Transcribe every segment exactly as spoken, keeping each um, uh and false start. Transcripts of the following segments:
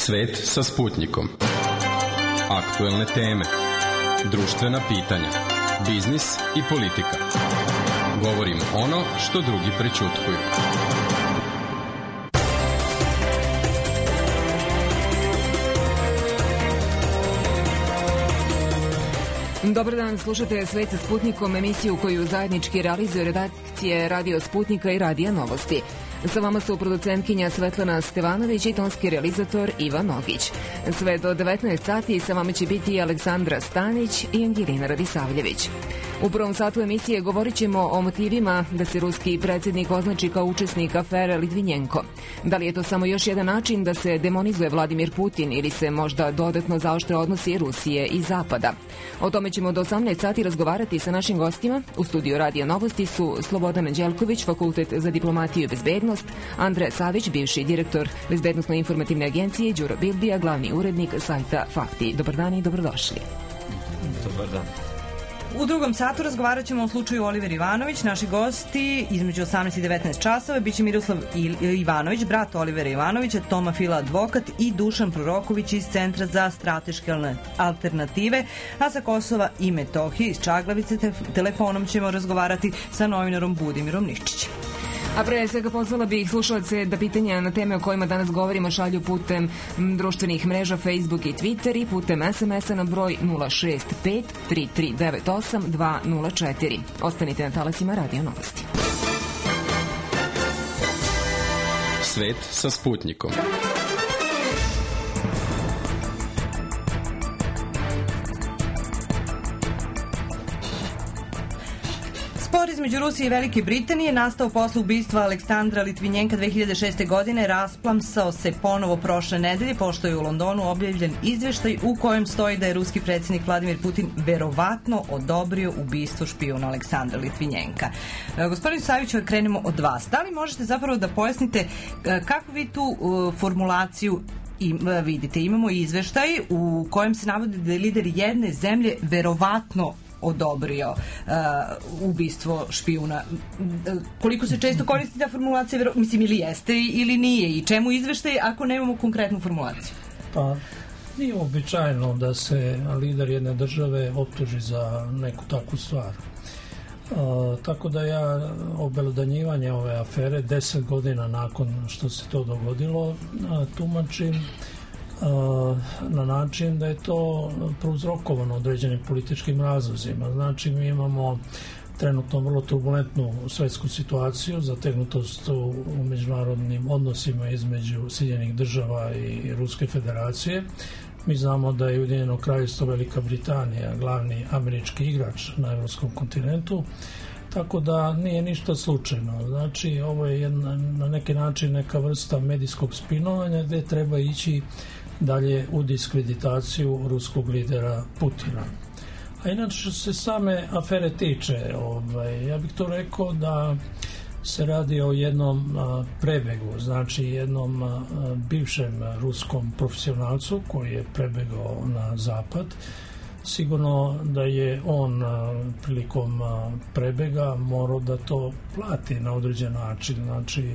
Svet sa Sputnikom. Aktuelne teme, društvena pitanja, biznis i politika. Govorimo ono što drugi prećutkuju. Dobar dan, slušate Svet sa Sputnikom, emisiju koju zajednički realizuje redakcije Radio Sputnika i Radija Novosti. Sa vama su producentkinja Svetlana Stevanović i tonski realizator Ivan Nogić. Sve do devetnaest sati sa vama će biti Aleksandra Stanić i Angelina Radisavljević. U prvom satu emisije govorit ćemo o motivima da se ruski predsjednik označi kao učesnik afere Litvinjenko. Da li je to samo još jedan način da se demonizuje Vladimir Putin ili se možda dodatno zaoštre odnosi Rusije i Zapada? O tome ćemo do osamnaest sati razgovarati sa našim gostima. U studiju Radija Novosti su Slobodan Anđelković, Fakultet za diplomatiju i bezbednost, Andrej Savić, bivši direktor Bezbednosno-informativne agencije, Đuro Bildija, glavni urednik sajta Fakti. Dobar dan i dobrodošli. Dobar dan. U drugom satu razgovarat ćemo o slučaju Oliver Ivanović. Naši gosti između osamnaest i devetnaest časova biće Miroslav Ivanović, brat Olivera Ivanovića, Toma Fila advokat i Dušan Proroković iz Centra za strateške alternative, a sa Kosova i Metohije iz Čaglavice te telefonom ćemo razgovarati sa novinarom Budimirom Niščićem. A pre svega pozvala bih slušalce da pitanja na teme o kojima danas govorimo šalju putem društvenih mreža Facebook i Twitter i putem es em es a na broj nula šest pet tri tri devet osam dva nula četiri. Ostanite na talasima Radio Novosti. Svet sa Sputnikom. Spor između Rusije i Velike Britanije nastao posle ubistva Aleksandra Litvinjenka dve hiljade šeste. godine rasplamsao se ponovo prošle nedelje, pošto je u Londonu objavljen izveštaj u kojem stoji da je ruski predsjednik Vladimir Putin verovatno odobrio ubistvo špijuna Aleksandra Litvinjenka. E, gospodin Savić, krenemo od vas. Da li možete zapravo da pojasnite kako vi tu uh, formulaciju I, vidite? Imamo izveštaj u kojem se navodi da je lider jedne zemlje verovatno odobrio uh, ubistvo špijuna. Koliko se često koristi ta formulacija, vero, mislim, ili jeste ili nije, i čemu izveštaj ako nemamo konkretnu formulaciju? Pa, nije običajno da se lider jedne države optuži za neku takvu stvar. Uh, tako da ja obelodanjivanje ove afere deset godina nakon što se to dogodilo uh, tumačim na način da je to prouzrokovano određenim političkim razlozima. Znači, mi imamo trenutno vrlo turbulentnu svetsku situaciju, zategnutost u međunarodnim odnosima između Sjedinjenih država i Ruske federacije. Mi znamo da je Ujedinjeno kraljevstvo Velika Britanija glavni američki igrač na evropskom kontinentu, tako da nije ništa slučajno. Znači, ovo je jedna, na neki način neka vrsta medijskog spinovanja gde treba ići dalje u diskreditaciju ruskog lidera Putina. A inače, što se same afere tiče, ovaj, ja bih to rekao da se radi o jednom a, prebegu, znači jednom a, bivšem ruskom profesionalcu koji je prebegao na zapad. Sigurno da je on a, prilikom a, prebega morao da to plati na određen način, znači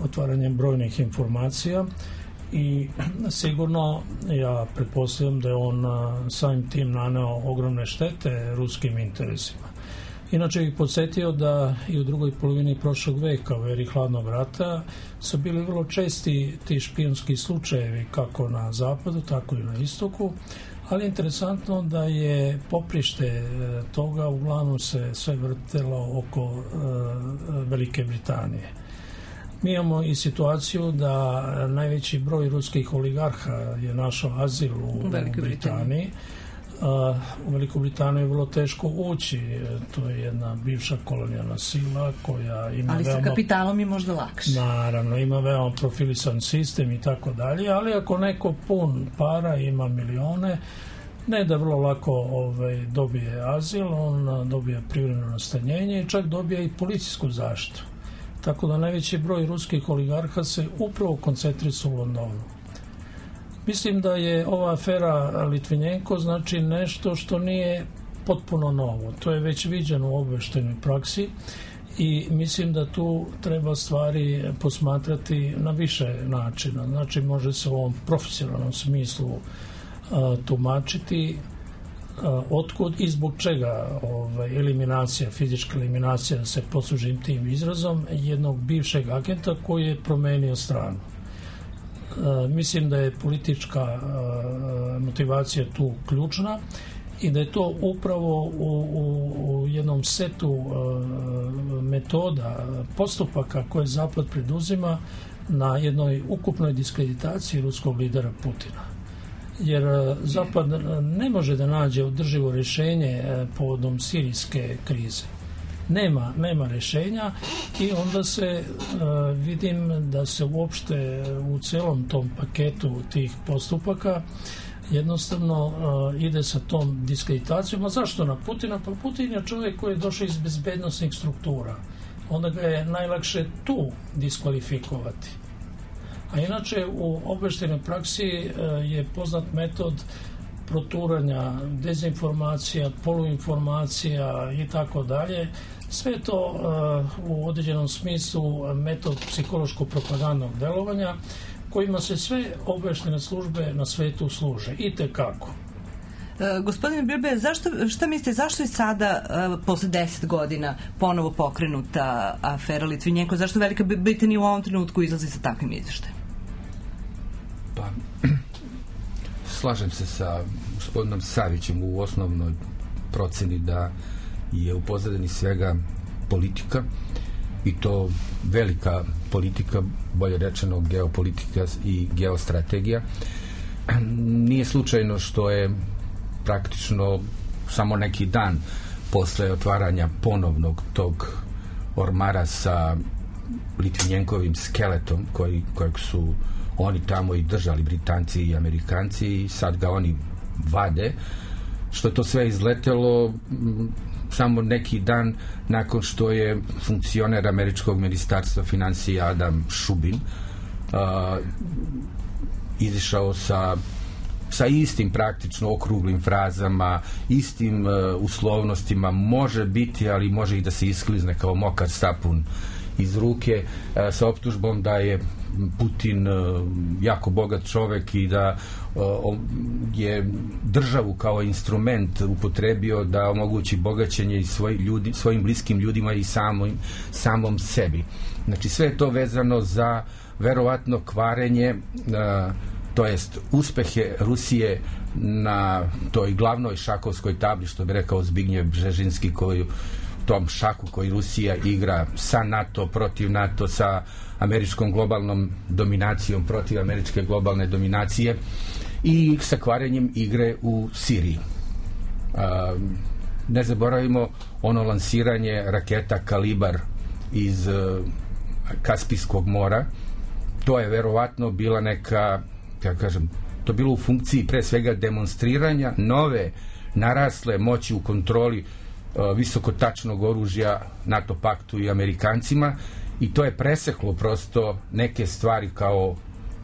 otvaranjem brojnih informacija, i sigurno ja pretpostavljam da je on samim tim naneo ogromne štete ruskim interesima. Inače bih podsjetio da i u drugoj polovini prošlog veka, u eri hladnog rata, su bili vrlo česti ti špijunski slučajevi kako na zapadu, tako i na istoku, ali je interesantno da je poprište toga uglavnom se sve vrtelo oko uh, Velike Britanije. Mi imamo i situaciju da najveći broj ruskih oligarha je našao azil u, u Britaniji. Britaniji. Uh, u Veliku Britaniju je vrlo teško ući. To je jedna bivša kolonijalna sila koja ima ali veoma... sa kapitalom je možda lakše. Naravno, ima veoma profilisan sistem i tako dalje, ali ako neko pun para, ima milione, ne da vrlo lako ovaj, dobije azil, on dobije privremeno nastanjenje i čak dobije i policijsku zaštitu. Tako da najveći broj ruskih oligarha se upravo koncentrisu u Londonu. Mislim da je ova afera Litvinjenko znači nešto što nije potpuno novo. To je već viđeno u obaveštajnoj praksi, I mislim da tu treba stvari posmatrati na više načina. Znači, može se u ovom profesionalnom smislu a, tumačiti a, otkud i zbog čega ovaj, eliminacija, fizička eliminacija, se poslužim tim izrazom, jednog bivšeg agenta koji je promenio stranu. A, mislim da je politička a, motivacija tu ključna i da je to upravo u, u, u jednom setu uh, metoda, postupaka koje Zapad preduzima na jednoj ukupnoj diskreditaciji ruskog lidera Putina. Jer uh, Zapad ne može da nađe održivo rješenje uh, povodom sirijske krize. Nema, nema rješenja i onda se uh, vidim da se uopšte u celom tom paketu tih postupaka jednostavno uh, ide sa tom diskreditacijom. A zašto na Putina? Pa Putin je čovjek koji je došao iz bezbednosnih struktura. Onda ga je najlakše tu diskvalifikovati. A inače u obavještajnoj praksi uh, je poznat metod proturanja dezinformacija, poluinformacija i tako dalje. Sve to uh, u određenom smislu metod psihološko-propagandnog delovanja kojima se sve obavještajne službe na svetu služe. I tekako. E, gospodine Bilbe, zašto, šta mislite, zašto je sada, e, posle deset godina, ponovo pokrenuta afera Litvinjenko? Zašto Velika Britanija u ovom trenutku izlazi sa takvim izveštajem? Pa, slažem se sa gospodinom Savićem u osnovnoj proceni da je u pozadini svega politika, i to velika politika, bolje rečeno geopolitika i geostrategija. Nije slučajno što je praktično samo neki dan posle otvaranja ponovnog tog ormara sa Litvinjenkovim skeletom koji, kojeg su oni tamo i držali, Britanci i Amerikanci, i sad ga oni vade, što je to sve izletelo samo neki dan nakon što je funkcioner američkog ministarstva financija Adam Šubin uh, izišao sa sa istim praktično okruglim frazama, istim uh, uslovnostima, može biti, ali može i da se isklizne kao mokar sapun iz ruke, uh, sa optužbom da je Putin uh, jako bogat čovek i da uh, je državu kao instrument upotrebio da omogući bogaćenje i svoj ljudi, svojim bliskim ljudima i samom, samom sebi. Znači sve je to vezano za verovatno kvarenje, uh, to jest uspehe Rusije na toj glavnoj šakovskoj tabli, što bi rekao Zbignjev Bžežinski, koju tom šaku koji Rusija igra sa NATO protiv NATO, sa američkom globalnom dominacijom protiv američke globalne dominacije i sa kvarenjem igre u Siriji. A, ne zaboravimo ono lansiranje raketa Kalibar iz uh, Kaspijskog mora. To je verovatno bila neka, kako kažem, to bilo u funkciji pre svega demonstriranja nove narasle moći u kontroli uh, visokotačnog oružja NATO paktu i Amerikancima, i to je preseklo prosto neke stvari kao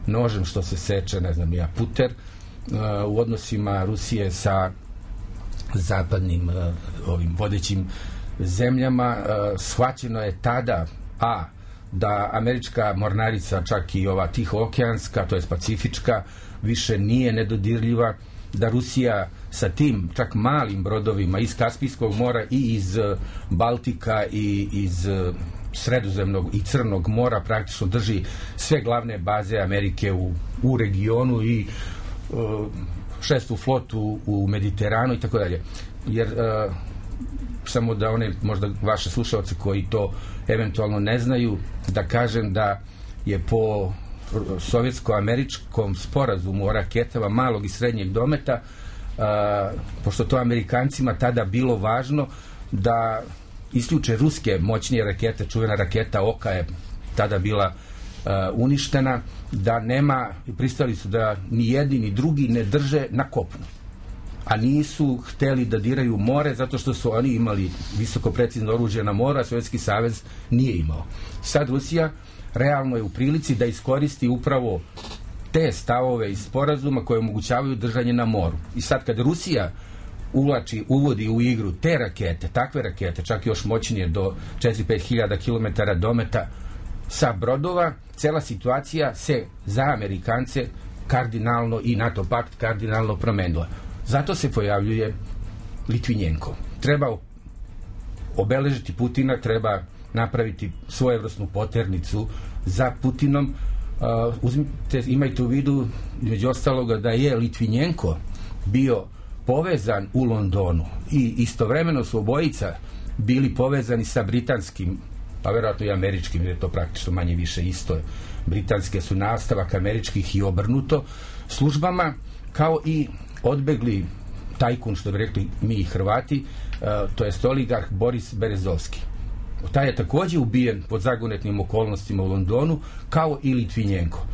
nožem što se seče, ne znam ja, puter, uh, u odnosima Rusije sa zapadnim uh, ovim vodećim zemljama. Uh, shvaćeno je tada a da američka mornarica, čak i ova tihookeanska, to je pacifička, više nije nedodirljiva, da Rusija sa tim čak malim brodovima iz Kaspijskog mora i iz Baltika i iz Sredozemnog i Crnog mora praktično drži sve glavne baze Amerike u, u regionu i uh, šestu flotu u Mediteranu i tako dalje. Jer uh, samo da one, možda vaše slušalce koji to eventualno ne znaju, da kažem da je po sovjetsko-američkom sporazumu o raketama malog i srednjeg dometa, uh, pošto to Amerikancima tada bilo važno da isključe ruske moćnije rakete, čuvena raketa Oka je tada bila uh, uništena, da nema, pristali su da ni jedni ni drugi ne drže na kopnu, a nisu hteli da diraju more zato što su oni imali visoko precizno oružje na moru, a Sovjetski savez nije imao. Sad Rusija realno je u prilici da iskoristi upravo te stavove iz sporazuma koje omogućavaju držanje na moru. I sad kad Rusija uvlači, uvodi u igru te rakete, takve rakete, čak još moćnije do četiri do pet hiljada kilometara dometa sa brodova, cela situacija se za Amerikance kardinalno i NATO pakt kardinalno promenila. Zato se pojavljuje Litvinjenko. Treba obeležiti Putina, treba napraviti svojevrsnu poternicu za Putinom. Uh, uzmite, imajte u vidu, među ostaloga, da je Litvinjenko bio povezan u Londonu i istovremeno su obojica bili povezani sa britanskim, pa vjerojatno i američkim, jer je to praktično manje više isto. Britanske su nastavak američkih i obrnuto službama, kao i odbegli tajkun, što bi rekli mi i Hrvati, uh, to jest oligarh Boris Berezovski. Taj je također ubijen pod zagonetnim okolnostima u Londonu, kao i Litvinjenko.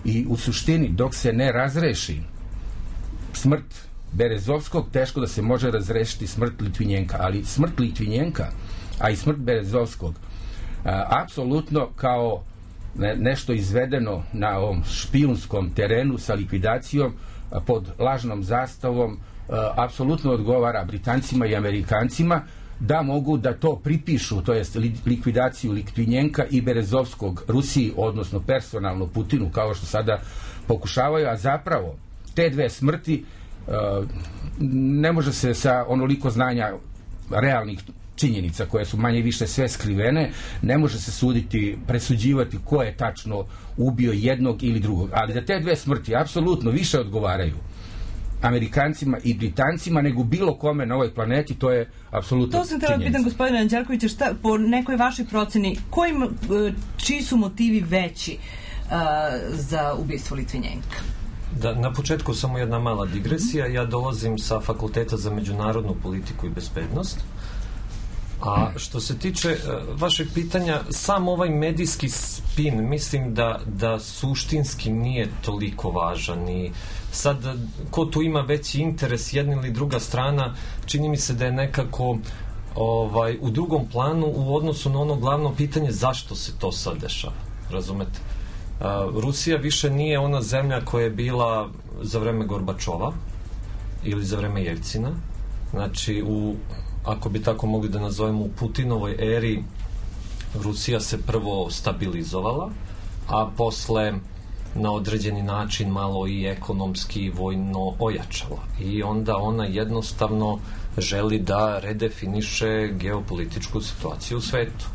I u suštini, dok se ne razreši smrt Berezovskog, teško da se može razrešiti smrt Litvinjenka. Ali smrt Litvinjenka, a i smrt Berezovskog, a, apsolutno kao ne, nešto izvedeno na ovom špijunskom terenu sa likvidacijom a, pod lažnom zastavom, a, apsolutno odgovara Britancima i Amerikancima da mogu da to pripišu, to jest likvidaciju Litvinjenka i Berezovskog Rusiji, odnosno personalno Putinu, kao što sada pokušavaju, a zapravo te dve smrti uh, ne može se sa onoliko znanja realnih činjenica koje su manje više sve skrivene, ne može se suditi, presuđivati ko je tačno ubio jednog ili drugog, ali da te dve smrti apsolutno više odgovaraju Amerikancima i Britancima nego bilo kome na ovoj planeti, to je apsolutno činjenica. To sam treba pitan gospodina Anđelkovića, šta, po nekoj vašoj proceni, kojim, čiji su motivi veći uh, za ubistvo Litvinjenka? Da, na početku samo jedna mala digresija. Ja dolazim sa Fakulteta za međunarodnu politiku i bezbednost. A što se tiče uh, vašeg pitanja, sam ovaj medijski spin, mislim da, da suštinski nije toliko važan i sad, ko tu ima veći interes, jedna ili druga strana, čini mi se da je nekako ovaj, u drugom planu u odnosu na ono glavno pitanje zašto se to sad dešava. Razumete? Uh, Rusija više nije ona zemlja koja je bila za vreme Gorbačova ili za vreme Jelcina. Znači, u, ako bi tako mogli da nazovemo, u Putinovoj eri Rusija se prvo stabilizovala, a posle na određeni način malo i ekonomski i vojno ojačala. I onda ona jednostavno želi da redefiniše geopolitičku situaciju u svetu.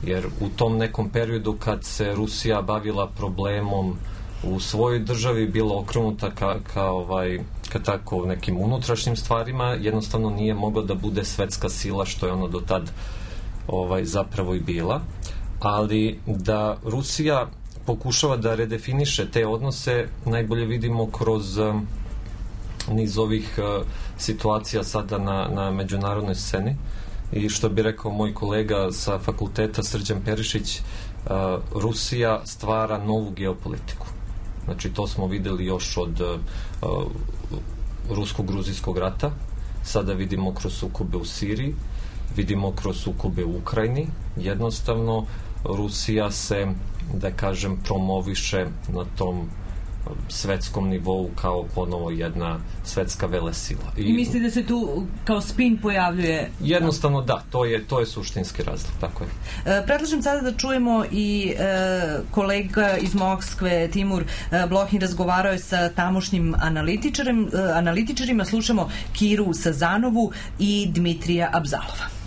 Jer u tom nekom periodu kad se Rusija bavila problemom u svojoj državi, bila okrenuta ka, ka, ovaj, ka tako nekim unutrašnjim stvarima, jednostavno nije mogla da bude svetska sila, što je ona do tad ovaj, zapravo i bila. Ali da Rusija pokušava da redefiniše te odnose, najbolje vidimo kroz um, niz ovih uh, situacija sada na, na međunarodnoj sceni. I što bi rekao moj kolega sa fakulteta Srđan Perišić, uh, Rusija stvara novu geopolitiku. Znači, to smo videli još od uh, rusko-gruzijskog rata, sada vidimo kroz sukobe u Siriji, vidimo kroz sukobe u Ukrajini. Jednostavno, Rusija se, da kažem, promoviše na tom svetskom nivou kao ponovo jedna svetska velesila. I, I misli da se tu kao spin pojavljuje? Jednostavno da, to je, to je suštinski razlog, tako je. E, predlažem sada da čujemo i e, kolega iz Moskve, Timur e, Blohin, razgovarao je sa tamošnjim analitičarem, e, analitičarima, slušamo Kiru Sazanovu i Dmitrija Abzalova.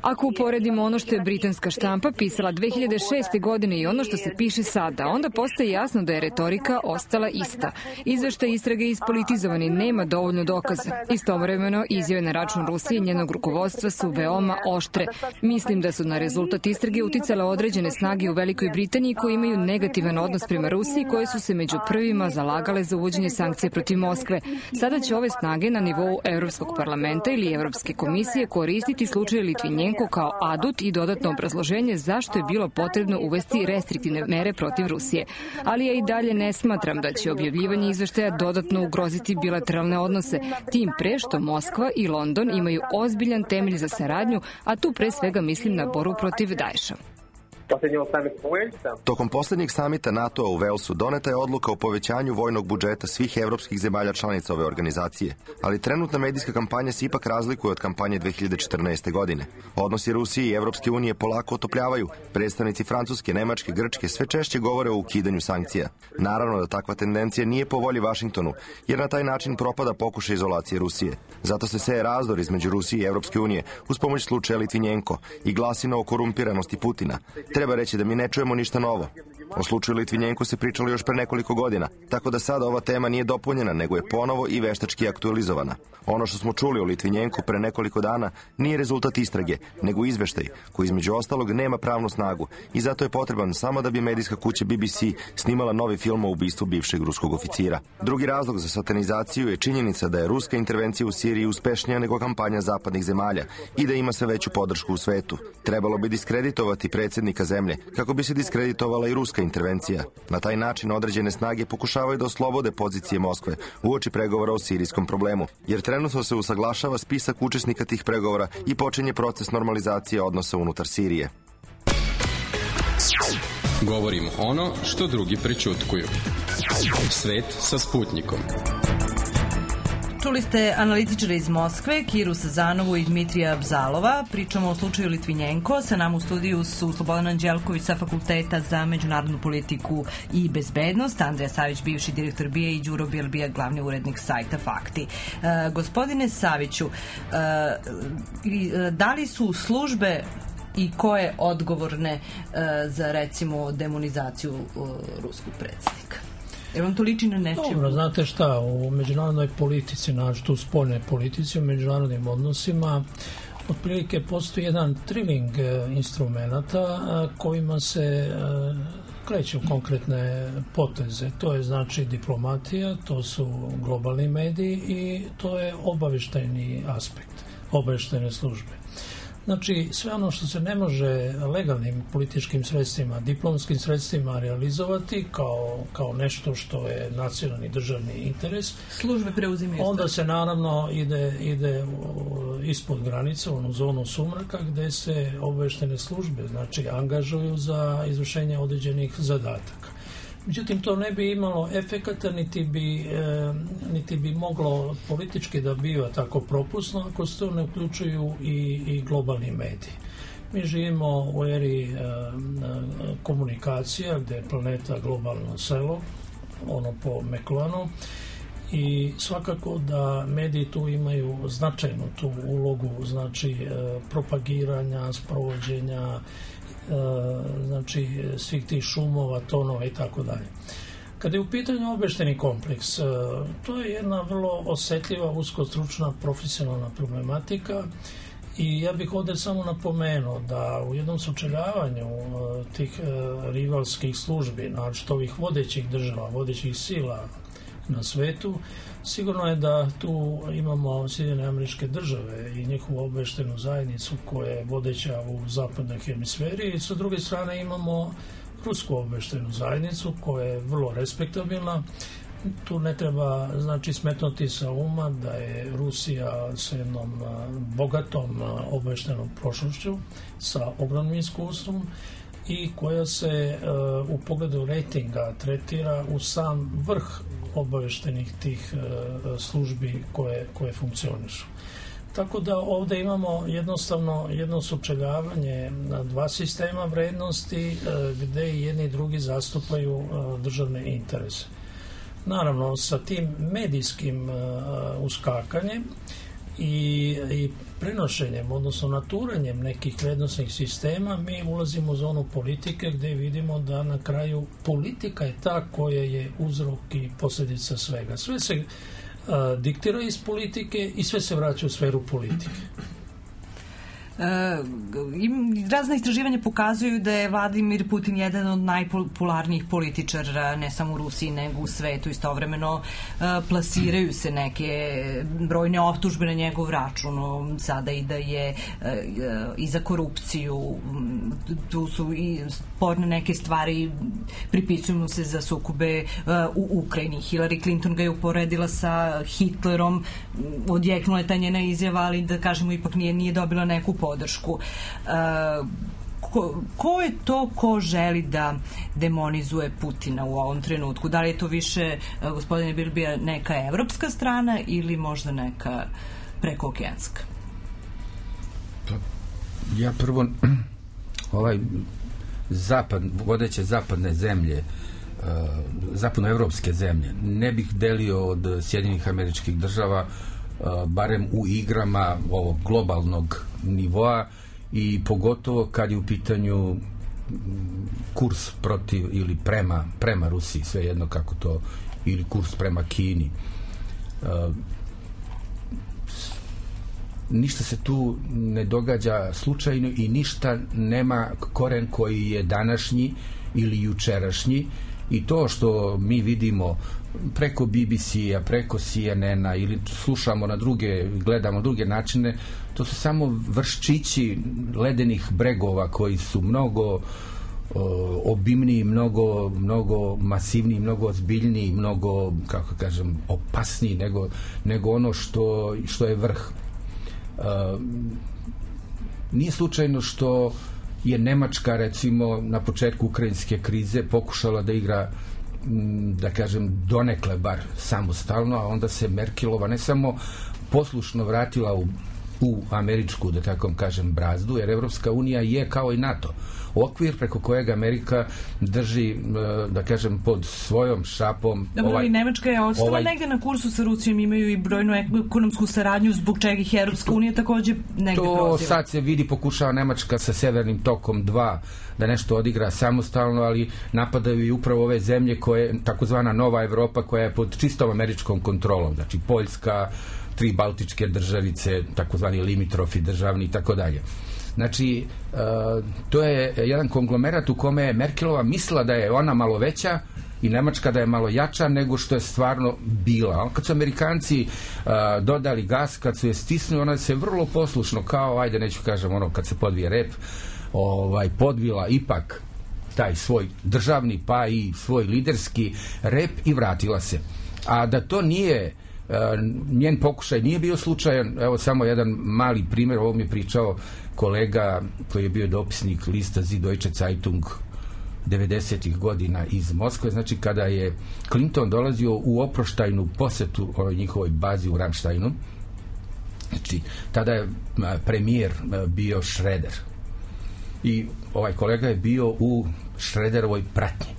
Ako uporedimo ono što je britanska štampa pisala dve hiljade šeste. godine i ono što se piše sada, onda postaje jasno da je retorika ostala ista. Izveštaj istrage je ispolitizovani, nema dovoljno dokaza. Istovremeno, izjave na račun Rusije i njenog rukovodstva su veoma oštre. Mislim da su na rezultat istrage uticale određene snage u Velikoj Britaniji koji imaju negativan odnos prema Rusiji, koje su se među prvima zalagale za uvođenje sankcija protiv Moskve. Sada će ove snage na nivou Evropskog parlamenta ili Evropske komisije koristiti slučaj Litvinjenko kao adut i dodatno obrazloženje zašto je bilo potrebno uvesti restriktivne mere protiv Rusije. Ali ja i dalje ne smatram da će objavljivanje izveštaja dodatno ugroziti bilateralne odnose, tim pre što Moskva i London imaju ozbiljan temelj za saradnju, a tu pre svega mislim na borbu protiv Daesha. Tokom posljednjeg samita NATO-a u Walesu doneta je odluka o povećanju vojnog budžeta svih evropskih zemalja članica ove organizacije, ali trenutna medijska kampanja se ipak razlikuje od kampanje dve hiljade četrnaeste. godine. Odnosi Rusije i Evropske unije polako otopljavaju. Predstavnici Francuske, Nemačke, Grčke sve češće govore o ukidanju sankcija. Naravno da takva tendencija nije po volji Vašingtonu, jer na taj način propada pokušaj izolacije Rusije. Zato se seje razdor između Rusije i Evropske unije uz pomoć slučaja Litvinjenko i glasina o korumpiranosti Putina. Treba reći da mi ne čujemo ništa novo. O slučaju Litvinjenko se pričalo još pre nekoliko godina, tako da sada ova tema nije dopunjena, nego je ponovo i veštački aktualizovana. Ono što smo čuli o Litvinjenku pre nekoliko dana nije rezultat istrage, nego izveštaj, koji između ostalog nema pravnu snagu i zato je potreban samo da bi medijska kuća B B C snimala novi film o ubistvu bivšeg ruskog oficira. Drugi razlog za satanizaciju je činjenica da je ruska intervencija u Siriji uspešnija nego kampanja zapadnih zemalja i da ima sve veću podršku u svetu. Trebalo bi diskreditovati predsjednika zemlje, kako bi se diskreditovala i ruska intervencija. Na taj način određene snage pokušavaju da oslobode pozicije Moskve uoči pregovora o sirijskom problemu, jer trenutno se usaglašava spisak učesnika tih pregovora i počinje proces normalizacije odnosa unutar Sirije. Govorimo ono što drugi prećutkuju. Svet sa Sputnikom. Čuli ste analitičara iz Moskve, Kiru Sazanovu i Dmitrija Bzalova. Pričamo o slučaju Litvinjenko. Sa nama u studiju su Slobodan Anđelković sa Fakulteta za međunarodnu politiku i bezbednost, Andrija Savić, bivši direktor B I A i Đuro Bielbija, glavni urednik sajta Fakti. E, gospodine Saviću, e, da li su službe i koje odgovorne e, za, recimo, demonizaciju e, ruskog predsjednika? Jer vam to liči na nečemu? Dobro, znate šta, u međunarodnoj politici, znači tu spoljnoj politici, u međunarodnim odnosima, otprilike postoji jedan triling instrumenata kojima se kreću konkretne poteze. To je znači diplomatija, to su globalni mediji i to je obavještajni aspekt, obavještajne službe. Znači, sve ono što se ne može legalnim političkim sredstvima, diplomskim sredstvima realizovati kao, kao nešto što je nacionalni državni interes, službe preuzimaju. Onda se naravno ide, ide ispod granice, u onu zonu sumraka, gde se obavještajne službe, znači, angažuju za izvršenje određenih zadataka. Međutim, to ne bi imalo efekata, niti bi, e, niti bi moglo politički da biva tako propusno ako se to ne uključuju i, i globalni mediji. Mi živimo u eri e, komunikacija, gde je planeta globalno selo, ono po Meklanu, i svakako da mediji tu imaju značajnu tu ulogu, znači e, propagiranja, sprovođenja, znači svih tih šumova, tonova i tako dalje. Kada je u pitanju obavještajni kompleks, to je jedna vrlo osjetljiva, uskostručna, profesionalna problematika i ja bih ovdje samo napomenuo da u jednom sučeljavanju tih rivalskih službi, znači ovih vodećih država, vodećih sila na svetu, sigurno je da tu imamo Sjedinjene Američke Države i njihovu obavještajnu zajednicu koja je vodeća u zapadnoj hemisferi i sa druge strane imamo rusku obavještajnu zajednicu koja je vrlo respektabilna. Tu ne treba znači smetnuti sa uma da je Rusija sa jednom bogatom obavještajnom prošlošću, sa ogromnim iskustvom i koja se uh, u pogledu rejtinga tretira u sam vrh obavještenih tih uh, službi koje, koje funkcionišu. Tako da ovdje imamo jednostavno jedno sučeljavanje na dva sistema vrednosti uh, gdje jedni i drugi zastupaju uh, državne interese. Naravno, sa tim medijskim uh, uskakanjem i, i prenošenjem, odnosno naturanjem nekih vrednostnih sistema, mi ulazimo u zonu politike gdje vidimo da na kraju politika je ta koja je uzrok i posljedica svega. Sve se uh, diktira iz politike i sve se vraća u sferu politike. Uh, razna istraživanja pokazuju da je Vladimir Putin jedan od najpopularnijih političara ne samo u Rusiji nego u svetu. Istovremeno uh, plasiraju se neke brojne optužbe na njegov račun, sada i da je uh, i za korupciju, tu su i sporne neke stvari, pripisuju mu se za sukobe uh, u Ukrajini. Hillary Clinton ga je uporedila sa Hitlerom, odjeknula je ta njena izjava, ali da kažemo ipak nije, nije dobila neku podršku. ko, ko je to ko želi da demonizuje Putina u ovom trenutku? Da li je to više, gospodine Bilbija, neka evropska strana ili možda neka prekookeanska? Pa, ja prvo ovaj zapad, vodeće zapadne zemlje, zapadnoevropske zemlje, ne bih delio od Sjedinjenih Američkih Država, barem u igrama ovog globalnog nivoa, i pogotovo kad je u pitanju kurs protiv ili prema, prema Rusiji, svejedno kako to, ili kurs prema Kini. Ništa se tu ne događa slučajno i ništa nema koren koji je današnji ili jučerašnji, i to što mi vidimo preko B B C-a, preko C N N-a ili slušamo na druge, gledamo druge načine, to su samo vrščići ledenih bregova koji su mnogo o, obimniji, mnogo, mnogo masivniji, mnogo ozbiljniji, mnogo, kako kažem, opasniji nego, nego ono što, što je vrh. Uh, nije slučajno što je Nemačka, recimo, na početku ukrajinske krize pokušala da igra, da kažem, donekle bar samostalno, a onda se Merkelova ne samo poslušno vratila u, u američku, da tako kažem, brazdu, jer Evropska unija je kao i NATO okvir preko kojeg Amerika drži, da kažem, pod svojom šapom. Dobro, ovaj, i Nemačka je ostala ovaj, negde na kursu sa Rusijom, imaju i brojnu ekonomsku saradnju, zbog čega ih Evropska unija takođe negde to proziva. Sad se vidi, pokušava Nemačka sa Severnim tokom dva da nešto odigra samostalno, ali napadaju i upravo ove zemlje koje, takozvana Nova Evropa, koja je pod čistom američkom kontrolom, znači Poljska, tri baltičke državice, takozvani limitrofi državni i tako dalje. Znači, uh, to je jedan konglomerat u kome je Merkelova mislila da je ona malo veća i Nemačka da je malo jača nego što je stvarno bila. Kad su Amerikanci uh, dodali gas, kad su je stisnuli, ona se vrlo poslušno, kao, ajde, neću kažem, ono, kad se podvije rep, ovaj, podvila ipak taj svoj državni, pa i svoj liderski rep i vratila se. A da to nije, uh, njen pokušaj nije bio slučajan, evo samo jedan mali primjer, ovo mi je pričao kolega koji je bio dopisnik lista Süddeutsche Zeitung devedesetih godina iz Moskve, znači kada je Clinton dolazio u oproštajnu posetu ovoj njihovoj bazi u Ramsteinu, znači tada je premijer bio Schröder i ovaj kolega je bio u Schröderovoj pratnji.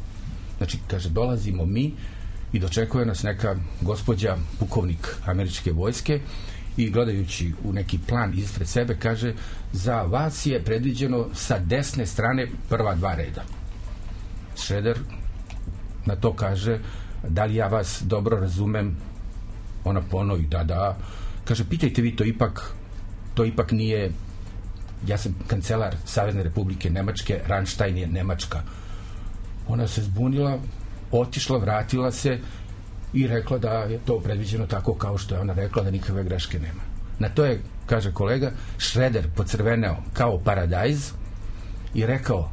Znači, kaže, dolazimo mi i dočekuje nas neka gospođa pukovnik američke vojske i gledajući u neki plan ispred sebe kaže, za vas je predviđeno sa desne strane prva dva reda. Schröder na to kaže, da li ja vas dobro razumem? Ona ponovi, da, da. Kaže, pitajte vi to ipak, to ipak nije, ja sam kancelar Savezne Republike Nemačke, Ramstein je Nemačka. Ona se zbunila, otišla, vratila se i rekla da je to predviđeno tako kao što je ona rekla, da nikakve greške nema. Na to je, kaže kolega, Schröder pocrveneo kao paradajz i rekao,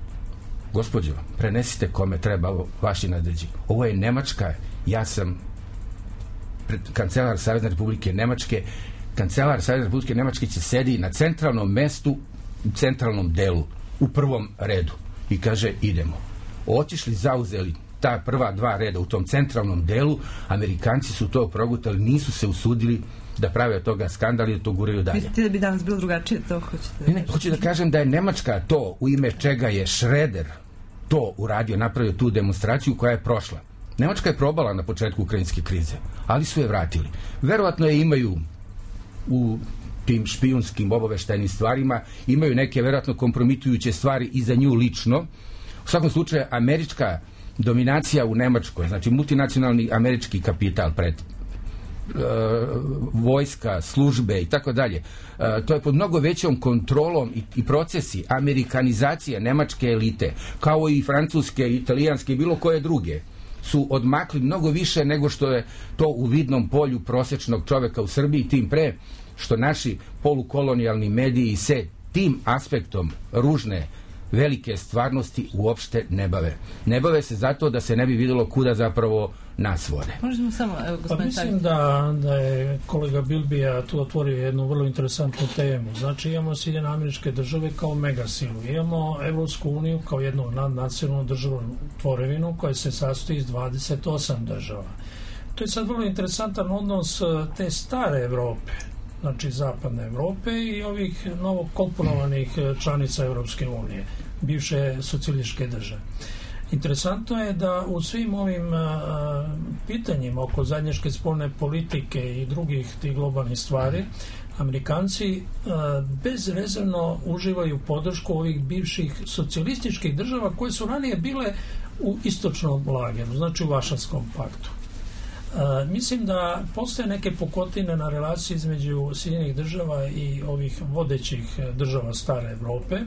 gospođo, prenesite kome treba vaši nadređi. Ovo je Nemačka, ja sam kancelar Savezne Republike Nemačke, kancelar Savezne Republike Nemačke će sedi na centralnom mestu, u centralnom delu, u prvom redu. I kaže, idemo. Otišli, zauzeli ta prva dva reda u tom centralnom delu, Amerikanci su to progutali, nisu se usudili da prave od toga skandal i da to guraju dalje. Mislite da bi danas bilo drugačije, to hoćete? Ne, ne, hoću da kažem da je Nemačka to, u ime čega je Schröder to uradio, napravio tu demonstraciju koja je prošla. Nemačka je probala na početku ukrajinske krize, ali su je vratili. Verovatno je imaju u tim špijunskim obaveštajnim stvarima, imaju neke verovatno kompromitujuće stvari i za nju lično. U svakom slučaju, američka dominacija u Nemačkoj, znači multinacionalni američki kapital pred uh, vojska, službe i tako dalje, uh, to je pod mnogo većom kontrolom i, i procesi amerikanizacije nemačke elite, kao i francuske, italijanske i bilo koje druge, su odmakli mnogo više nego što je to u vidnom polju prosječnog čoveka u Srbiji, tim pre što naši polukolonijalni mediji se tim aspektom ružne velike stvarnosti uopšte ne bave. Ne bave se zato da se ne bi vidjelo kuda zapravo nas vode. Možemo samo, evo, pa mislim da, da je kolega Bilbija tu otvorio jednu vrlo interesantnu temu. Znači imamo Sjedinjene Američke Države kao megasilu, imamo Evropsku uniju kao jednu nadnacionalnu državnu tvorevinu koja se sastoji iz dvadeset osam država. To je sad vrlo interesantan odnos te stare Evrope, znači zapadne Evrope i ovih novokomponovanih članica Evropske unije, bivše socijalističke države. Interesantno je da u svim ovim a, pitanjima oko zajedničke spoljne politike i drugih tih globalnih stvari, Amerikanci a, bezrezervno uživaju podršku ovih bivših socijalističkih država koje su ranije bile u istočnom lageru, znači u Varšavskom paktu. A, mislim da postoje neke pukotine na relaciji između Sjedinjenih država i ovih vodećih država stare Evrope,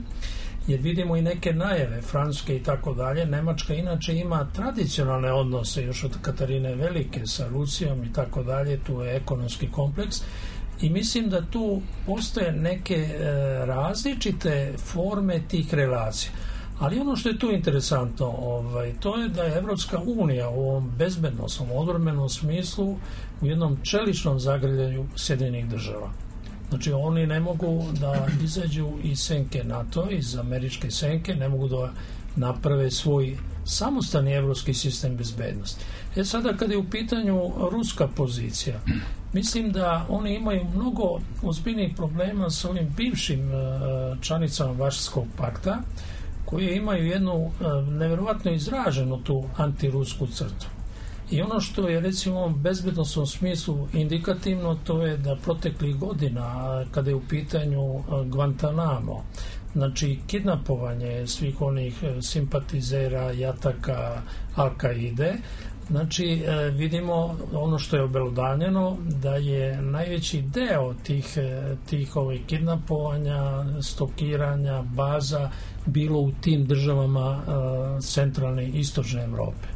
jer vidimo i neke najave Francuske i tako dalje. Nemačka inače ima tradicionalne odnose još od Katarine Velike sa Rusijom i tako dalje, tu je ekonomski kompleks i mislim da tu postoje neke e, različite forme tih relacija. Ali ono što je tu interesantno, ovaj, to je da je Evropska unija u ovom bezbednosnom, odbrambenom smislu u jednom čeličnom zagrljaju Sjedinjenih država. Znači oni ne mogu da izađu iz senke NATO, iz američke senke, ne mogu da naprave svoj samostalni evropski sistem bezbednosti. E sada kada je u pitanju ruska pozicija, mislim da oni imaju mnogo ozbiljnih problema sa ovim bivšim članicama Varšavskog pakta, koje imaju jednu nevjerovatno izraženu tu antirusku crtu. I ono što je recimo u ovom bezbednosnom smislu indikativno, to je da proteklih godina, kada je u pitanju Guantanamo, znači kidnapovanje svih onih simpatizera, jataka, Al-Kaide, znači vidimo ono što je obelodanjeno, da je najveći deo tih, tih ovih kidnapovanja, stokiranja, baza bilo u tim državama centralne i istočne Evrope.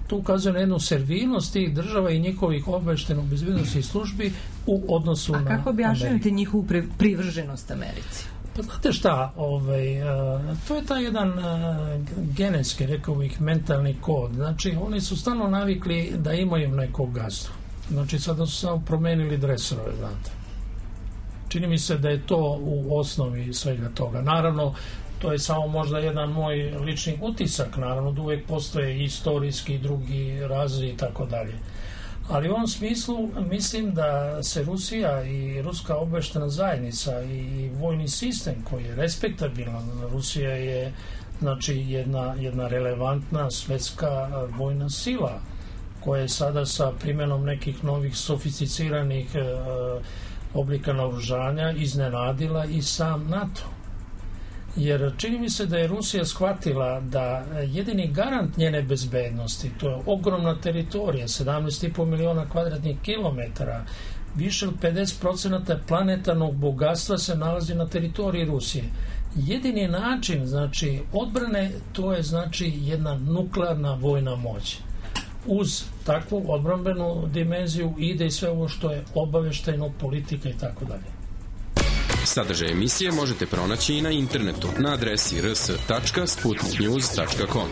To ukazuje na jednu servilnost tih država i njihovih obavještajno bezbednosnih službi u odnosu na Ameriku. A kako objašnjavate njihovu privrženost Americi? Pa znate šta, ovaj, a, to je taj jedan a, genetski, rekao bih, mentalni kod. Znači, oni su stalno navikli da imaju nekog gazdu. Znači, sada su samo promenili dresove, znate. Čini mi se da je to u osnovi svega toga. Naravno, to je samo možda jedan moj lični utisak, naravno da uvijek postoje istorijski i drugi razvoj i tako dalje. Ali u ovom smislu mislim da se Rusija i ruska obavještajna zajednica i vojni sistem koji je respektabilan, Rusija je znači jedna, jedna relevantna svetska vojna sila koja je sada sa primjenom nekih novih sofisticiranih e, oblika naoružanja iznenadila i sam NATO. Jer čini mi se da je Rusija shvatila da jedini garant njene bezbednosti, to je ogromna teritorija, sedamnaest i po miliona kvadratnih kilometara, više od pedeset procenata planetarnog bogatstva se nalazi na teritoriji Rusije. Jedini način, znači, odbrane, to je, znači, jedna nuklearna vojna moć. Uz takvu odbrambenu dimenziju ide i sve ovo što je obavještajno, politika i tako dalje. Sadržaj emisije možete pronaći i na internetu na adresi r s tačka sputnik news tačka com.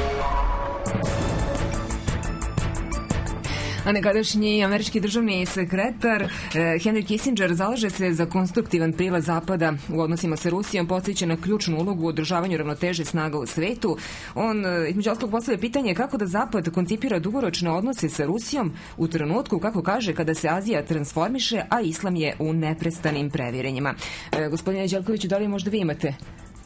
A nekadašnji američki državni sekretar eh, Henry Kissinger zalaže se za konstruktivan prilaz Zapada u odnosima sa Rusijom, podsjeća na ključnu ulogu u održavanju ravnoteže snaga u svetu. On, eh, između ostalog, postavlja pitanje kako da Zapad koncipira dugoročne odnose sa Rusijom u trenutku, kako kaže, kada se Azija transformiše, a Islam je u neprestanim previrenjima. Eh, gospodine Đelkoviću, da li možda vi imate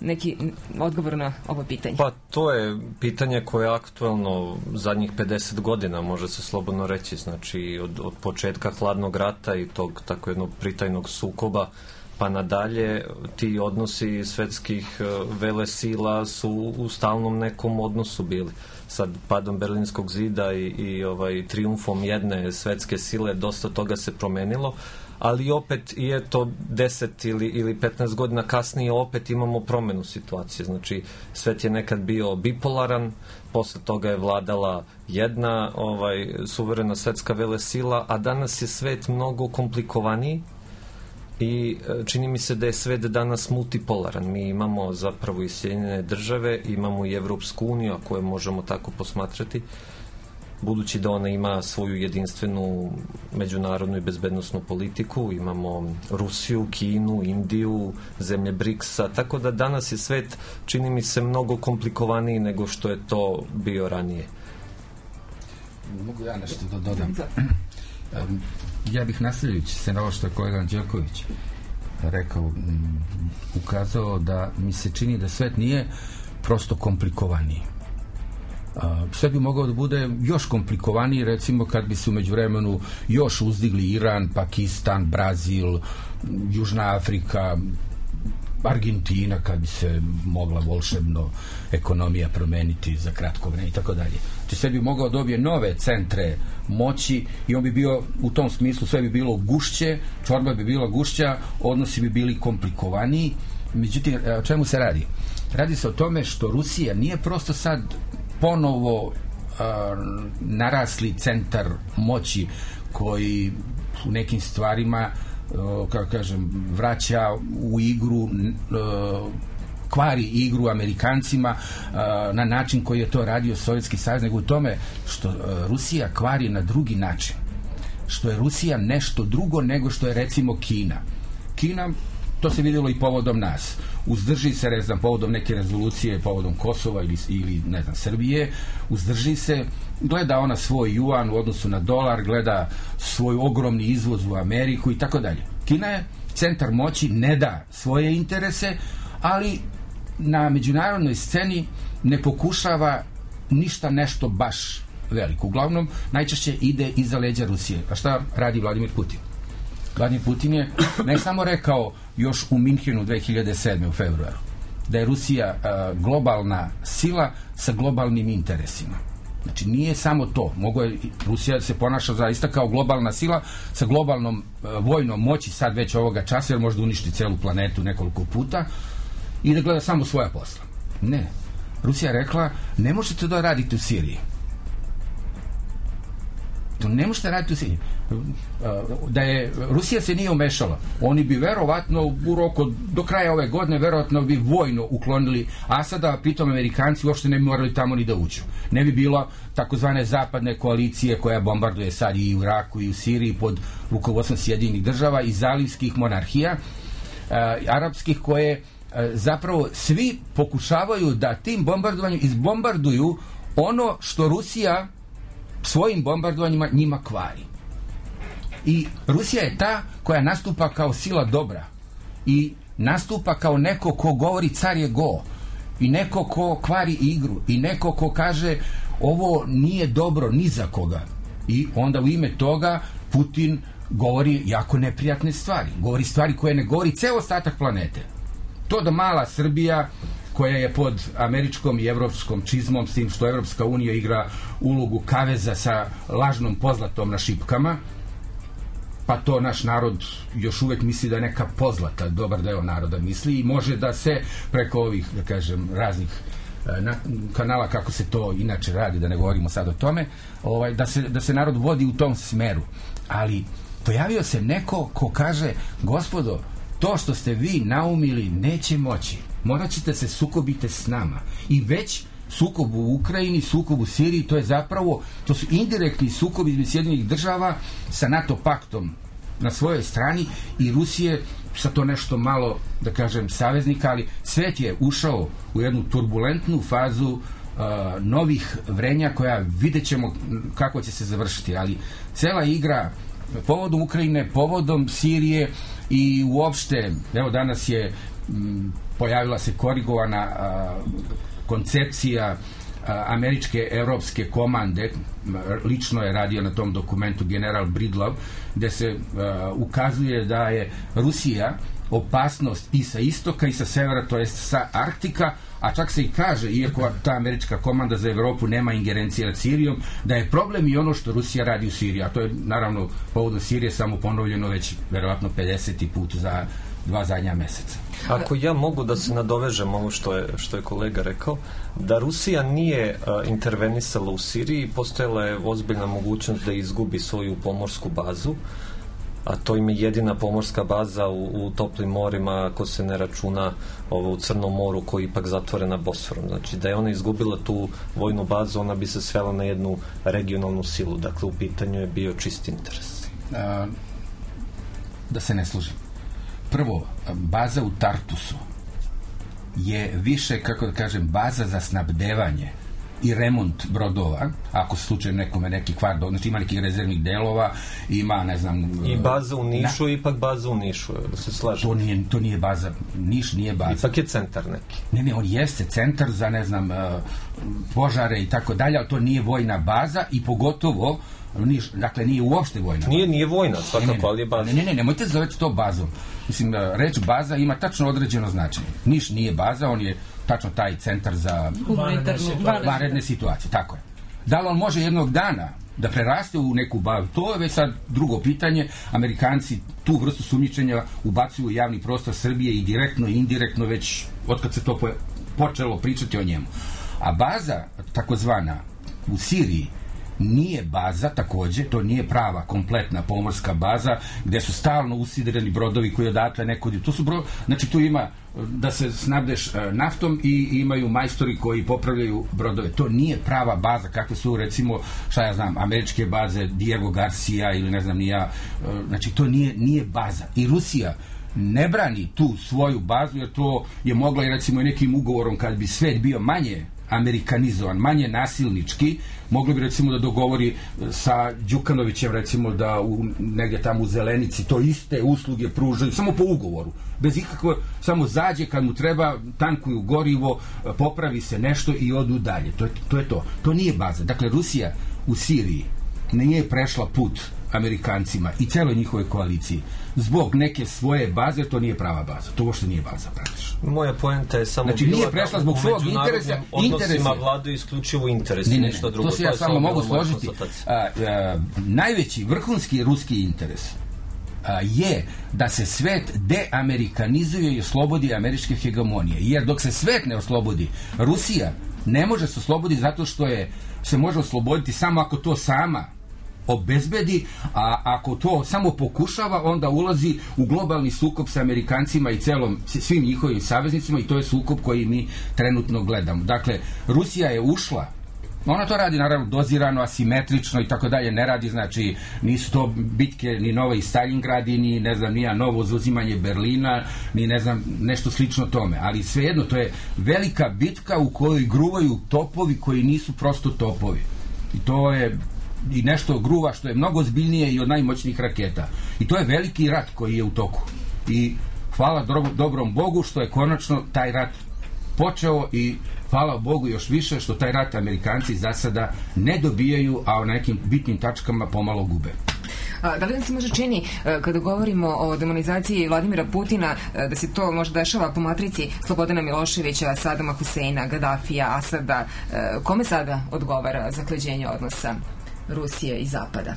neki odgovor na ovo pitanje? Pa to je pitanje koje je aktuelno zadnjih pedeset godina, može se slobodno reći, znači od, od početka hladnog rata i tog tako jednog pritajnog sukoba pa nadalje, ti odnosi svetskih velesila su u stalnom nekom odnosu bili. Sad padom Berlinskog zida i, i ovaj trijumfom jedne svetske sile dosta toga se promenilo, ali opet i eto deset ili, ili petnaest godina kasnije opet imamo promenu situacije. Znači, svet je nekad bio bipolaran, posle toga je vladala jedna ovaj, suverena svetska velesila, a danas je svet mnogo komplikovaniji i čini mi se da je svet danas multipolaran. Mi imamo zapravo i Sjedinjene države, imamo i Evropsku uniju, a koje možemo tako posmatrati, budući da ona ima svoju jedinstvenu međunarodnu i bezbednosnu politiku, imamo Rusiju, Kinu, Indiju, zemlje briksa, tako da danas je svet, čini mi se, mnogo komplikovaniji nego što je to bio ranije. Mogu ja nešto da dodam? Ja bih nastavljajući se na ovo što je kolega Anđelković rekao, ukazao da mi se čini da svet nije prosto komplikovaniji. Sve bi mogao da bude još komplikovaniji, recimo kad bi se u međuvremenu još uzdigli Iran, Pakistan, Brazil, Južna Afrika, Argentina, kad bi se mogla volšebno ekonomija promeniti za kratko vreme i tako dalje. Znači sve bi mogao dobije nove centre moći i on bi bio u tom smislu, sve bi bilo gušće, čorba bi bila gušća, odnosi bi bili komplikovaniji. Međutim, o čemu se radi? Radi se o tome što Rusija nije prosto sad ponovo uh, narasli centar moći koji u nekim stvarima uh, kako kažem, vraća u igru uh, kvari igru Amerikancima uh, na način koji je to radio Sovjetski savez, nego u tome što uh, Rusija kvari na drugi način, što je Rusija nešto drugo nego što je recimo Kina. Kina, to se vidjelo i povodom nas, uzdrži se, ne znam, povodom neke rezolucije, povodom Kosova ili, ili ne znam, Srbije, uzdrži se, gleda ona svoj juan u odnosu na dolar, gleda svoj ogromni izvoz u Ameriku i tako dalje. Kina je centar moći, ne da svoje interese, ali na međunarodnoj sceni ne pokušava ništa nešto baš veliko. Uglavnom, najčešće ide iza leđa Rusije. A šta radi Vladimir Putin? Vladimir Putin je ne samo rekao još u Minhenu dve hiljade sedme u februaru da je Rusija uh, globalna sila sa globalnim interesima. Znači nije samo to, mogo je Rusija se ponaša zaista kao globalna sila sa globalnom uh, vojnom moći sad već ovoga časa, jer možda uništi celu planetu nekoliko puta i da gleda samo svoja posla. Ne. Rusija rekla, ne možete da radite u Siriji. To ne možete raditi u Siriji. Da je Rusija se nije umešala, oni bi verovatno u roku do kraja ove godine verovatno bi vojno uklonili Asada, a pritom Amerikanci uopšte ne bi morali tamo ni da uđu. Ne bi bilo takozvane zapadne koalicije koja bombarduje sad i u Iraku i u Siriji pod rukovodstvom Sjedinjenih država i zalivskih monarhija uh, arapskih, koje uh, zapravo svi pokušavaju da tim bombardovanjem izbombarduju ono što Rusija svojim bombardovanjima njima kvari. I Rusija je ta koja nastupa kao sila dobra i nastupa kao neko ko govori car je go i neko ko kvari igru i neko ko kaže ovo nije dobro ni za koga, i onda u ime toga Putin govori jako neprijatne stvari, govori stvari koje ne govori ceo ostatak planete. To da mala Srbija koja je pod američkom i evropskom čizmom, s tim što Evropska unija igra ulogu kaveza sa lažnom pozlatom na šipkama, pa to naš narod još uvek misli da je neka pozlata, dobar deo naroda misli, i može da se preko ovih, da kažem, raznih na, kanala, kako se to inače radi, da ne govorimo sad o tome, ovaj, da, se, da se narod vodi u tom smeru. Ali pojavio se neko ko kaže, gospodo, to što ste vi naumili neće moći, morat ćete se sukobite s nama. I već sukob u Ukrajini, sukob u Siriji, to je zapravo, to su indirektni sukob između Sjedinjenih država sa NATO paktom na svojoj strani i Rusije sa to nešto malo, da kažem, saveznika, ali svet je ušao u jednu turbulentnu fazu uh, novih vrenja koja vidjet ćemo kako će se završiti, ali cela igra povodom Ukrajine, povodom Sirije i uopšte, evo danas je m, pojavila se korigovana uh, koncepcija američke evropske komande, lično je radio na tom dokumentu general Bridlov, gde se uh, ukazuje da je Rusija opasnost i sa istoka i sa severa, to jest sa Arktika, a čak se i kaže, iako ta američka komanda za Evropu nema ingerencije nad Sirijom, da je problem i ono što Rusija radi u Siriji, a to je naravno povodom Sirije samo ponovljeno već verovatno pedeseti put za dva zadnja meseca. Ako ja mogu da se nadovežem ovo što je, što je kolega rekao, da Rusija nije uh, intervenisala u Siriji, postojala je ozbiljna mogućnost da izgubi svoju pomorsku bazu a to im je jedina pomorska baza u, u toplim morima, ako se ne računa ovo u Crnom moru koji je ipak zatvorena Bosforom. Znači da je ona izgubila tu vojnu bazu, ona bi se svela na jednu regionalnu silu. Dakle, u pitanju je bio čist interes. A, da se ne služim. Prvo, baza u Tartusu je više, kako da kažem, baza za snabdevanje i remont brodova, ako se slučaju nekome neki kvar, znači ima nekih rezervnih delova, ima, ne znam... I baza u Nišu, na, ipak baza u Nišu, da se slažem. To nije, to nije baza, Niš nije baza. Ipak je centar neki. Ne, ne, on jeste centar za, ne znam, požare i tako dalje, ali to nije vojna baza i pogotovo Niš, dakle, nije uopšte vojna. Nije, nije vojna, svakako, ne, ne, ali je baza. Ne, ne, ne, nemojte zoveti to bazom. Mislim, reč baza ima tačno određeno značenje. Niš nije baza, on je tačno taj centar za vanredne situacije. Tako je. Da li on može jednog dana da preraste u neku bazu? To je već sad drugo pitanje. Amerikanci tu vrstu sumnjičenja ubacuju u javni prostor Srbije i direktno i indirektno već otkad se to počelo pričati o njemu. A baza, takozvana, u Siriji, nije baza, takođe, to nije prava kompletna pomorska baza gde su stalno usidreni brodovi koji odatle neko... To su bro... Znači tu ima da se snabdeš naftom i imaju majstori koji popravljaju brodove. To nije prava baza kakve su, recimo, šta ja znam, američke baze Diego Garcia ili ne znam ni ja. Znači to nije, nije baza. I Rusija ne brani tu svoju bazu jer to je mogla i recimo i nekim ugovorom kad bi svet bio manje amerikanizovan, manje nasilnički, mogli bi recimo da dogovori sa Đukanovićem recimo da u, negdje tamo u Zelenici to iste usluge pružaju, samo po ugovoru, bez ikakvo, samo zađe kad mu treba, tankuju gorivo, popravi se nešto i odu dalje. To je to. Je to. To nije baza. Dakle, Rusija u Siriji nije prešla put Amerikancima i celoj njihovoj koaliciji zbog neke svoje baze, to nije prava baza. To uopšte nije baza, praktično. Moja poenta je samo znači, bila nije prešla zbog svog interesa. Odnosima vlade isključivo interesi, ne, ne, ništa drugo. To se ja to samo mogu složiti. A, a, najveći, vrhunski ruski interes a, je da se svet deamerikanizuje i oslobodi američke hegemonije. Jer dok se svet ne oslobodi, Rusija ne može se osloboditi zato što je se može osloboditi samo ako to sama obezbedi, a ako to samo pokušava, onda ulazi u globalni sukob sa Amerikancima i celom, svim njihovim saveznicima i to je sukob koji mi trenutno gledamo. Dakle, Rusija je ušla, ona to radi naravno dozirano, asimetrično i tako dalje, ne radi, znači nisu to bitke ni Novi Stalingradi, ni ne znam, nija novo zauzimanje Berlina, ni ne znam, nešto slično tome, ali svejedno to je velika bitka u kojoj gruvaju topovi koji nisu prosto topovi. I to je i nešto gruva što je mnogo ozbiljnije i od najmoćnijih raketa. I to je veliki rat koji je u toku. I hvala dobrom Bogu što je konačno taj rat počeo i hvala Bogu još više što taj rat Amerikanci za sada ne dobijaju, a o nekim bitnim tačkama pomalo gube. Da li nam se može čini, kada govorimo o demonizaciji Vladimira Putina, da se to možda dešava po matrici Slobodana Miloševića, Sadama Huseina, Gaddafija, Asada? Kome sada odgovara zaklađenje odnosa Rusije i Zapada?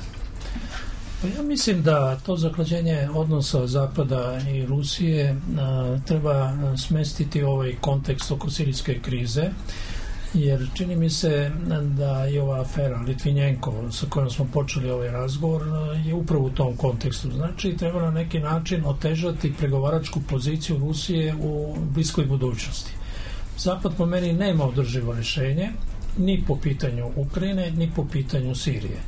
Pa ja mislim da to zaklađenje odnosa Zapada i Rusije a, treba smestiti ovaj kontekst oko sirijske krize, jer čini mi se da je ova afera Litvinjenko sa kojom smo počeli ovaj razgovor je upravo u tom kontekstu. Znači, treba na neki način otežati pregovaračku poziciju Rusije u bliskoj budućnosti. Zapad po meni nema održivo rješenje ni po pitanju Ukrajine, ni po pitanju Sirije.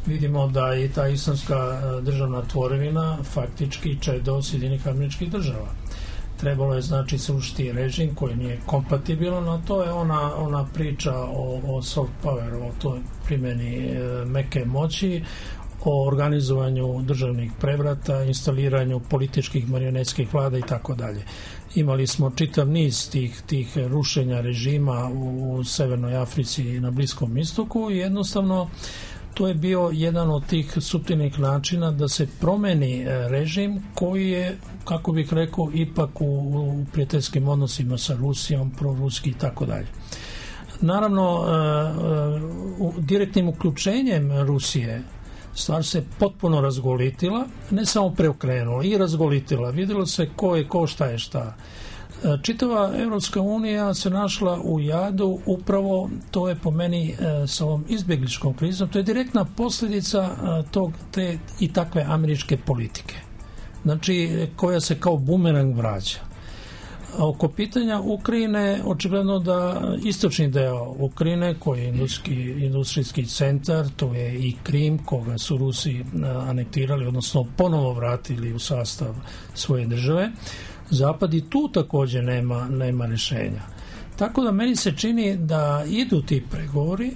Vidimo da je ta islamska državna tvorevina faktički čedo Sjedinjenih Američkih Država. Trebalo je, znači, srušiti režim koji nije kompatibilan, a to je ona, ona priča o, o soft power, o toj primjeni e, meke moći, o organizovanju državnih prevrata, instaliranju političkih marionetskih vlada i tako dalje. Imali smo čitav niz tih, tih rušenja režima u, u Severnoj Africi i na Bliskom istoku i jednostavno to je bio jedan od tih suptilnih načina da se promeni režim koji je, kako bih rekao, ipak u, u prijateljskim odnosima sa Rusijom, proruski i tako dalje. Naravno, u direktnim uključenjem Rusije stvar se potpuno razgolitila, ne samo preokrenula, i razgolitila. Vidjelo se ko je ko, šta je šta. Čitava Evropska unija se našla u jadu, upravo to je po meni e, sa ovom izbjegličkom krizom, to je direktna posljedica e, tog, te i takve američke politike, znači koja se kao bumerang vraća. A oko pitanja Ukrajine, očigledno da istočni deo Ukrajine, koji je industrijski, industrijski centar, to je i Krim, koga su Rusi anektirali, odnosno ponovo vratili u sastav svoje države, Zapad i tu također nema, nema rješenja. Tako da meni se čini da idu ti pregovori.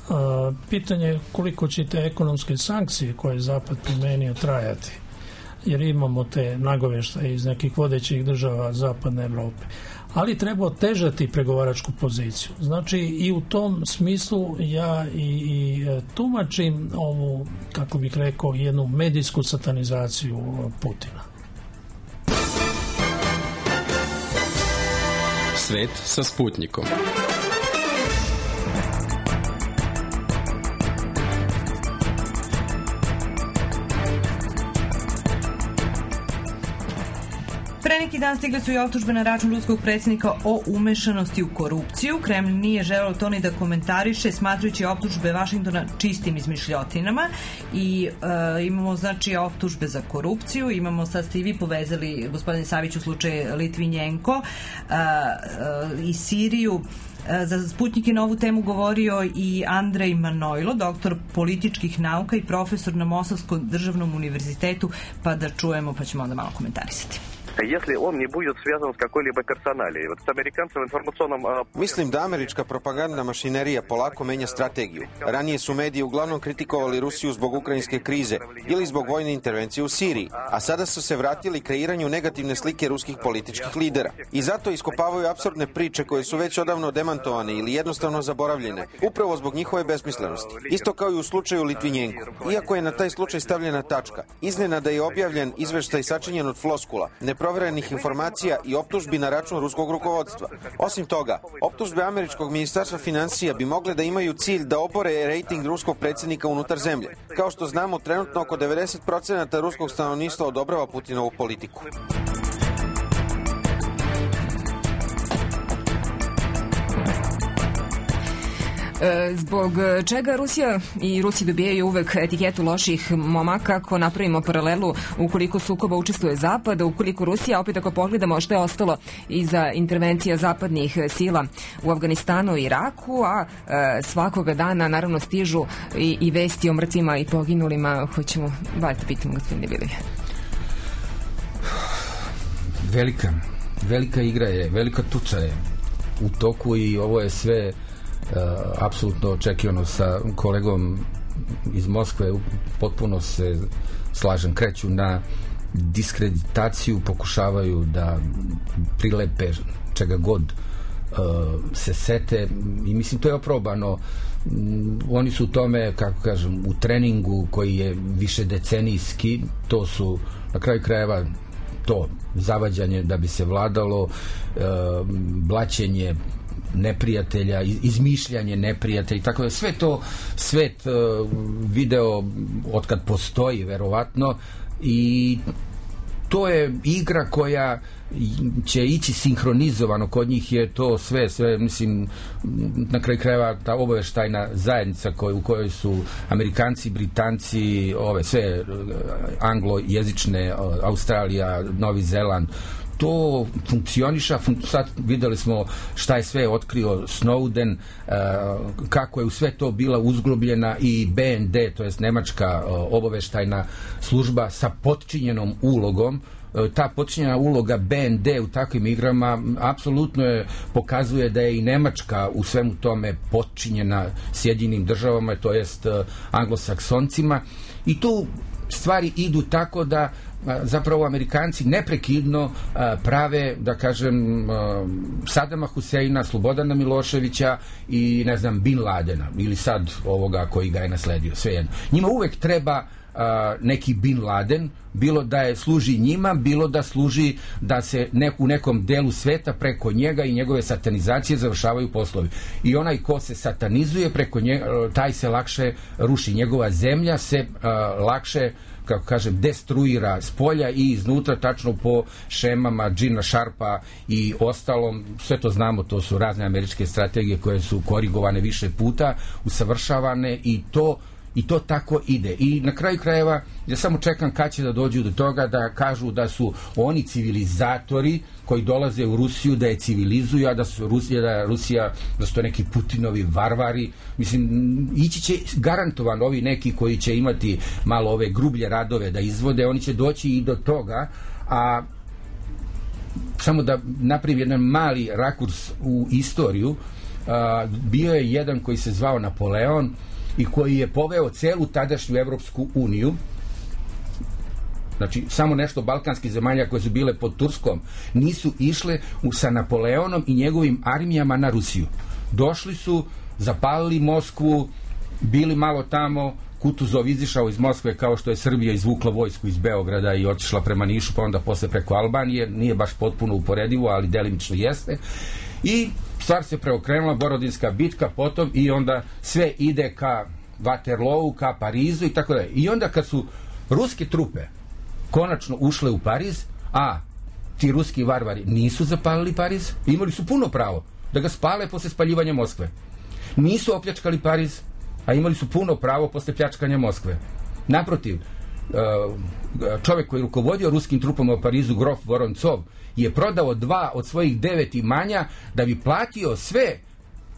A, pitanje je koliko će te ekonomske sankcije koje je Zapad primenio trajati, jer imamo te nagovještaje iz nekih vodećih država Zapadne Evrope. Ali treba otežati pregovaračku poziciju. Znači i u tom smislu ja i, i tumačim ovu, kako bih rekao, jednu medijsku satanizaciju Putina. Svet sa Sputnikom. Pre neki dan stigle su i optužbe na račun ruskog predsjednika o umešanosti u korupciju. Kreml nije želeo to ni da komentariše, smatrajući optužbe Vašingtona čistim izmišljotinama. I e, imamo znači optužbe za korupciju. Imamo, sad ste i vi povezali, gospodine Savić, u slučaju Litvinjenko e, e, i Siriju. Za Sputnik je na ovu temu govorio i Andrej Manojlo, doktor političkih nauka i profesor na Mosovskom državnom univerzitetu, pa da čujemo, pa ćemo onda malo komentarisati. Если он не будет связан с какой-либо персоналией. Вот с американцем в информационном... Mislim da američka propagandna mašinerija polako menja strategiju. Ranije su mediji uglavnom kritikovali Rusiju zbog ukrajinske krize ili zbog vojne intervencije u Siriji, a sada su se vratili kreiranju negativne slike ruskih političkih lidera. I zato iskopavaju apsurdne priče koje su već odavno demantovane ili jednostavno zaboravljene, upravo zbog njihove besmislenosti. Isto kao i u slučaju Litvinjenko. Iako je na taj slučaj stavljena tačka, iznenada je objavljen izveštaj sačinjen od floskula, neproverenih informacija i optužbi na račun ruskog rukovodstva. Osim toga, optužbe američkog ministarstva financija bi mogle da imaju cilj da obore rejting ruskog predsjednika unutar zemlje. Kao što znamo, trenutno oko devedeset procenata ruskog stanovništva odobrava Putinovu politiku. Zbog čega Rusija i Rusi dobijaju uvek etiketu loših momaka, ako napravimo paralelu, ukoliko sukoba učestvuje Zapad, ukoliko Rusija, opet ako pogledamo što je ostalo iza intervencija zapadnih sila u Afganistanu i Iraku, a e, svakoga dana naravno stižu i, i vesti o mrtvima i poginulima. Hoćemo, valjda pitamo gospodine Bilivije. Velika, velika igra je, velika tuča je u toku i ovo je sve Uh, apsolutno očekivano. Sa kolegom iz Moskve potpuno se slažem, kreću na diskreditaciju, pokušavaju da prilepe čega god uh, se sete i mislim to je oprobano. Um, oni su u tome, kako kažem, u treningu koji je više decenijski, to su na kraju krajeva to zavađanje da bi se vladalo, uh, blaćenje neprijatelja, izmišljanje neprijatelja, tako da sve to svet uh, video otkad postoji verovatno i to je igra koja će ići sinhronizovano, kod njih je to sve, sve mislim, na kraju krajeva ta obaveštajna zajednica koj, u kojoj su Amerikanci, Britanci, ove sve anglojezične, Australija, Novi Zeland, to funkcioniša, fun- sad videli smo šta je sve otkrio Snowden, uh, kako je u sve to bila uzglobljena i B N D, to jest nemačka uh, obaveštajna služba sa potčinjenom ulogom. Uh, ta potčinjena uloga B N D u takvim igrama apsolutno je, pokazuje da je i Nemačka u svemu tome potčinjena Sjedinjenim državama, to jest uh, anglosaksoncima, i tu stvari idu tako da zapravo Amerikanci neprekidno prave, da kažem, Sadama Huseina, Slobodana Miloševića i, ne znam, Bin Ladena ili sad ovoga koji ga je nasledio, svejedno. Njima uvek treba a, neki Bin Laden, bilo da je služi njima, bilo da služi da se ne, u nekom delu sveta preko njega i njegove satanizacije završavaju poslovi. I onaj ko se satanizuje preko njega, taj se lakše ruši. Njegova zemlja se a, lakše, kako kažem, destruira s polja i iznutra, tačno po šemama Gina Sharpa i ostalom. Sve to znamo, to su razne američke strategije koje su korigovane više puta, usavršavane i to I to tako ide. I na kraju krajeva, ja samo čekam kad će da dođu do toga da kažu da su oni civilizatori koji dolaze u Rusiju, da je civilizuju, a da su Rusija, da Rusija, da su to neki Putinovi varvari. Mislim, ići će garantovano ovi neki koji će imati malo ove grublje radove da izvode, oni će doći i do toga, a samo da napravim jedan mali rakurs u istoriju, a, bio je jedan koji se zvao Napoleon i koji je poveo celu tadašnju Evropsku uniju, znači samo nešto balkanskih zemalja koje su bile pod Turskom, nisu išle u, sa Napoleonom i njegovim armijama na Rusiju. Došli su, zapalili Moskvu, bili malo tamo, Kutuzov izišao iz Moskve kao što je Srbija izvukla vojsku iz Beograda i otišla prema Nišu, pa onda posle preko Albanije, nije baš potpuno uporedivo, ali delimično jeste. I stvar se preokrenula, Borodinska bitka potom, i onda sve ide ka Waterloo, ka Parizu i tako da. I onda kad su ruske trupe konačno ušle u Pariz, a ti ruski varvari nisu zapalili Pariz, imali su puno pravo da ga spale posle spaljivanja Moskve. Nisu opljačkali Pariz, a imali su puno pravo posle pljačkanja Moskve. Naprotiv, čovjek koji je rukovodio ruskim trupama u Parizu, grof Voroncov, je prodao dva od svojih devet imanja da bi platio sve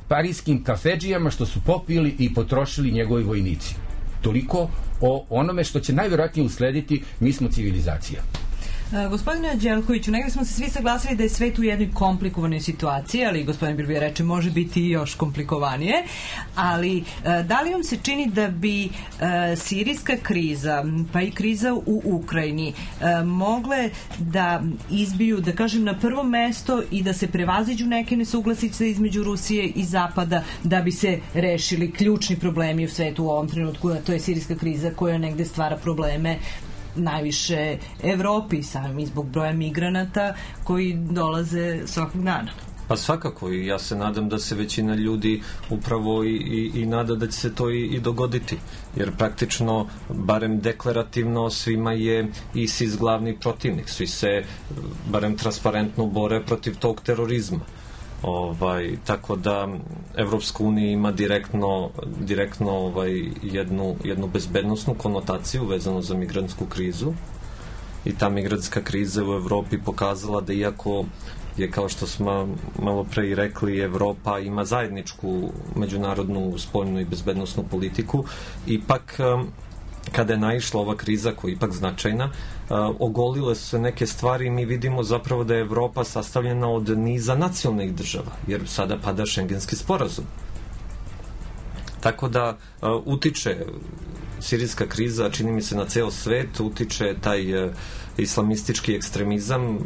parijskim kafedžijama što su popili i potrošili njegovi vojnici. Toliko o onome što će najvjerojatnije uslediti. Mi smo civilizacija. Gospodine Anđelkoviću, negdje smo se svi saglasili da je svet u jednoj komplikovanoj situaciji, ali gospodin Birbija reče može biti i još komplikovanije, ali da li vam se čini da bi sirijska kriza, pa i kriza u Ukrajini mogle da izbiju, da kažem, na prvo mesto i da se prevaziđu neke nesuglasice između Rusije i Zapada da bi se rešili ključni problemi u svetu u ovom trenutku, a to je sirijska kriza koja negde stvara probleme najviše Evropi, samim i zbog broja migranata koji dolaze svakog dana. Pa svakako, i ja se nadam da se većina ljudi upravo i, i, i nada da će se to i, i dogoditi, jer praktično, barem deklarativno, svima je ISIS glavni protivnik, svi se barem transparentno bore protiv tog terorizma. Ovaj, tako da Evropska unija ima direktno, direktno ovaj, jednu, jednu bezbednosnu konotaciju vezano za migrantsku krizu, i ta migrantska kriza u Evropi pokazala da iako je, kao što smo malo pre i rekli, Evropa ima zajedničku međunarodnu spoljnu i bezbednosnu politiku, ipak kada je naišla ova kriza koja je ipak značajna, ogolile su se neke stvari i mi vidimo zapravo da je Evropa sastavljena od niza nacionalnih država, jer sada pada Šengenski sporazum. Tako da utiče sirijska kriza, čini mi se, na ceo svet, utiče taj islamistički ekstremizam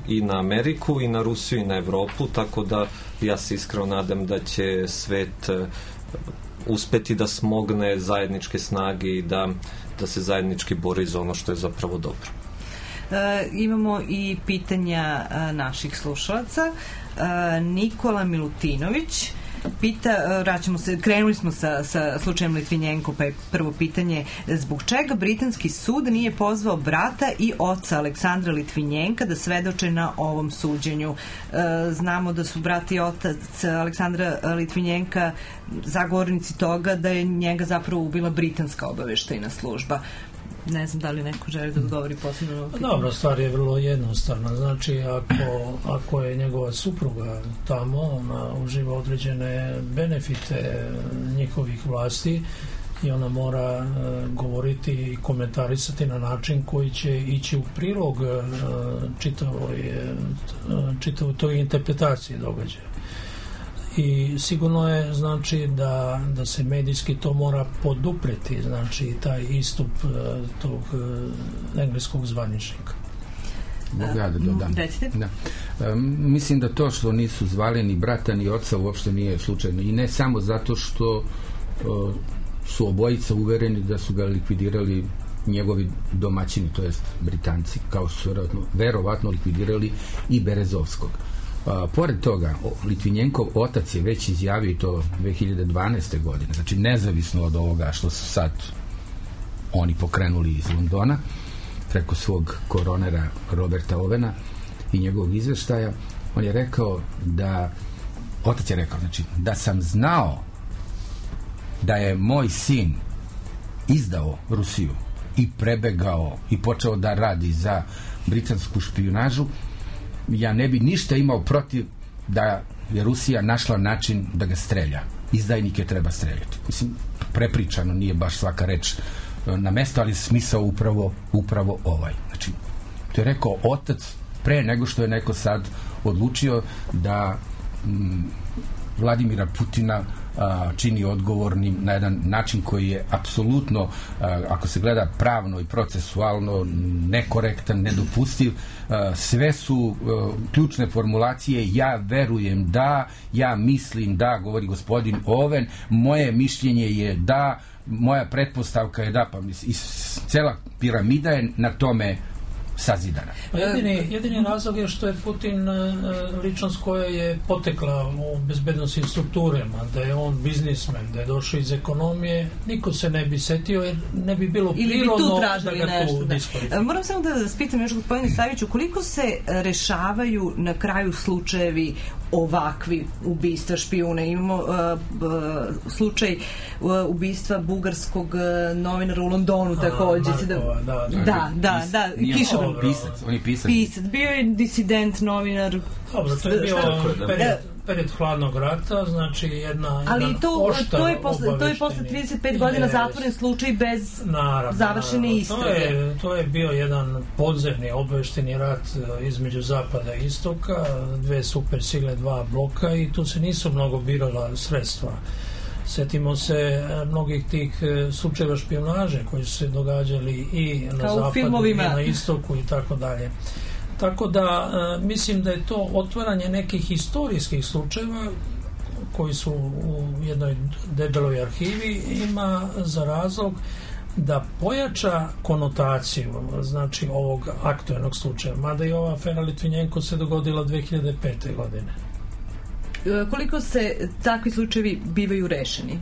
i na Ameriku, i na Rusiju, i na Evropu, tako da ja se iskreno nadam da će svet uspeti da smogne zajedničke snage i da, da se zajednički bori za ono što je zapravo dobro. E, imamo i pitanja a, naših slušalaca. E, Nikola Milutinović pita, vraćamo se, krenuli smo sa, sa slučajem Litvinjenko, pa je prvo pitanje, zbog čega britanski sud nije pozvao brata i oca Aleksandra Litvinjenka da svedoče na ovom suđenju? E, znamo da su brat i otac Aleksandra Litvinjenka zagovornici toga da je njega zapravo ubila britanska obaveštajna služba. Ne znam da li neko želi da odgovori posebno na ovo pitanje. Dobro, stvar je vrlo jednostavna. Znači, ako, ako je njegova supruga tamo, ona uživa određene benefite njihovih vlasti i ona mora e, govoriti i komentarisati na način koji će ići u prilog e, čitavoj, e, čitavoj toj interpretaciji događaja. I sigurno je, znači, da, da se medijski to mora podupreti, znači, taj istup uh, tog uh, engleskog zvaničnika. Mogu ja da dodam? Da. Um, mislim da to što nisu zvali ni brata ni oca uopšte nije slučajno. I ne samo zato što uh, su obojica uvereni da su ga likvidirali njegovi domaćini, to jest Britanci, kao što su verovatno, verovatno likvidirali i Berezovskog. A, pored toga, Litvinjenkov otac je već izjavio i to dve hiljade dvanaeste. godine, znači nezavisno od ovoga što su sad oni pokrenuli iz Londona, preko svog koronera Roberta Ovena i njegovog izveštaja, on je rekao da, otac je rekao, znači, da sam znao da je moj sin izdao Rusiju i prebegao i počeo da radi za britansku špijunažu, ja ne bi ništa imao protiv da je Rusija našla način da ga strelja. Izdajnike treba streljati. Mislim, prepričano, nije baš svaka reč na mesto, ali smisao upravo, upravo ovaj. Znači, to je rekao otac pre nego što je neko sad odlučio da m, Vladimira Putina a, čini odgovornim na jedan način koji je apsolutno, a, ako se gleda pravno i procesualno, nekorektan, nedopustiv. A, sve su a, ključne formulacije: ja verujem da, ja mislim da, govori gospodin Oven, moje mišljenje je da, moja pretpostavka je da, pa mislim, i cela piramida je na tome sazidana. Jedini, jedini razlog je što je Putin ličnost koja je potekla u bezbednostnim strukturama, da je on biznismen, da je došao iz ekonomije, niko se ne bi setio jer ne bi bilo prirodno da ga tu diskvalifikuje. Moram samo da vas pitam još, gospodine Saviću, koliko se rešavaju na kraju slučajevi ovakvi ubistva špijuna? Imamo uh, uh, slučaj uh, ubistva bugarskog uh, novinara u Londonu takođe. A, da, da, da, da, da, da, Kišo. Pisac, on je pisac. Pisac, bio je disident, novinar. Dobro, to je bio period, period hladnog rata, znači jedna, ali jedan to, oštar to je posle, to je posle trideset pet godina zatvoren slučaj bez naravno, završene naravno. istrage. To je, to je bio jedan podzemni obavešteni rat između zapada i istoka, dve super sile, dva bloka, i tu se nisu mnogo birala sredstva. Setimo se mnogih tih slučajeva špijunaže koji su se događali i na kao zapadu i na istoku i tako dalje. Tako da mislim da je to otvaranje nekih historijskih slučajeva koji su u jednoj debeloj arhivi, ima za razlog da pojača konotaciju, znači, ovog aktuelnog slučaja, mada i ova afera Litvinjenko se dogodila dve hiljade pete. godine. Koliko se takvi slučajevi bivaju rešeni?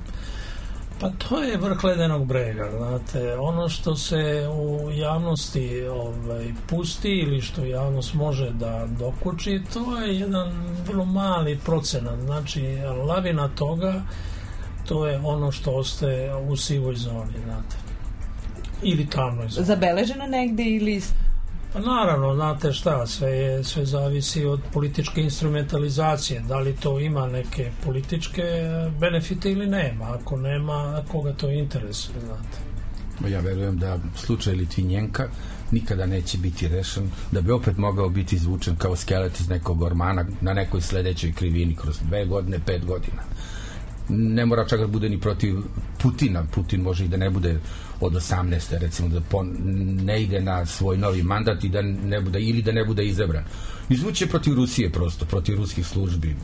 Pa to je vrh ledenog brega, znate. Ono što se u javnosti ovaj, pusti ili što javnost može da dokuči, to je jedan vrlo mali procenat. Znači, lavina toga, to je ono što ostaje u sivoj zoni, znate. Ili tamnoj zoni. Zabeleženo negde ili... Pa naravno, znate šta, sve, je, sve zavisi od političke instrumentalizacije. Da li to ima neke političke benefite ili nema. Ako nema, koga to interesuje, znate. Ja verujem da slučaj Litvinjenka nikada neće biti rešen, da bi opet mogao biti izvučen kao skelet iz nekog ormana na nekoj sledećoj krivini kroz dve godine, pet godina. Ne mora čak da bude ni protiv Putina. Putin može i da ne bude od osamnaeste recimo, da pon, ne ide na svoj novi mandat i da ne bude, ili da ne bude izabran. Izvuće protiv Rusije prosto, protiv ruskih službi.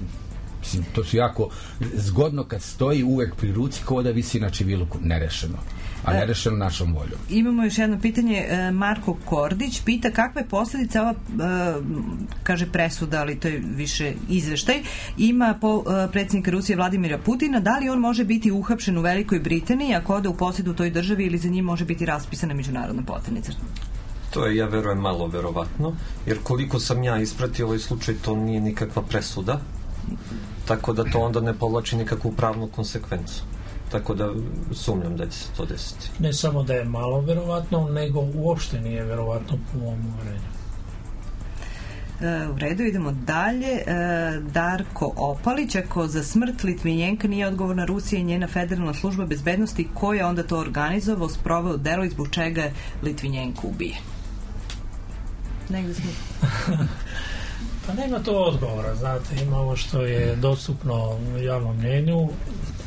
Mislim, to su jako zgodno kad stoji uvek pri ruci kao da visi na čiviluku, nerešeno. A nerešeno našom voljom. Imamo još jedno pitanje. Marko Kordić pita kakve posljedice ova, kaže presuda, ali to je više izveštaj, ima po predsjednika Rusije Vladimira Putina. Da li on može biti uhapšen u Velikoj Britaniji ako ode u posjedu toj državi ili za njim može biti raspisana međunarodna poternica? To je, ja verujem, malo verovatno, jer koliko sam ja ispratio ovaj slučaj, to nije nikakva presuda, tako da to onda ne povlači nikakvu pravnu konsekvencu. Tako da sumnjam da će se to desiti. Ne samo da je malo verovatno, nego uopšte nije verovatno po mom uverenju. E, u redu, idemo dalje. E, Darko Opalić, ako za smrt Litvinjenka nije odgovorna Rusija i njena federalna služba bezbednosti, ko je onda to organizovao, sproveo delo i zbog čega je Litvinjenko ubijen? Negde smo... Pa nema to odgovora, znate, ima ovo što je dostupno javnom mnjenju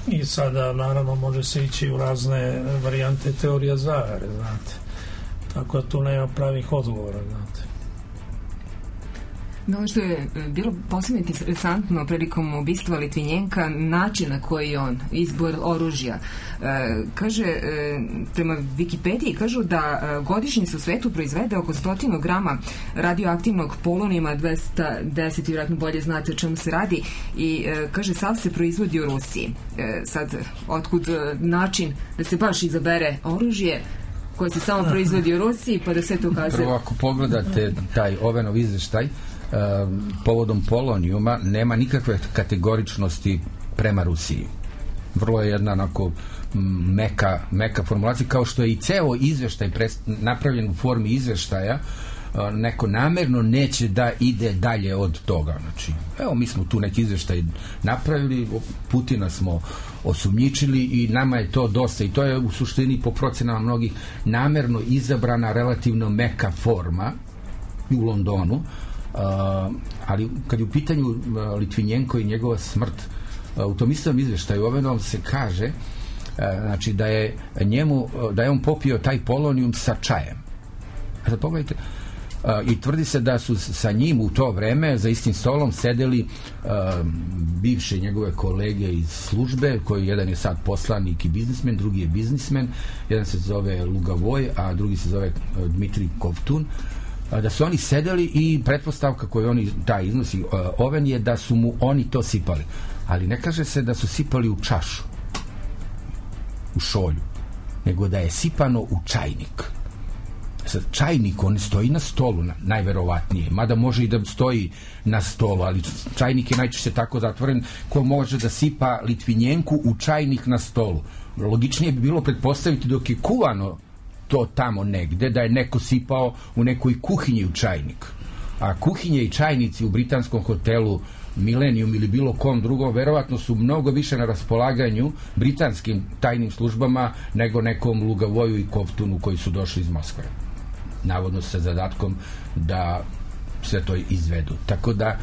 i sada naravno može se ići u razne varijante teorija zavere, znate. Tako da tu nema pravih odgovora, znate. No, što je bilo posebno interesantno prilikom ubistva Litvinjenka, način na koji on, izbor oružja. E, kaže, e, prema Wikipediji, kažu da e, godišnje se u svetu proizvede oko stotinu grama radioaktivnog polonijuma, dvesta deset, vjerojatno bolje znate o čemu se radi, i e, kaže, sav se proizvodi u Rusiji. E, sad, otkud e, način da se baš izabere oružje koje se samo proizvodi u Rusiji, pa da sve to kaže... Prvo, ako pogledate taj Ovenov izveštaj, povodom polonijuma nema nikakve kategoričnosti prema Rusiji. Vrlo je jedna onako meka, meka formulacija, kao što je i ceo izveštaj napravljen u formi izveštaja, neko namerno neće da ide dalje od toga. Znači, evo, mi smo tu neki izveštaj napravili, Putina smo osumnjičili i nama je to dosta, i to je u suštini po procenama mnogih namerno izabrana relativno meka forma u Londonu. Uh, ali kad je u pitanju uh, Litvinjenko i njegova smrt, uh, u tom istom izveštaju Ovenovom se kaže uh, znači da je njemu uh, da je on popio taj polonijum sa čajem. A sad pogledajte, uh, i tvrdi se da su sa njim u to vreme za istim stolom sedeli uh, bivše njegove kolege iz službe, koji jedan je sad poslanik i biznismen, drugi je biznismen, jedan se zove Lugavoj, a drugi se zove uh, Dmitrij Kovtun, da su oni sedeli i pretpostavka koju oni taj iznosi uh, Oven je da su mu oni to sipali, ali ne kaže se da su sipali u čašu, u šolju, nego da je sipano u čajnik. Sad, čajnik, on stoji na stolu, na, najverovatnije, mada može i da stoji na stolu, ali čajnik je najčešće tako zatvoren, ko može da sipa Litvinjenku u čajnik na stolu. Logičnije bi bilo pretpostaviti dok je kuvano to tamo negde, da je neko sipao u nekoj kuhinji u čajnik. A kuhinje i čajnici u britanskom hotelu Millennium ili bilo kom drugom verovatno su mnogo više na raspolaganju britanskim tajnim službama nego nekom Lugavoju i Kovtunu koji su došli iz Moskve. Navodno sa zadatkom da sve to izvedu. Tako da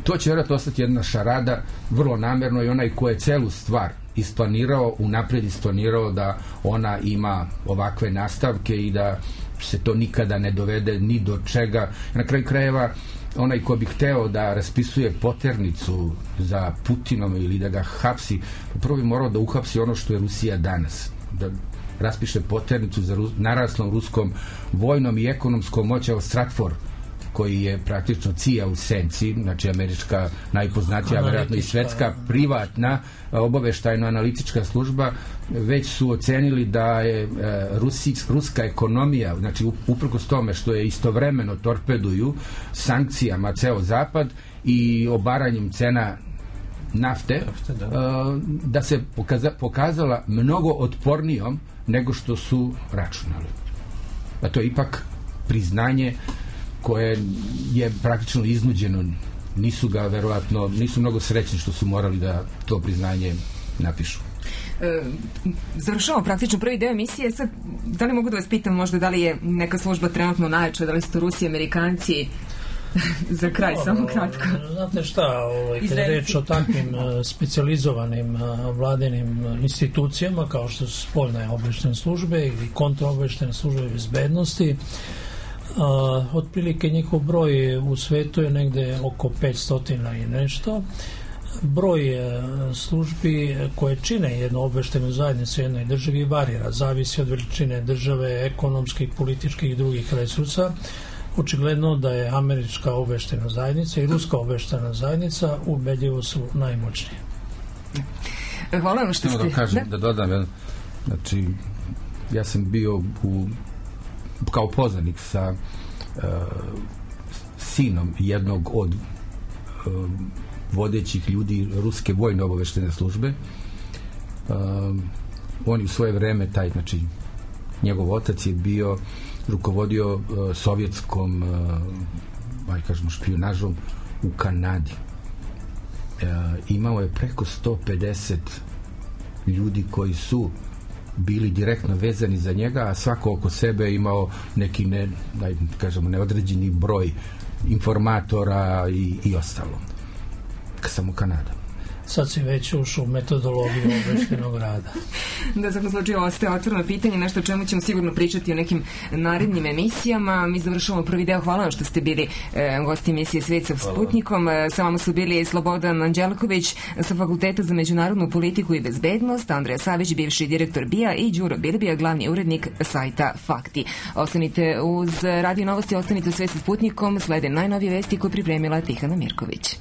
to će vjerojatno ostati jedna šarada, vrlo namerno, i onaj ko je celu stvar isplanirao, unaprijed isplanirao da ona ima ovakve nastavke i da se to nikada ne dovede ni do čega. Na kraju krajeva, onaj ko bi hteo da raspisuje poternicu za Putinom ili da ga hapsi, prvo bi morao da uhapsi ono što je Rusija danas. Da raspiše poternicu za Rus, naraslom ruskom vojnom i ekonomskom moći. Evo Stratfor, koji je praktično C I A u senci, znači američka najpoznatija, vjerojatno i svetska privatna obaveštajno-analitička služba, već su ocenili da je e, Rusi, ruska ekonomija, znači uprkos tome što je istovremeno torpeduju sankcijama ceo zapad i obaranjem cena nafte, nafte da. E, da se pokaza, pokazala mnogo otpornijom nego što su računali. A to je ipak priznanje koje je praktično iznuđeno. Nisu ga verovatno, nisu mnogo srećni što su morali da to priznanje napišu. E, završavamo praktično prvi deo emisije. Sad, da li mogu da vas pitam možda da li je neka služba trenutno najjača, da li su to Rusi, Amerikanci? Za kraj, no, samo kratko. Znate šta, ovaj, kada je reč o takvim uh, specijalizovanim uh, vladinim uh, institucijama kao što su spoljne obaveštajne službe ili kontraobaveštajne službe bezbednosti, Uh, otprilike njihov broj u svetu je negde oko petsto i nešto. Broj uh, službi koje čine jednu obaveštajnu zajednicu u jednoj državi varira, zavisi od veličine države, ekonomskih, političkih i drugih resursa. Očigledno da je američka obaveštajna zajednica i ruska obaveštajna zajednica ubedljivo su najmoćnije. Hvala vam što ste... Da kažem, da, da dodam, znači ja sam bio u kao poznanik sa uh, sinom jednog od uh, vodećih ljudi ruske vojne obaveštajne službe. Uh, on je u svoje vreme, taj, znači, njegov otac je bio, rukovodio uh, sovjetskom uh, aj kažemo špijunažom u Kanadi. Uh, imao je preko sto pedeset ljudi koji su bili direktno vezani za njega, a svako oko sebe imao neki ne, daj, kažemo, neodređeni broj informatora i, i ostalo. Samo Kanada. sad si već ušao u metodologiju obaveštajnog rada. Da, za slučaju ostaje otvoreno pitanje, nešto o čemu ćemo sigurno pričati u nekim narednim emisijama. Mi završavamo prvi deo. Hvala vam što ste bili e, gosti emisije Svet sa Sputnikom. E, sa vama su bili Slobodan Anđelković sa Fakulteta za međunarodnu politiku i bezbednost, Andreja Savić, bivši direktor B I A i Đuro Bilbija, glavni urednik sajta Fakti. Ostanite uz Radio Novosti, ostanite u Svet sa Sputnikom, slede najnovije vesti koje pripremila Tihana Mirković.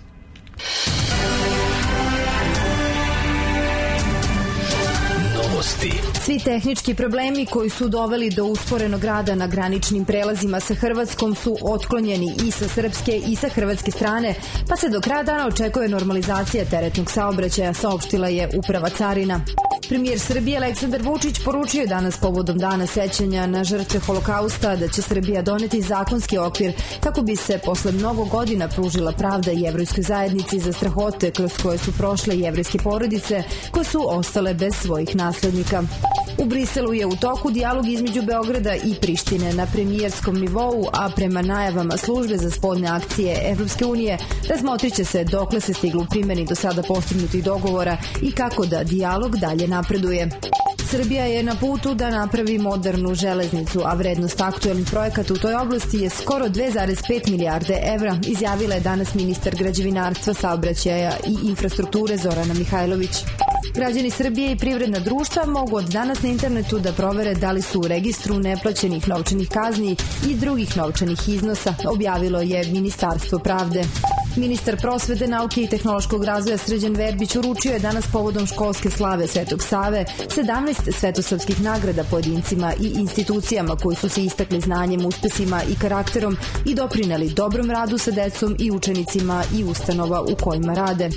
Svi tehnički problemi koji su doveli do usporenog rada na graničnim prelazima sa Hrvatskom su otklonjeni i sa srpske i sa hrvatske strane, pa se do kraja dana očekuje normalizacija teretnog saobraćaja, saopštila je Uprava carina. Premijer Srbije Aleksandar Vučić poručio je danas povodom dana sećanja na žrtve Holokausta da će Srbija doneti zakonski okvir kako bi se posle mnogo godina pružila pravda jevrejskoj zajednici za strahote kroz koje su prošle jevrejske porodice koje su ostale bez svojih naslednika. U Briselu je u toku dijalog između Beograda i Prištine na premijerskom nivou, a prema najavama službe za spoljne akcije Evropske unije razmotrit će se dokle se stiglo u primjeni do sada postignutih dogovora i kako da dijalog dalje napreduje. Srbija je na putu da napravi modernu železnicu, a vrednost aktuelnih projekata u toj oblasti je skoro dve zarez pet milijarde evra, izjavila je danas ministar građevinarstva, saobraćaja i infrastrukture Zorana Mihajlović. Građani Srbije i privredna društva mogu od danas na internetu da provere da li su u registru neplaćenih novčanih kazni i drugih novčanih iznosa, objavilo je Ministarstvo pravde. Ministar prosvete, nauke i tehnološkog razvoja Srđan Verbić uručio je danas povodom školske slave Svetog Save sedamnaest svetosavskih nagrada pojedincima i institucijama koji su se istakli znanjem, uspesima i karakterom i doprineli dobrom radu sa decom i učenicima i ustanova u kojima rade.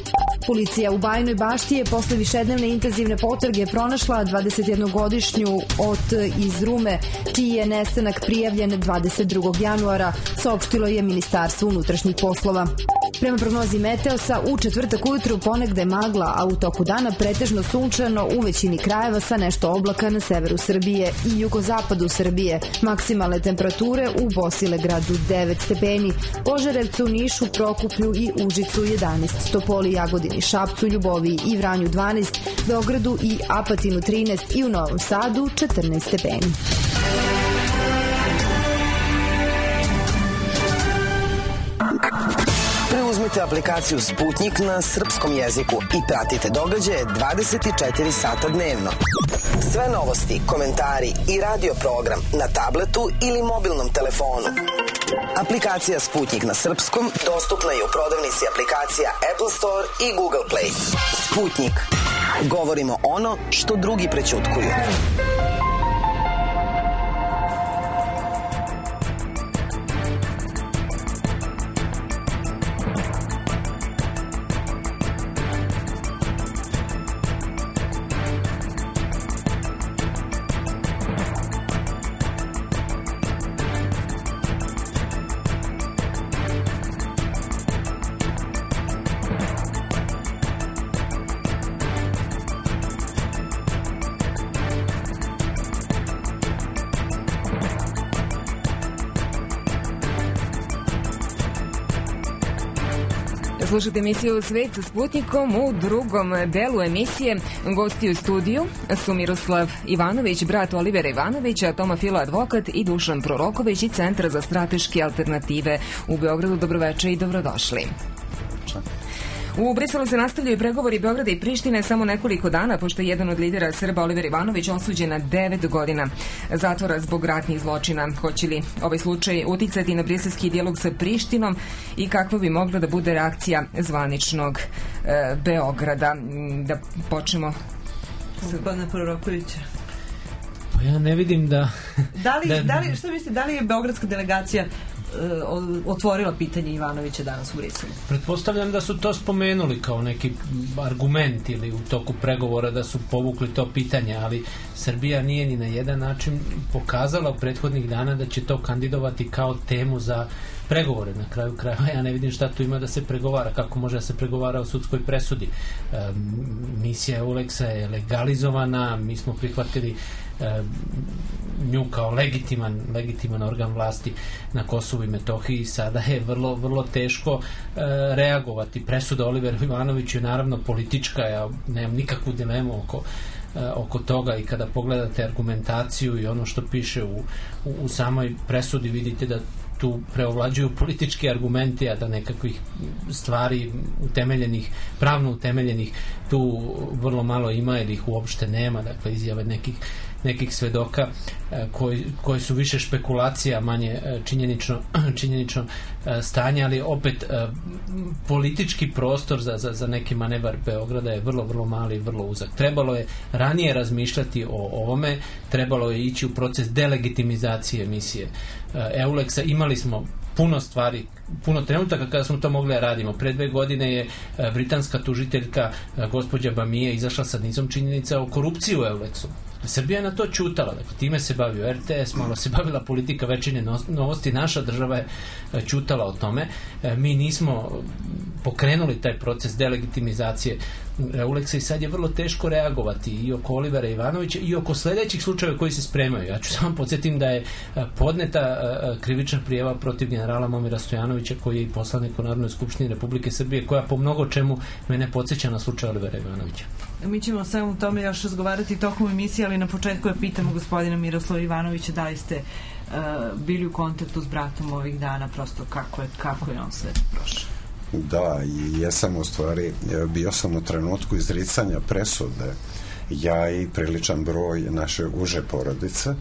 Policija u Bajinoj Bašti je posle višednevne intenzivne potrage pronašla dvadesetjednogodišnju Ot iz Rume, čiji je nestanak prijavljen dvadeset drugog januara, saopštilo je Ministarstvo unutrašnjih poslova. Prema prognozi Meteosa, u četvrtak ujutru ponegde magla, a u toku dana pretežno sunčano u većini krajeva sa nešto oblaka na severu Srbije i jugozapadu Srbije. Maksimalne temperature u Bosilegradu devet stepeni, Požarevcu, Nišu, Prokuplju i Užicu jedanaest, Topoli, Jagodini, Šapcu, Ljuboviji i Vranju dvanaest, Beogradu i Apatinu trinaest i u Novom Sadu četrnaest stepeni. Preuzmite aplikaciju Sputnik na srpskom jeziku i pratite događaje dvadeset četiri sata dnevno. Sve novosti, komentari i radio program na tabletu ili mobilnom telefonu. Aplikacija Sputnik na srpskom dostupna je u prodavnici aplikacija Apple Store i Google Play. Sputnik. Govorimo ono što drugi prećutkuju. Slušajte emisiju Svet sa Sputnikom. U drugom delu emisije gosti u studiju su Miroslav Ivanović, brat Olivera Ivanovića, Toma Filo, advokat, i Dušan Proroković iz Centra za strateške alternative u Beogradu. Dobroveče i dobrodošli. U Briselu se nastavljaju pregovori Beograda i Prištine samo nekoliko dana, pošto je jedan od lidera Srba, Oliver Ivanović, osuđen na devet godina zatvora zbog ratnih zločina. Hoće li ovaj slučaj uticati na briselski dijalog sa Prištinom i kakva bi mogla da bude reakcija zvaničnog e, Beograda? Da počnemo Gospodine Prorokovića. Pa ja ne vidim da... Da li, da li, što mislite, da li je beogradska delegacija otvorila pitanje Ivanovića danas u Briselu? Pretpostavljam da su to spomenuli kao neki argument ili u toku pregovora da su povukli to pitanje, ali Srbija nije ni na jedan način pokazala u prethodnih dana da će to kandidovati kao temu za pregovore. Na kraju krajeva ja ne vidim šta tu ima da se pregovara, kako može da se pregovara o sudskoj presudi. E, misija Euleksa je legalizovana, mi smo prihvatili nju kao legitiman, legitiman organ vlasti na Kosovu i Metohiji. Sada je vrlo, vrlo teško e, reagovati. Presuda Oliveru Ivanoviću je naravno politička, ja nemam nikakvu dilemu oko, e, oko toga, i kada pogledate argumentaciju i ono što piše u, u, u samoj presudi, vidite da tu preovlađuju politički argumenti, a da nekakvih stvari utemeljenih, pravno utemeljenih tu vrlo malo ima ili ih uopšte nema, dakle izjave nekih nekih svedoka koji, koji su više špekulacija, manje činjenično, činjenično stanje, ali opet politički prostor za, za, za neki manevar Beograda je vrlo, vrlo mali i vrlo uzak. Trebalo je ranije razmišljati o ovome, trebalo je ići u proces delegitimizacije misije Euleksa. Imali smo puno stvari, puno trenutaka kada smo to mogli da radimo. Pre dve godine je britanska tužiteljka gospođa Bamije izašla sa nizom činjenica o korupciji u Euleksu. Srbija je na to ćutala, dakle, time se bavio R T S, malo se bavila politika Večernje novosti, naša država je ćutala o tome. Mi nismo pokrenuli taj proces delegitimizacije Euleksa i sad je vrlo teško reagovati i oko Olivera Ivanovića i oko sledećih slučajeva koji se spremaju. Ja ću samo podsjetim da je podneta krivična prijava protiv generala Momira Stojanovića, koji je i poslanik u Narodnoj skupštini Republike Srbije, koja po mnogo čemu mene podsjeća na slučaj Olivera Ivanovića. Mi ćemo samo u tome još razgovarati tokom emisije, ali na početku je pitamo gospodina Miroslava Ivanovića da li ste uh, bili u kontaktu s bratom ovih dana, prosto kako je, kako je on sve prošao. Da, i jesam u stvari, bio sam u trenutku izricanja presude, ja i priličan broj naše uže porodice.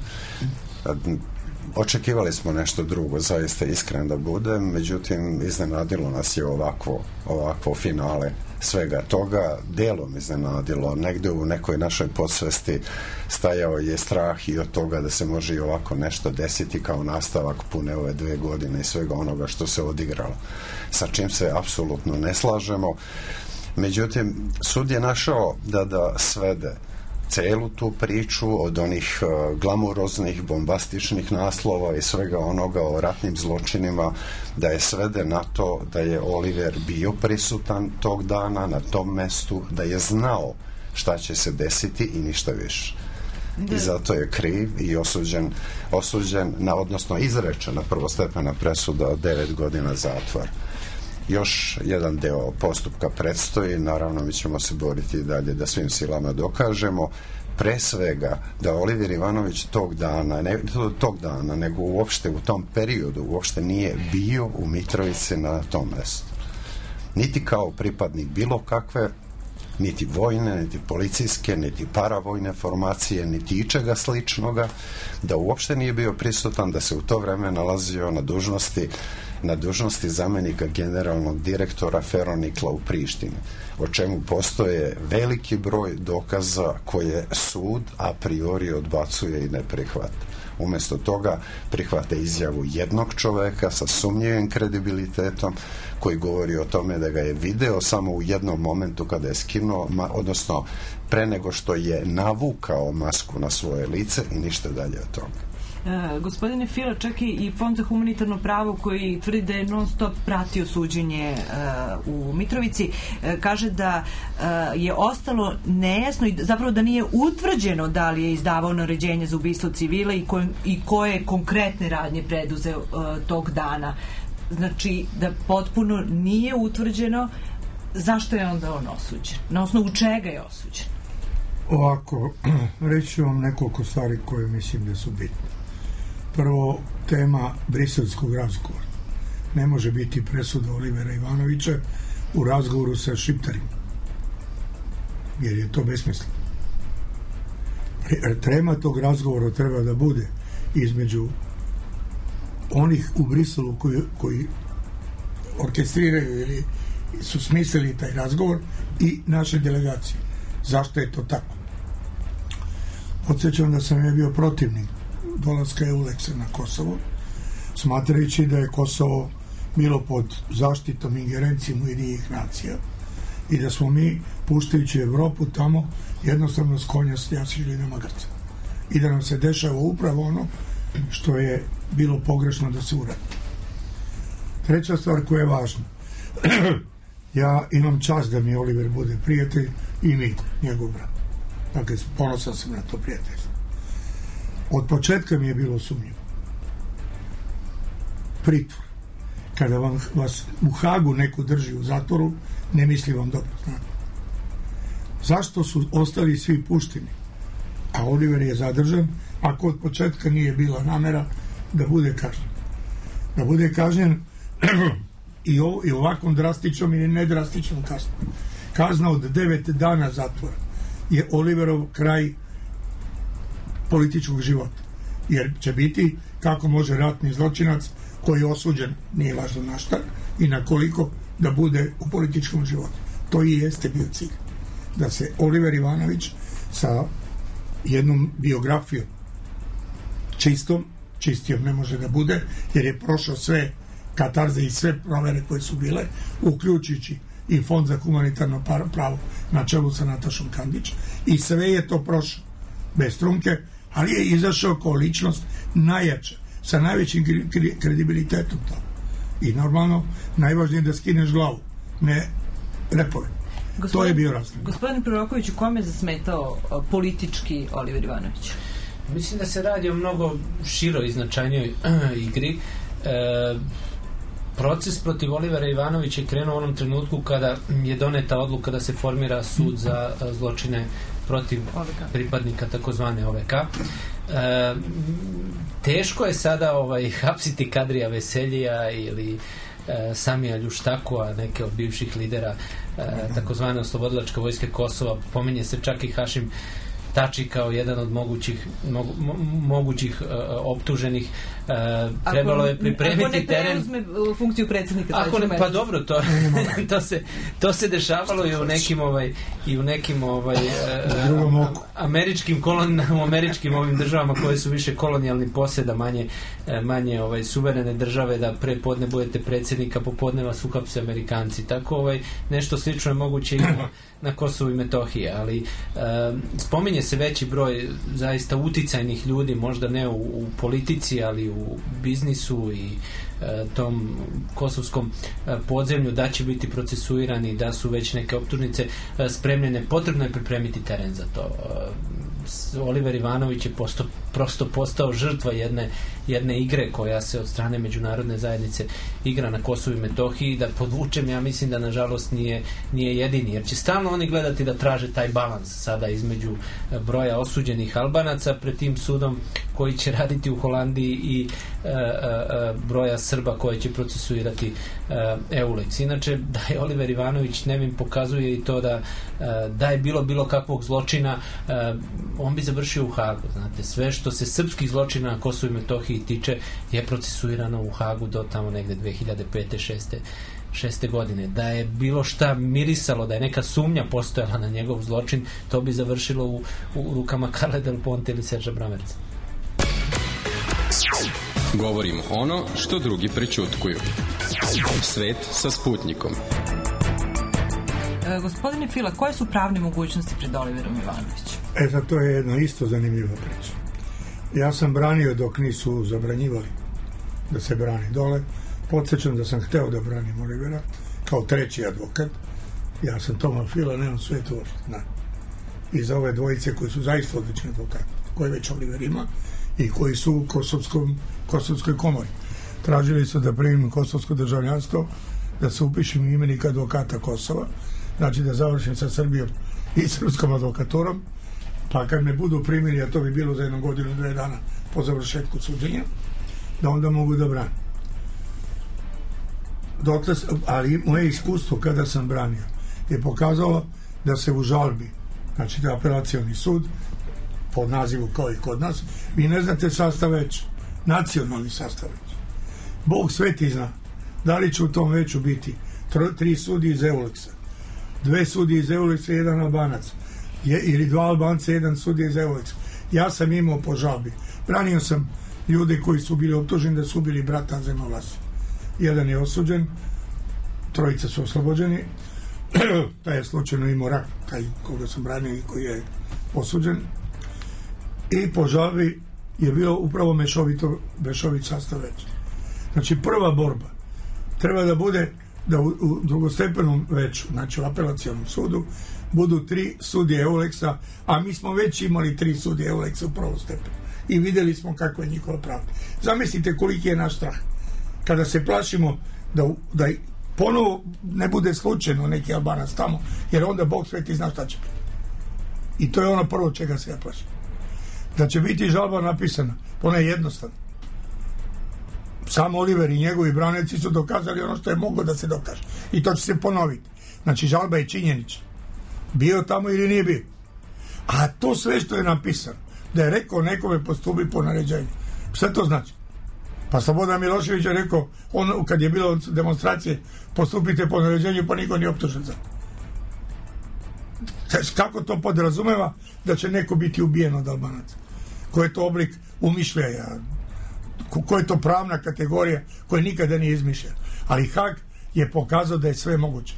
Očekivali smo nešto drugo, zaista iskren da budem, međutim iznenadilo nas je ovakvo, ovakvo finale svega toga, delom iznenadilo, negde u nekoj našoj podsvesti stajao je strah i od toga da se može i ovako nešto desiti kao nastavak pune ove dve godine i svega onoga što se odigralo, sa čim se apsolutno ne slažemo. Međutim, sud je našao da da svede celu tu priču od onih uh, glamuroznih, bombastičnih naslova i svega onoga o ratnim zločinima, da je svede na to da je Oliver bio prisutan tog dana na tom mestu, da je znao šta će se desiti i ništa više. I zato je kriv i osuđen, osuđen na, odnosno izrečena prvostepena presuda od devet godina zatvora. Još jedan deo postupka predstoji, naravno mi ćemo se boriti dalje da svim silama dokažemo, pre svega da Oliver Ivanović tog dana, ne tog dana, nego uopšte u tom periodu uopšte nije bio u Mitrovici na tom mestu. Niti kao pripadnik bilo kakve, niti vojne, niti policijske, niti paravojne formacije, niti ičega sličnoga, da uopšte nije bio prisutan, da se u to vreme nalazio na dužnosti na dužnosti zamenika generalnog direktora Feronikla u Prištini, o čemu postoje veliki broj dokaza koje sud a priori odbacuje i ne prihvata. Umesto toga prihvate izjavu jednog čoveka sa sumnjivim kredibilitetom koji govori o tome da ga je video samo u jednom momentu kada je skinuo, odnosno pre nego što je navukao masku na svoje lice i ništa dalje od toga. Uh, gospodine Fila, čak i Fond za humanitarno pravo koji tvrdi da je non stop pratio suđenje uh, u Mitrovici, uh, kaže da uh, je ostalo nejasno i zapravo da nije utvrđeno da li je izdavao naređenje za ubistvo civila i, ko, i koje konkretne radnje preduzeo uh, tog dana. Znači da potpuno nije utvrđeno zašto je onda on osuđen, na osnovu čega je osuđen. Ovako, reći ću vam nekoliko stvari koje mislim da su bitne. Prvo, tema briselskog razgovora. Ne može biti presuda Olivera Ivanovića u razgovoru sa šiptarima, jer je to besmisleno. Tema tog razgovora treba da bude između onih u Briselu koji, koji orkestriraju ili su smislili taj razgovor i naše delegacije. Zašto je to tako? Podsjećam da sam ja bio protivnik dolaska Euleksa na Kosovo, smatrajući da je Kosovo bilo pod zaštitom ingerencijom Ujedinjenih nacija i da smo mi, puštajući Evropu tamo, jednostavno s konja sjasili na magarca. I da nam se dešava upravo ono što je bilo pogrešno da se uradi. Treća stvar koja je važna. Ja imam čast da mi Oliver bude prijatelj i Miko, njegov brat. Dakle, ponosan sam na to prijateljstvo. Od početka mi je bilo sumnjivo. Pritvor. Kada vam, vas u Hagu neko drži u zatvoru, ne misli vam dobro. Znate. Zašto su ostali svi pušteni? A Oliver je zadržan, ako od početka nije bila namera da bude kažnjen. Da bude kažnjen i, o, i ovakvom drastičnom ili nedrastičnom kaznom. Kazna od devet dana zatvora je Oliverov kraj političkog života. Jer će biti kako može ratni zločinac koji je osuđen, nije važno na šta i na koliko, da bude u političkom životu. To i jeste bio cilj. Da se Oliver Ivanović sa jednom biografijom čistom, čistijom ne može da bude, jer je prošao sve katarze i sve provere koje su bile, uključujući i Fond za humanitarno pravo na čelu sa Natašom Kandić, i sve je to prošao bez trunke, ali je izašao kao ličnost najjača, sa najvećim kredibilitetom to. I normalno, najvažnije je da skineš glavu, ne repove. Gospodin, to je bio razlog. Gospodin Proroković, u kome je zasmetao politički Oliver Ivanović? Mislim da se radi o mnogo široj i značajnijoj igri. E, proces protiv Olivera Ivanovića je krenuo u onom trenutku kada je doneta odluka da se formira sud za zločine protiv O V K. Pripadnika takozvane O V K. E, teško je sada ovaj, hapsiti Kadrija Veseljija ili e, Samija Ljuštakova, neke od bivših lidera e, takozvane oslobodilačke vojske Kosova. Pominje se čak i Hašim Tači kao jedan od mogućih mogu, mo, mogućih uh, optuženih. Uh, trebalo je pripremiti ako ne teren. Ako ne preuzme funkciju predsjednika. Ako ne, pa dobro, to, to, se, to se dešavalo i u nekim ovaj, i u nekim ovaj, uh, američkim kolon, u američkim ovim državama koje su više kolonijalni posjeda, manje, manje ovaj, suverene države, da pre podne budete predsjednika, popodne vas uhapse Amerikanci. Tako ovaj, nešto slično je moguće i na, na Kosovu i Metohiji, ali uh, spominje se veći broj zaista uticajnih ljudi, možda ne u, u politici, ali u biznisu i e, tom kosovskom e, podzemlju, da će biti procesuirani, da su već neke optužnice e, spremljene. Potrebno je pripremiti teren za to. E, Oliver Ivanović je posto, prosto postao žrtva jedne, jedne igre koja se od strane međunarodne zajednice igra na Kosovu i Metohiji. Da podvučem, ja mislim da nažalost nije, nije jedini, jer će stalno oni gledati da traže taj balans sada između broja osuđenih Albanaca pred tim sudom koji će raditi u Holandiji i e, e, broja Srba koje će procesuirati e, Eulex. Inače, da je Oliver Ivanović nevin, pokazuje i to da e, da je bilo bilo kakvog zločina, e, on bi završio u Hagu. Znate, sve što se srpskih zločina na Kosovu i Metohiji tiče je procesuirano u Hagu do tamo negde dve hiljade pete šeste šeste godine. Da je bilo šta mirisalo, da je neka sumnja postojala na njegov zločin, to bi završilo u, u rukama Carle Del Ponte ili Serža Bramerca. Govorimo ono što drugi prećutkuju. Svet sa Sputnikom. E, gospodine Fila, koje su pravne mogućnosti pred Oliverom Ivanovićem? E, sad to je jedna isto zanimljiva priča. Ja sam branio dok nisu zabranjivali da se brani dole. Podsjećam da sam hteo da branim Olivera kao treći advokat. Ja sam Toma Fila, nemam svetu ošte. I za ove dvojice koji su zaista odlični advokati, koje već Oliver ima i koji su u Kosovskom, Kosovskoj komori. Tražili su da primim kosovsko državljanstvo, da se upišem imenik advokata Kosova, znači da završim sa Srbijom i srpskom advokaturom, pa kad me budu primili, a to bi bilo za jednu godinu, dve dana po završetku suđenja, da onda mogu da branim. Dokle, ali moje iskustvo kada sam branio je pokazalo da se u žalbi, znači da apelacioni sud pod nazivu kao i kod nas, vi ne znate sastav veća, nacionalni sastav veća. Bog sveti zna da li će u tom veću biti tr- tri sudije iz Eulexa, dve sudije iz Eulexa i jedan Albanac, je, ili dva Albanca i jedan sudije iz Eulexa. Ja sam imao po žalbi, branio sam ljude koji su bili optuženi da su bili brata Zemovlasi. Jedan je osuđen, trojica su oslobođeni, taj je slučajno imao rak, taj koga sam branio i koji je osuđen, i po žalbi je bilo upravo mešovito, mešovit sastav već. Znači prva borba treba da bude da u, u drugostepenom veću, znači u apelacijalnom sudu, budu tri sudije Euleksa, a mi smo već imali tri sudije Euleksa u prvom stepenu. I videli smo kako je njihova pravda. Zamislite koliki je naš strah. Kada se plašimo da, da ponovo ne bude slučajno neki Albanac tamo, jer onda Bog sveti zna šta će biti. I to je ono prvo čega se ja plašim. Da će biti žalba napisana, ona je jednostavna. Sam Oliver i njegovi branitelji su dokazali ono što je moglo da se dokaže. I to će se ponoviti. Znači, žalba je činjenična. Bio tamo ili nije bio. A to sve što je napisano, da je rekao nekome postupi po naređenju. Šta to znači? Pa Slobodan Milošević je rekao, on, kad je bilo demonstracije, postupite po naređenju, pa niko nije optužen za to. Kako to podrazumeva da će neko biti ubijen od Albanaca? Koji je to oblik umišljaja? Koja je to pravna kategorija koja nikada nije izmišljena? Ali Hag je pokazao da je sve moguće.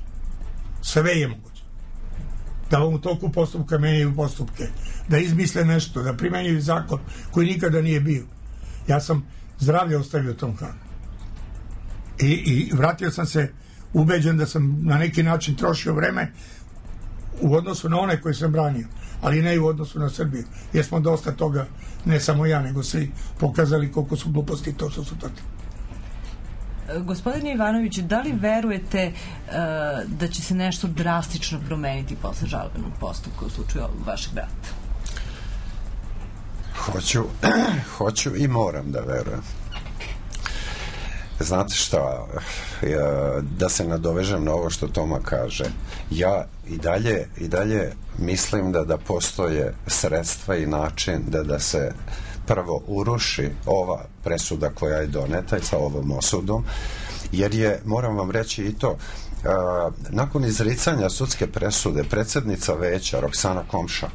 Sve je moguće. Da u toku postupka menjaju postupke, da izmisle nešto, da primenjuju zakon koji nikada nije bio. Ja sam zdravlje ostavio tom Hagu. I, i vratio sam se ubeđen da sam na neki način trošio vreme u odnosu na one koje sam branio, ali ne i u odnosu na Srbiju, jer smo dosta toga, ne samo ja, nego svi pokazali koliko su gluposti to što su takvi. Gospodine Ivanoviću, da li verujete uh, da će se nešto drastično promeniti posle žalbenog postupka u slučaju vašeg brata? Hoću, hoću i moram da verujem. Znate šta, da se nadovežem na ovo što Toma kaže, ja i dalje, i dalje mislim da da postoje sredstva i način da da se prvo uruši ova presuda koja je doneta i sa ovom osudom, jer je, moram vam reći i to, a, nakon izricanja sudske presude predsjednica veća Roksana Komša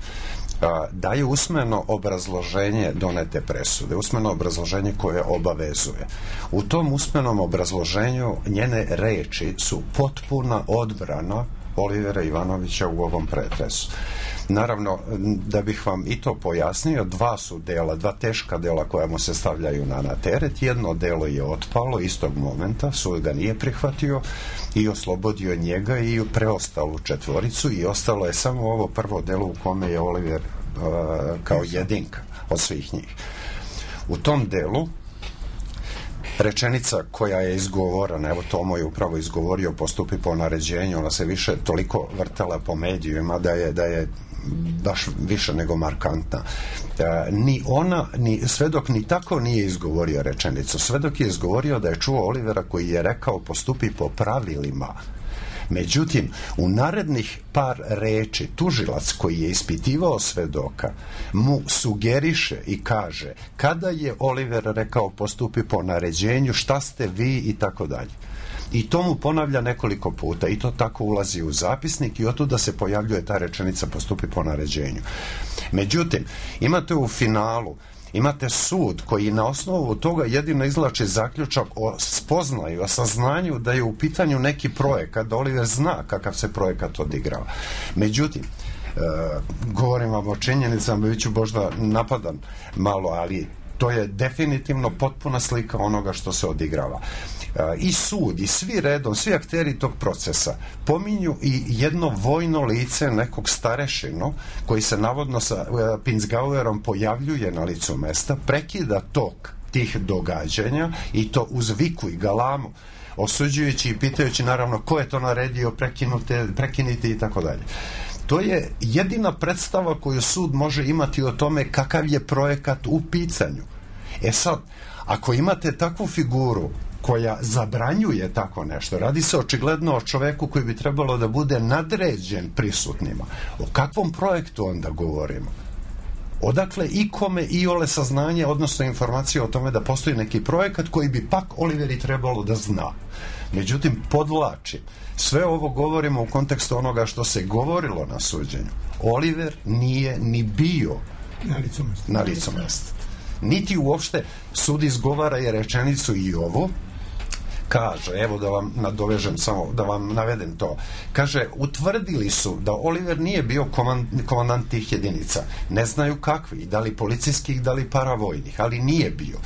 daje usmeno obrazloženje donete presude, usmeno obrazloženje koje obavezuje. U tom usmenom obrazloženju njene reči su potpuna odbrana Olivera Ivanovića u ovom pretresu. Naravno, da bih vam i to pojasnio, dva su dela, dva teška dela koja mu se stavljaju na, na teret. Jedno delo je otpalo istog momenta, sud ga nije prihvatio i oslobodio njega i preostalu četvoricu i ostalo je samo ovo prvo delo u kome je Oliver uh, kao jedinka od svih njih. U tom delu rečenica koja je izgovorena, evo Tomo je upravo izgovorio postupi po naređenju, ona se više toliko vrtala po medijima da je, da je baš više nego markantna. E, ni ona, ni svedok ni tako nije izgovorio rečenicu. Svedok je izgovorio da je čuo Olivera koji je rekao postupi po pravilima. Međutim, u narednih par reči tužilac koji je ispitivao svedoka mu sugeriše i kaže kada je Oliver rekao postupi po naređenju, šta ste vi i tako dalje. I to mu ponavlja nekoliko puta i to tako ulazi u zapisnik i otuda se pojavljuje ta rečenica postupi po naređenju. Međutim, imate u finalu imate sud koji na osnovu toga jedino izvlači zaključak o spoznaju, o saznanju da je u pitanju neki projekat, da Oliver zna kakav se projekat odigrava. Međutim, e, govorim vam o činjenicama, bit ću možda napadan malo, ali to je definitivno potpuna slika onoga što se odigrava. I sud, i svi redom, svi akteri tog procesa pominju i jedno vojno lice nekog starešinu koji se navodno sa Pinzgauerom pojavljuje na licu mesta, prekida tok tih događanja i to uz viku i galamu, osuđujući i pitajući naravno ko je to naredio, prekinute, prekinite i tako dalje. To je jedina predstava koju sud može imati o tome kakav je projekat u pitanju. E sad, ako imate takvu figuru koja zabranjuje tako nešto, radi se očigledno o čoveku koji bi trebalo da bude nadređen prisutnima. O kakvom projektu onda govorimo? Odakle ikome i ole saznanje, odnosno informacije o tome da postoji neki projekat koji bi pak Oliveri trebalo da zna. Međutim, podvlačim, sve ovo govorimo u kontekstu onoga što se govorilo na suđenju. Oliver nije ni bio na licu mesta. Na licu mesta. Niti uopšte sud izgovara je rečenicu i ovo, kaže, evo da vam nadovežem samo, da vam navedem to, kaže, utvrdili su da Oliver nije bio komand, komandant tih jedinica, ne znaju kakvi, da li policijskih, da li paravojnih, ali nije bio.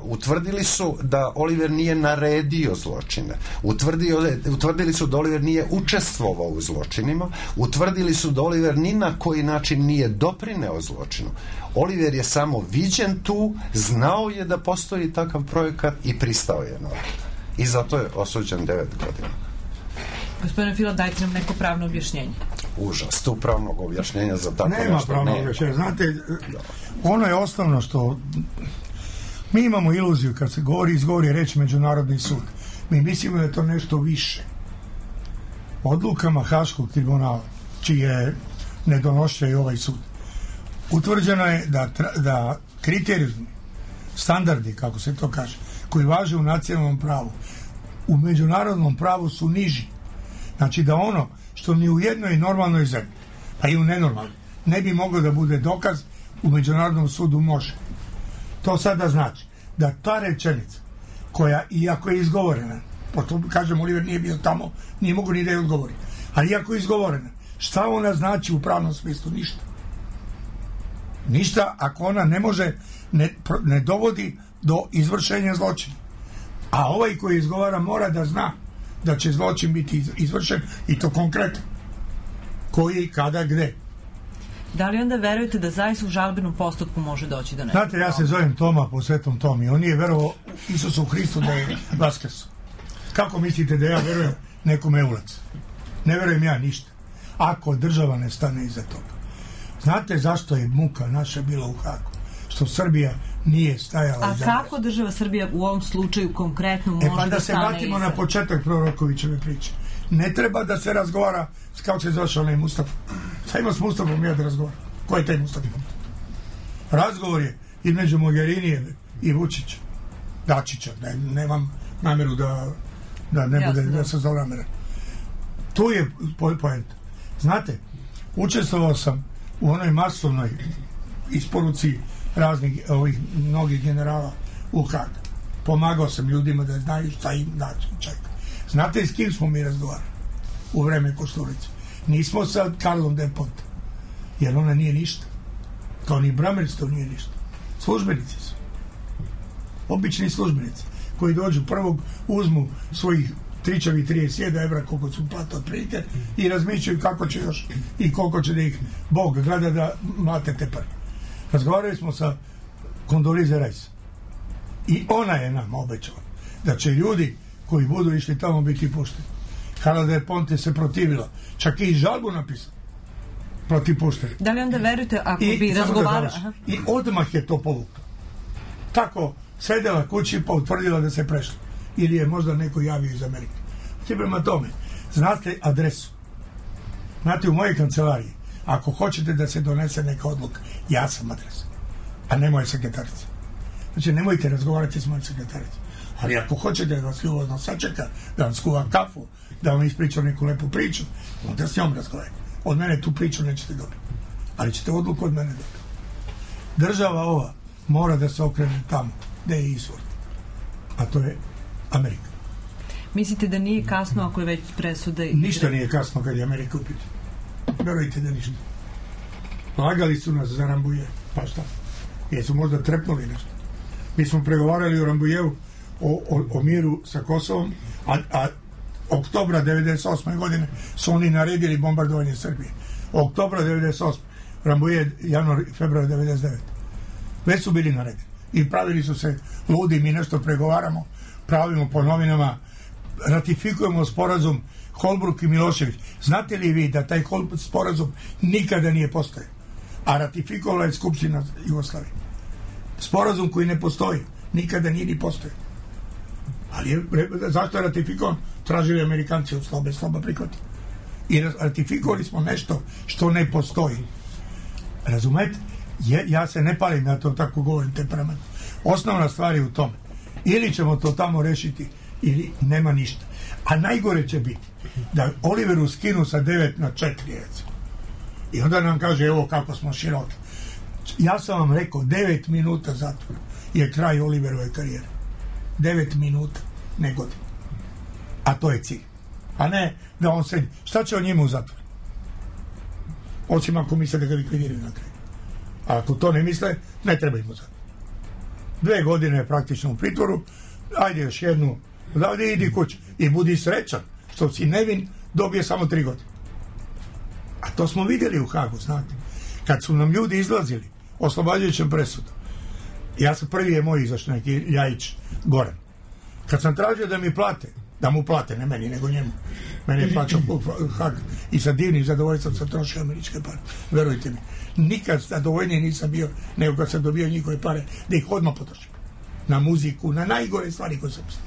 utvrdili su da Oliver nije naredio zločine, utvrdio, utvrdili su da Oliver nije učestvovao u zločinima, utvrdili su da Oliver ni na koji način nije doprineo zločinu. Oliver je samo viđen tu, znao je da postoji takav projekat i pristao je na to. I zato je osuđen devet godina. Gospodine Fila, dajte nam neko pravno objašnjenje. Užas, tu pravnog objašnjenja za tako nema nešto pravnog nema. objašnjenja. Znate, ono je osnovno što mi imamo iluziju kad se govori, izgovori reći Međunarodni sud. Mi mislimo da je to nešto više. Odlukama Haškog tribunala, čije ne donošuje i ovaj sud, utvrđeno je da, da kriterijumi, standardi, kako se to kaže, koji važe u nacionalnom pravu, u međunarodnom pravu su niži. Znači da ono što ni u jednoj normalnoj zemlji, pa i u nenormalnoj, ne bi moglo da bude dokaz, u Međunarodnom sudu može. To sada znači da ta rečenica, koja iako je izgovorena, pošto kažem Oliver nije bio tamo, nije mogu ni da je odgovori, ali iako je izgovorena, šta ona znači u pravnom smislu? Ništa. Ništa ako ona ne može, ne, ne dovodi do izvršenja zločina. A ovaj koji izgovara mora da zna da će zločin biti izvršen i to konkretno. Koji, kada, gde. Da li onda verujete da zaista u žalbenom postupku može doći do nekog? Znate, ja se zovem Toma po Svetom Tomi. On nije verovao Isusu Hristu da je vaskrso. Kako mislite da ja verujem nekome ulac? Ne verujem ja ništa. Ako država ne stane iza toga. Znate zašto je muka naša bila u Hagu? Što Srbija nije stajala A iza. A kako država Srbija u ovom slučaju konkretno može e, pa da, da se stane vratimo iza? Na početak Prorokovićeve priče. Ne treba da se razgovara kao se zvaš onaj Mustafa. Šta ima s Mustafom ja da razgovaram? Ko je taj Mustafa? Razgovor je između Mogherinije i Vučića. Dačića. Ne, nemam nameru da da ne bude da se zloramera. Tu je poenta. Znate, učestvovao sam u onoj masovnoj isporuci raznih ovih mnogih generala u Hag. Pomagao sam ljudima da znaju šta im način čeka. Znate s kim smo mi razgovarali u vreme Košturice? Nismo sa Karlom de Ponte, jer ona nije ništa. Kao ni Brameric to nije ništa. Službenici su. Obični službenici koji dođu prvog, uzmu svojih tričavi trideset jedan evra koliko su plata od prilike i razmišljaju kako će još i koliko će da ih Bog gleda da mlate te pare. Razgovarali smo sa Condoleezza Rice i ona je nam obećala da će ljudi koji budu išli tamo biti pušteni. Carla del Ponte se protivila, čak i žalbu napisala protiv puštenja. Da li onda verujete ako I, bi razgovarali? I odmah je to povukla. Tako sedela kući pa utvrdila da se prešla. Ili je možda neko javio iz Amerike. Ti prema tome, znate adresu. Znate, u mojej kancelariji, ako hoćete da se donese neka odluka, ja sam adresa, a ne moja sekretarica. Znači, nemojte razgovarati s mojom sekretaricom. Ali ako hoćete da vas ljubazno sačeka, da vam skuva kafu, da vam ispriča neku lepu priču, onda s njom razgovarajte. Od mene tu priču nećete dobiti. Ali ćete odluku od mene dobiti. Država ova mora da se okrene tamo gde je izvor. A to je Amerika. Mislite da nije kasno ako je već presuda? I... Ništa nije kasno kad je Amerika u pitanju. Verujte da ništa. Lagali su nas za Rambuje. Pa šta? Jesu možda trepnuli nešto. Mi smo pregovarali o Rambujevu o, o, o miru sa Kosovom, a, a oktobra devedeset osme godine su oni naredili bombardovanje Srbije. Oktobra devedeset osme Rambuje, januar, februar devedeset devete Već su bili naredili. I pravili su se ludi, mi nešto pregovaramo, pravimo po novinama, ratifikujemo sporazum Holbruk i Milošević. Znate li vi da taj sporazum nikada nije postojao? A ratifikovala je Skupština Jugoslavije. Sporazum koji ne postoji, nikada nije ni postojao. Ali je, zašto je ratifikovan? Tražili Amerikanci od slobe, sloba prihvati. I ratifikovali smo nešto što ne postoji. Razumete? Je, ja se ne palim na to, tako govorim temperament. Osnovna stvar je u tome. Ili ćemo to tamo rešiti, ili nema ništa. A najgore će biti da Oliveru skinu sa devet na četiri, recimo. I onda nam kaže, evo kako smo široki. Ja sam vam rekao, devet minuta zatvora je kraj Oliverove karijere. Devet minuta, ne godina. A to je cilj. A ne da on sedi. Šta će on njima u zatvoru? Osim ako misle da ga likvidiraju na kraju. A ako to ne misle, ne treba im u zatvor. dve godine praktično u pritvoru, ajde još jednu, odavde idi kući i budi srećan, što si nevin, dobije samo tri godine. A to smo vidjeli u Hagu, znate. Kad su nam ljudi izlazili oslobađajućem presudu, ja sam prvi je moj izašao neki Ljajić Goran. Kad sam tražio da mi plate, da mu plate, ne meni, nego njemu. Meni je plaćao Hag i sa divnim zadovoljstvom sam trošio američke pare. Verujte mi. Nikad zadovoljniji nisam bio nego kad sam dobio njihove pare da ih odmah potrošim. Na muziku, na najgore stvari koje sam mislio.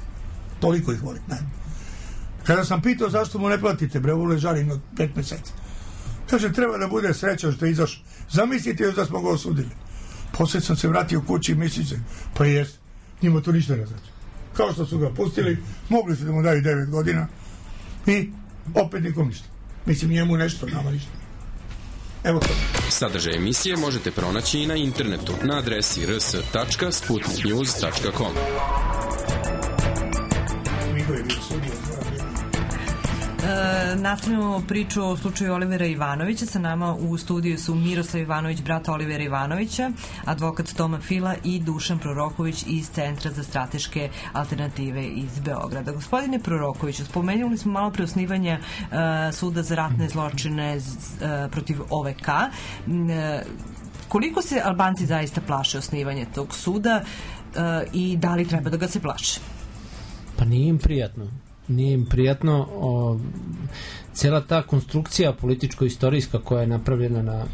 Toliko ih volim. Ne. Kada sam pitao zašto mu ne platite, bre, u ležarim od pet mjeseca. Kaže, treba da bude srećan što je izašao. Zamislite još da smo ga osudili. Poslije sam se vratio kući i misli se, pa jest, njima to ništa ne znači. Kao što su ga pustili, mogli su da mu daju devet godina i opet nikom ništa. Mislim, njemu nešto, nama ništa. Evo to. Sadržaj emisije možete pronaći i na internetu na adresi r s tačka sputnik news tačka com. E, nastavljamo priču o slučaju Olivera Ivanovića. Sa nama u studiju su Miroslav Ivanović, brat Olivera Ivanovića, advokat Toma Fila i Dušan Proroković iz Centra za strateške alternative iz Beograda. Gospodine Prorokoviću, spomenuli smo malo pre osnivanja e, suda za ratne zločine z, e, protiv O V K. E, koliko se Albanci zaista plaše osnivanja tog suda e, i da li treba da ga se plaše? Pa nije im prijatno. Nije im prijatno. O, cijela ta konstrukcija političko-istorijska koja je napravljena na,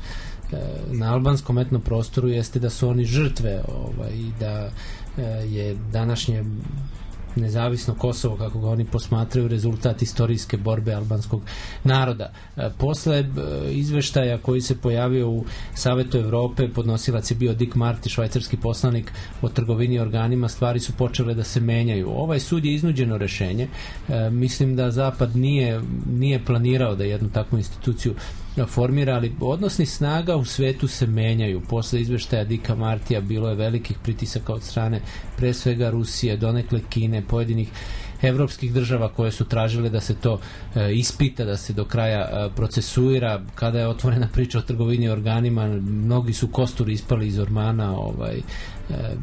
na albanskom etnom prostoru jeste da su oni žrtve ovaj, i da je današnje nezavisno Kosovo, kako ga oni posmatraju, rezultat istorijske borbe albanskog naroda. E, posle e, izveštaja koji se pojavio u Savetu Evrope, podnosilac je bio Dick Marty, švajcarski poslanik o trgovini organima, stvari su počele da se menjaju. Ovaj sud je iznuđeno rešenje. E, mislim da Zapad nije, nije planirao da jednu takvu instituciju formira, ali odnosni snaga u svetu se menjaju. Posle izveštaja Dicka Martija bilo je velikih pritisaka od strane pre svega Rusije, donekle Kine, pojedinih evropskih država koje su tražile da se to e, ispita, da se do kraja e, procesuira. Kada je otvorena priča o trgovini organima, mnogi su kosturi ispali iz ormana, ovaj, e,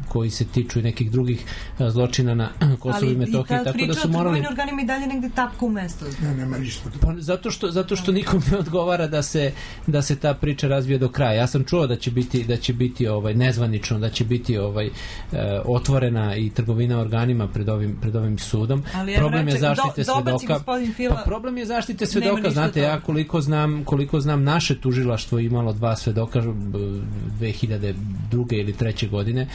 koji se tiču i nekih drugih e, zločina na Kosovu i Metohiji. Ali i ta priča o trgovini organima i dalje negde tapka u mestu. Ne, nema ništa. Pa, zato što, zato što nikom ne odgovara da se, da se ta priča razvije do kraja. Ja sam čuo da će biti, da će biti ovaj, nezvanično, da će biti ovaj, e, otvorena i trgovina organima pred ovim, pred ovim sudom. Ali problem reče, je zaštite do, svedoka. Fila, pa problem je zaštite svedoka. Znate, ja koliko znam, koliko znam naše tužilaštvo imalo dva svedoka dve hiljade druge ili treće godine.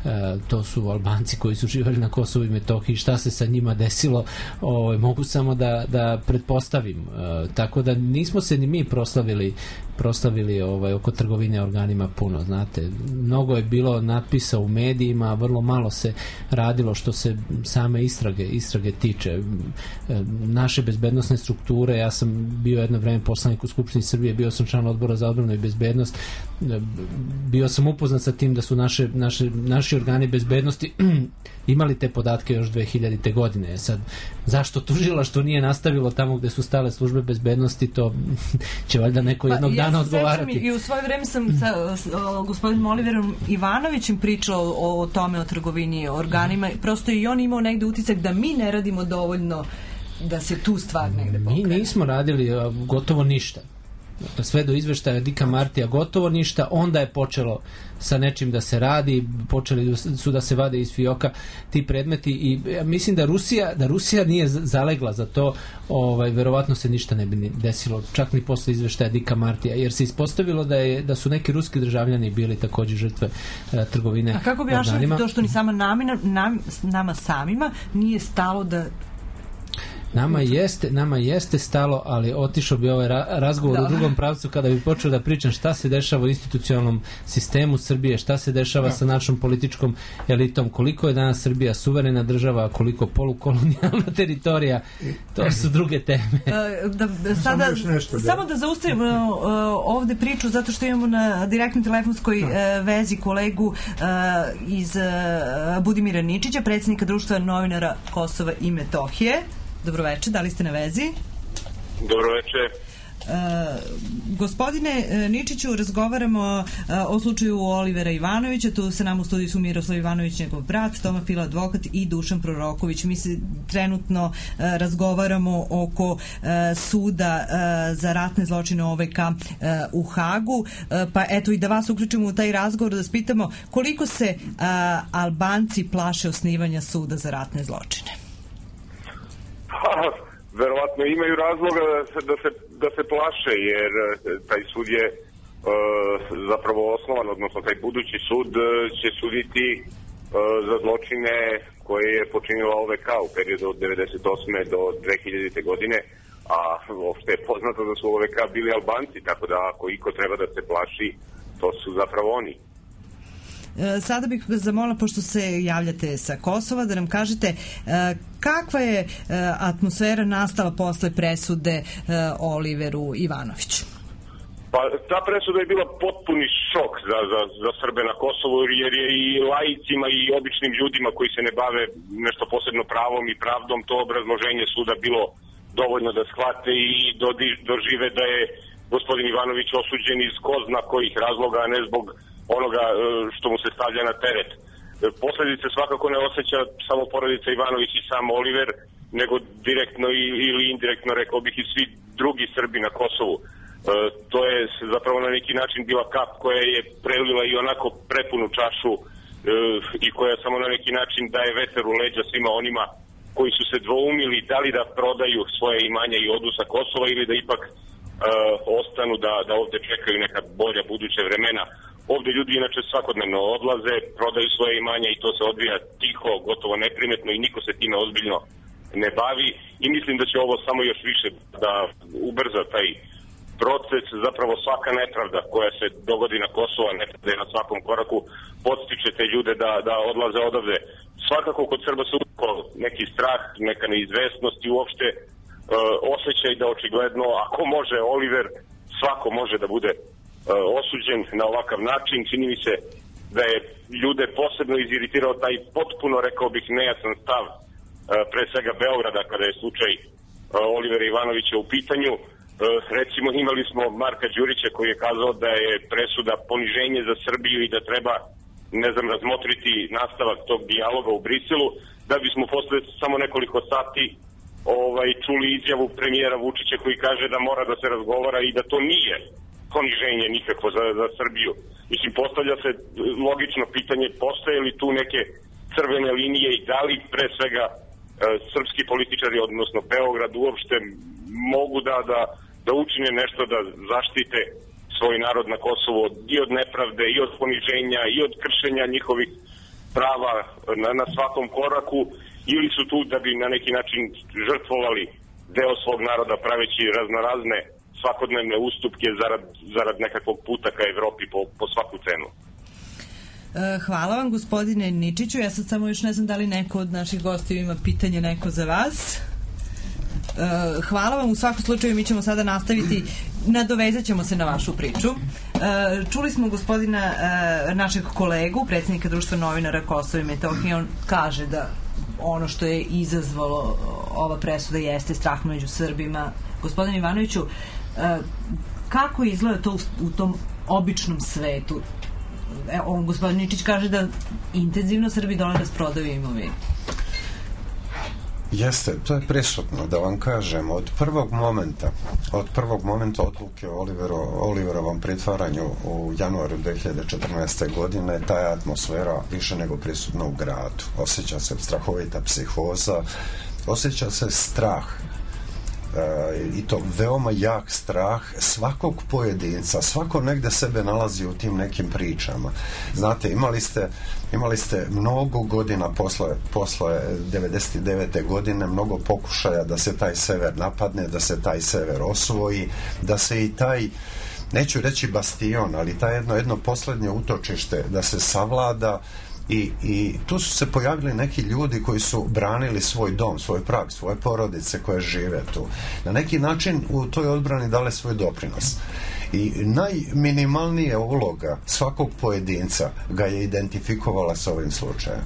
E, to su Albanci koji su živjeli na Kosovu i Metohiji. Šta se sa njima desilo, o, mogu samo da, da pretpostavim. E, tako da nismo se ni mi proslavili proslavili ovaj, oko trgovine organima puno, znate. Mnogo je bilo natpisa u medijima, vrlo malo se radilo što se same istrage, istrage tiče. E, naše bezbednosne strukture, ja sam bio jedno vreme poslanik u Skupštini Srbije, bio sam član odbora za odbranu i bezbednost, e, bio sam upoznat sa tim da su naše, naše, naši organi bezbednosti imali te podatke još dve hiljadite godine. Sad, zašto tužilaštvo nije nastavilo tamo gde su stale službe bezbednosti, to će valjda neko jednog pa, dana ja odgovarati. I u svoje vreme sam sa, sa gospodinom Oliverom Ivanovićem pričao o, o tome, o trgovini organima. Prosto i on imao negde utisak da mi ne radimo dovoljno da se tu stvar negde pokrene. Mi nismo radili gotovo ništa. Sve do izveštaja Dicka Martija gotovo ništa, onda je počelo sa nečim da se radi, počeli su da se vade iz fioka ti predmeti i ja mislim da Rusija, da Rusija nije zalegla za to, ovaj, verovatno se ništa ne bi desilo, čak ni posle izveštaja Dicka Martija, jer se ispostavilo da, je, da su neki ruski državljani bili također žrtve e, trgovine organima. A kako bi jašali to što ni sama namina, nam, nama samima nije stalo da Nama jeste, nama jeste stalo, ali otišao bi ovaj ra- razgovor da. u drugom pravcu kada bi počeo da pričam šta se dešava u institucionalnom sistemu Srbije, šta se dešava da. sa našom političkom elitom, koliko je danas Srbija suverena država, koliko polukolonijalna teritorija, to su druge teme. Da, da, sada, nešto, da. Samo da zaustavimo uh, ovde priču, zato što imamo na direktnoj telefonskoj uh, vezi kolegu uh, iz uh, Budimira Ničića, predsjednika Društva novinara Kosova i Metohije. Dobroveče, da li ste na vezi? Dobroveče. Gospodine Ničiću, razgovaramo o slučaju Olivera Ivanovića. Tu se nam u studiju su Miroslav Ivanović, njegov brat, Toma Fila, advokat, i Dušan Proroković. Mi se trenutno razgovaramo oko suda za ratne zločine O V K u Hagu. Pa eto, i da vas uključimo u taj razgovor, da spitamo koliko se Albanci plaše osnivanja suda za ratne zločine. Verovatno imaju razloga da se, da se, da se plaše, jer taj sud je e, zapravo osnovan, odnosno taj budući sud će suditi e, za zločine koje je počinila O V K u periodu od devedeset osme do dve hiljadite godine, a uopšte je poznato da su O V K bili Albanci, tako da ako iko treba da se plaši, to su zapravo oni. Sada bih vas zamolila, pošto se javljate sa Kosova, da nam kažete kakva je atmosfera nastala posle presude Oliveru Ivanoviću? Pa ta presuda je bila potpuni šok za, za, za Srbe na Kosovu, jer je i laicima i običnim ljudima koji se ne bave nešto posebno pravom i pravdom to obrazloženje suda bilo dovoljno da shvate i dožive da je gospodin Ivanović osuđen iz ko zna kojih razloga, a ne zbog onoga što mu se stavlja na teret. Posledice svakako ne osjeća samo porodica Ivanović i sam Oliver, nego direktno ili indirektno, rekao bih, i svi drugi Srbi na Kosovu. E, to je zapravo na neki način bila kap koja je prelila i onako prepunu čašu e, i koja samo na neki način daje veter u leđa svima onima koji su se dvoumili da li da prodaju svoje imanja i odu sa Kosova ili da ipak e, ostanu da, da ovde čekaju neka bolja buduća vremena. Ovde ljudi inače svakodnevno odlaze, prodaju svoje imanja i to se odvija tiho, gotovo neprimetno i niko se time ozbiljno ne bavi i mislim da će ovo samo još više da ubrza taj proces. Zapravo svaka nepravda koja se dogodi na Kosovu, nepravda na svakom koraku, podstiče te ljude da, da odlaze odavde. Svakako kod Srba se uvijek neki strah, neka neizvesnost i uopšte e, osjećaj da očigledno ako može Oliver, svako može da bude osuđen na ovakav način. Čini mi se da je ljude posebno iziritirao taj potpuno, rekao bih, nejasan stav pre svega Beograda kada je slučaj Olivera Ivanovića u pitanju. Recimo imali smo Marka Đurića koji je kazao da je presuda poniženje za Srbiju i da treba, ne znam, razmotriti nastavak tog dijaloga u Briselu, da bismo posle samo nekoliko sati ovaj, čuli izjavu premijera Vučića koji kaže da mora da se razgovara i da to nije poniženje nikako za, za Srbiju. Mislim, postavlja se logično pitanje, postoje li tu neke crvene linije i da li pre svega e, srpski političari, odnosno Beograd uopšte mogu da, da, da učine nešto da zaštite svoj narod na Kosovu i od nepravde, i od poniženja, i od kršenja njihovih prava na, na svakom koraku, ili su tu da bi na neki način žrtvovali deo svog naroda praveći raznorazne svakodnevne ustupke zarad, zarad nekakvog puta ka Evropi po, po svaku cenu. Hvala vam, gospodine Ničiću. Ja sad samo još ne znam da li neko od naših gostiju ima pitanje neko za vas. Hvala vam. U svakom slučaju mi ćemo sada nastaviti, nadovezat ćemo se na vašu priču. Čuli smo gospodina, našeg kolegu, predsjednika Društva novinara Kosova i Metohije. On kaže da ono što je izazvalo ova presuda jeste strah među Srbima. Gospodine Ivanoviću, kako izgleda to u tom običnom svetu? On, gospodin Ničić kaže da intenzivno Srbi dole rasprodaju imovinu. Jeste, to je prisutno, da vam kažem, od prvog momenta, od prvog momenta odluke o Olivero, Oliverovom pritvaranju u januaru dve hiljade četrnaeste. godine, ta je atmosfera više nego prisutna u gradu. Osjeća se strahovita psihoza, osjeća se strah, e, i to veoma jak strah svakog pojedinca. Svako negde sebe nalazi u tim nekim pričama. Znate, imali ste imali ste mnogo godina posle, posle devedeset devete. godine, mnogo pokušaja da se taj sever napadne, da se taj sever osvoji, da se i taj, neću reći bastion, ali taj jedno, jedno poslednje utočište da se savlada. I, i tu su se pojavili neki ljudi koji su branili svoj dom, svoj prag, svoje porodice koje žive tu. Na neki način u toj odbrani dale svoj doprinos. I najminimalnija uloga svakog pojedinca ga je identifikovala sa ovim slučajem.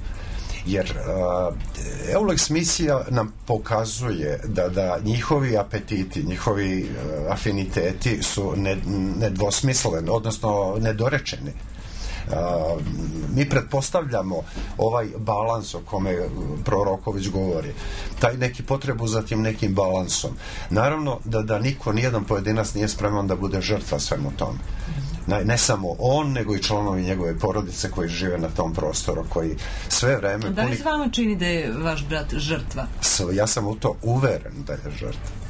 Jer a, Eulex misija nam pokazuje da, da njihovi apetiti, njihovi uh, afiniteti su ne, nedvosmisleni, odnosno nedorečeni. Uh, mi pretpostavljamo ovaj balans o kome Proroković govori, taj neki potrebu za tim nekim balansom. Naravno da, da niko, nijedan pojedinac nije spreman da bude žrtva svemu tome. Ne, ne samo on, nego i članovi njegove porodice koji žive na tom prostoru, koji sve vreme... Da li se vama čini da je vaš brat žrtva? Ja sam u to uveren da je žrtva.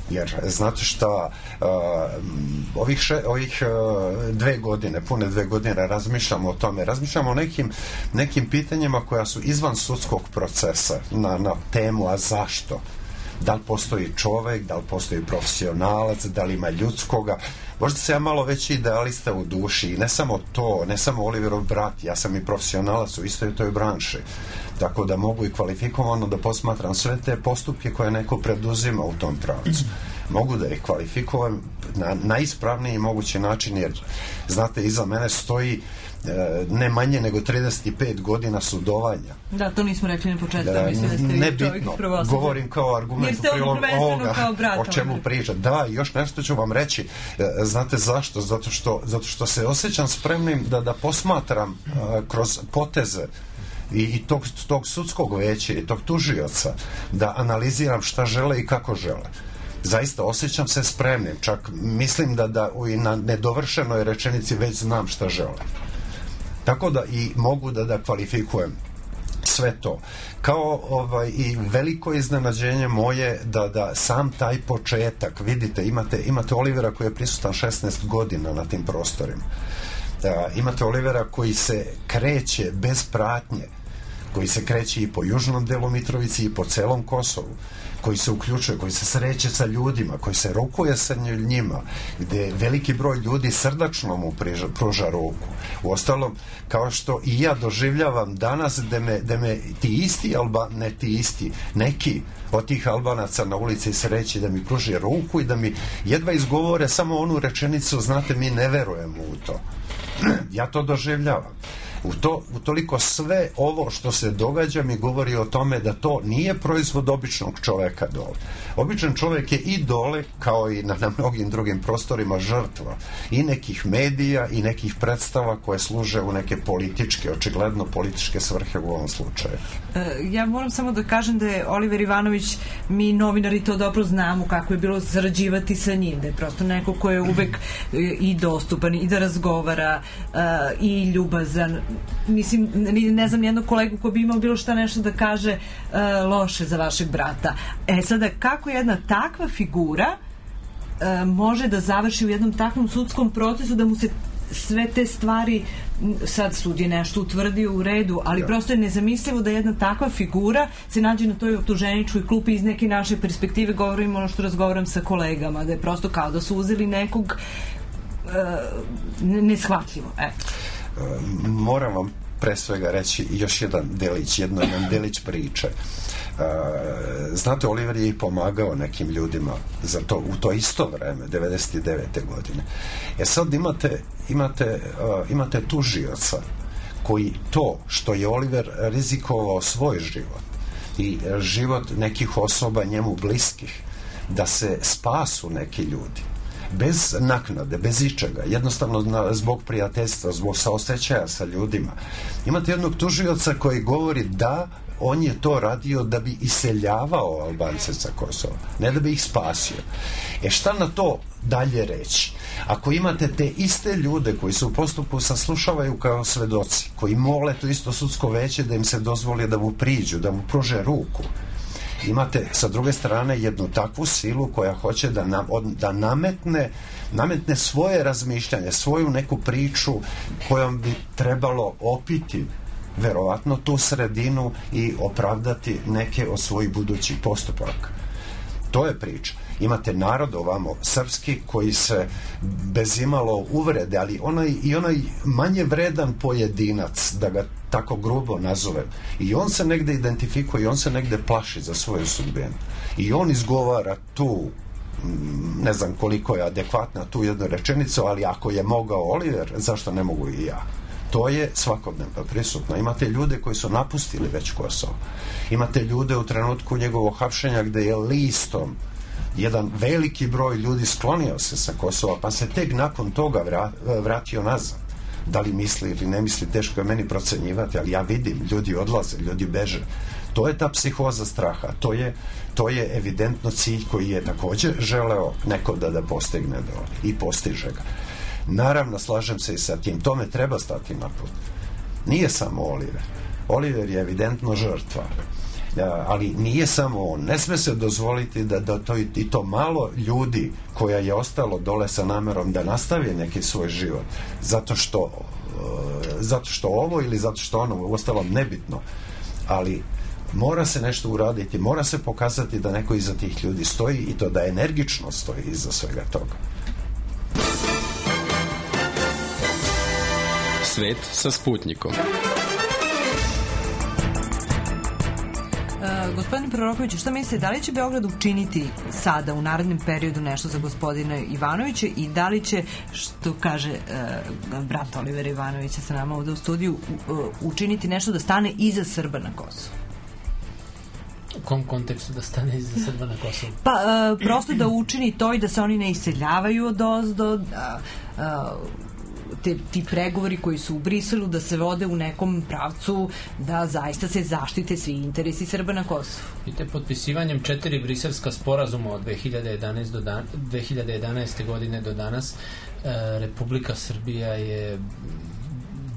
Jer, znate šta, uh, ovih, še, ovih uh, dve godine, pune dve godine razmišljamo o tome, razmišljamo o nekim, nekim pitanjima koja su izvan sudskog procesa na, na temu, a zašto? Da li postoji čovek, da li postoji profesionalac, da li ima ljudskoga. Možda se ja malo veći idealista u duši i ne samo to, ne samo Oliverov brat, ja sam i profesionalac u istoj toj branši. Tako da mogu i kvalifikovano da posmatram sve te postupke koje neko preduzima u tom pravcu. Mogu da ih kvalifikujem na najispravniji mogući način, jer znate, iza mene stoji e, ne manje nego trideset pet godina sudovanja. Da, to nismo rekli na početku. Da, mislim da ste nebitno, govorim kao argument u prilog ovoga o čemu pričam. Da, još nešto ću vam reći. E, znate zašto? Zato što, zato što se osjećam spremnim da, da posmatram e, kroz poteze i, i tog, tog sudskog veća i tog tužioca, da analiziram šta žele i kako žele. Zaista osjećam se spremnim, čak mislim da, da i na nedovršenoj rečenici već znam šta žele. Tako da i mogu da, da kvalifikujem sve to. Kao ovaj, i veliko iznenađenje moje da, da sam taj početak, vidite, imate, imate Olivera koji je prisutan šesnaest godina na tim prostorima. Da, imate Olivera koji se kreće bez pratnje, koji se kreće i po južnom delu Mitrovici i po celom Kosovu, koji se uključuje, koji se sreće sa ljudima, koji se rukuje sa njima, gde veliki broj ljudi srdačno mu priža, pruža ruku. Uostalom, kao što i ja doživljavam danas da me, da me ti isti Alba, ne ti isti, neki od tih Albanaca na ulici sreći da mi pruži ruku i da mi jedva izgovore samo onu rečenicu, znate, mi ne verujemo u to. Ja to doživljavam. U to, u toliko sve ovo što se događa mi govori o tome da to nije proizvod običnog čoveka dole. Običan čovek je i dole, kao i na, na mnogim drugim prostorima, žrtva i nekih medija i nekih predstava koje služe u neke političke, očigledno političke svrhe u ovom slučaju. Ja moram samo da kažem da je Oliver Ivanović, mi novinari to dobro znamo kako je bilo sarađivati sa njim, da je prosto neko ko je uvek i dostupan i da razgovara i ljubazan. Mislim, ne znam nijednog kolegu ko bi imao bilo šta nešto da kaže uh, loše za vašeg brata. E sada, kako jedna takva figura uh, može da završi u jednom takvom sudskom procesu da mu se sve te stvari, sad sud je nešto utvrdio u redu, ali ja. Prosto je nezamislivo da jedna takva figura se nađe na toj optuženičkoj klupi iz neke naše perspektive, govorim ono što razgovaram sa kolegama, da je prosto kao da su uzeli nekog uh, neshvatljivo. Eto. Moram vam pre svega reći još jedan delić, jedno jedan delić priče. Znate, Oliver je i pomagao nekim ljudima za to, u to isto vreme, devedeset devete godine. E sad imate, imate, imate tužioca koji to što je Oliver rizikovao svoj život i život nekih osoba njemu bliskih, da se spasu neki ljudi, bez naknade, bez ičega, jednostavno na, zbog prijateljstva, zbog saosećaja sa ljudima. Imate jednog tužioca koji govori da on je to radio da bi iseljavao Albance sa Kosova, ne da bi ih spasio. E šta na to dalje reći? Ako imate te iste ljude koji se u postupku saslušavaju kao svedoci, koji mole to isto sudsko veće da im se dozvoli da mu priđu, da mu pruže ruku, imate sa druge strane jednu takvu silu koja hoće da, nam, da nametne, nametne svoje razmišljanje, svoju neku priču kojom bi trebalo opiti verovatno tu sredinu i opravdati neke od svojih budućih postupaka. To je priča. Imate narod ovamo srpski koji se bez imalo uvrede, ali onaj, i onaj manje vredan pojedinac, da ga tako grubo nazovem, i on se negde identifikuje i on se negde plaši za svoju sudbinu. I on izgovara tu, ne znam koliko je adekvatna tu jednu rečenicu, ali ako je mogao Oliver, zašto ne mogu i ja? To je svakodnevno prisutno. Imate ljude koji su napustili već Kosovo. Imate ljude u trenutku njegovog hapšenja gde je listom jedan veliki broj ljudi sklonio se sa Kosova, pa se tek nakon toga vratio nazad. Da li misli ili ne misli, teško je meni procenjivati, ali ja vidim, ljudi odlaze, ljudi beže. To je ta psihoza straha, to je, to je evidentno cilj koji je također želeo neko da, da postigne dole i postiže ga. Naravno, slažem se i sa tim, tome treba stati na put. Nije samo Oliver. Oliver je evidentno žrtva. Ali nije samo on. Ne sme se dozvoliti da, da to i to malo ljudi koja je ostalo dole sa namerom da nastavi neki svoj život zato što zato što ovo ili zato što ono, ostalo nebitno, ali mora se nešto uraditi, mora se pokazati da neko iza tih ljudi stoji i to da energično stoji iza svega toga. Svet sa Sputnikom. Uh, gospodine Prorokoviću, šta mislite, da li će Beograd učiniti sada u narednom periodu nešto za gospodina Ivanovića i da li će, što kaže uh, brat Olivera Ivanovića sa nama ovde u studiju, uh, učiniti nešto da stane iza Srba na Kosovu? U kom kontekstu da stane iza Srba na Kosovu? Pa, uh, prosto da učini to i da se oni ne iseljavaju od ozdo, da uh, Te, ti pregovori koji su u Briselu da se vode u nekom pravcu da zaista se zaštite svi interesi Srba na Kosovu. I te potpisivanjem četiri briselska sporazuma od dve hiljade jedanaeste, do dan, dve hiljade jedanaeste godine do danas e, Republika Srbija je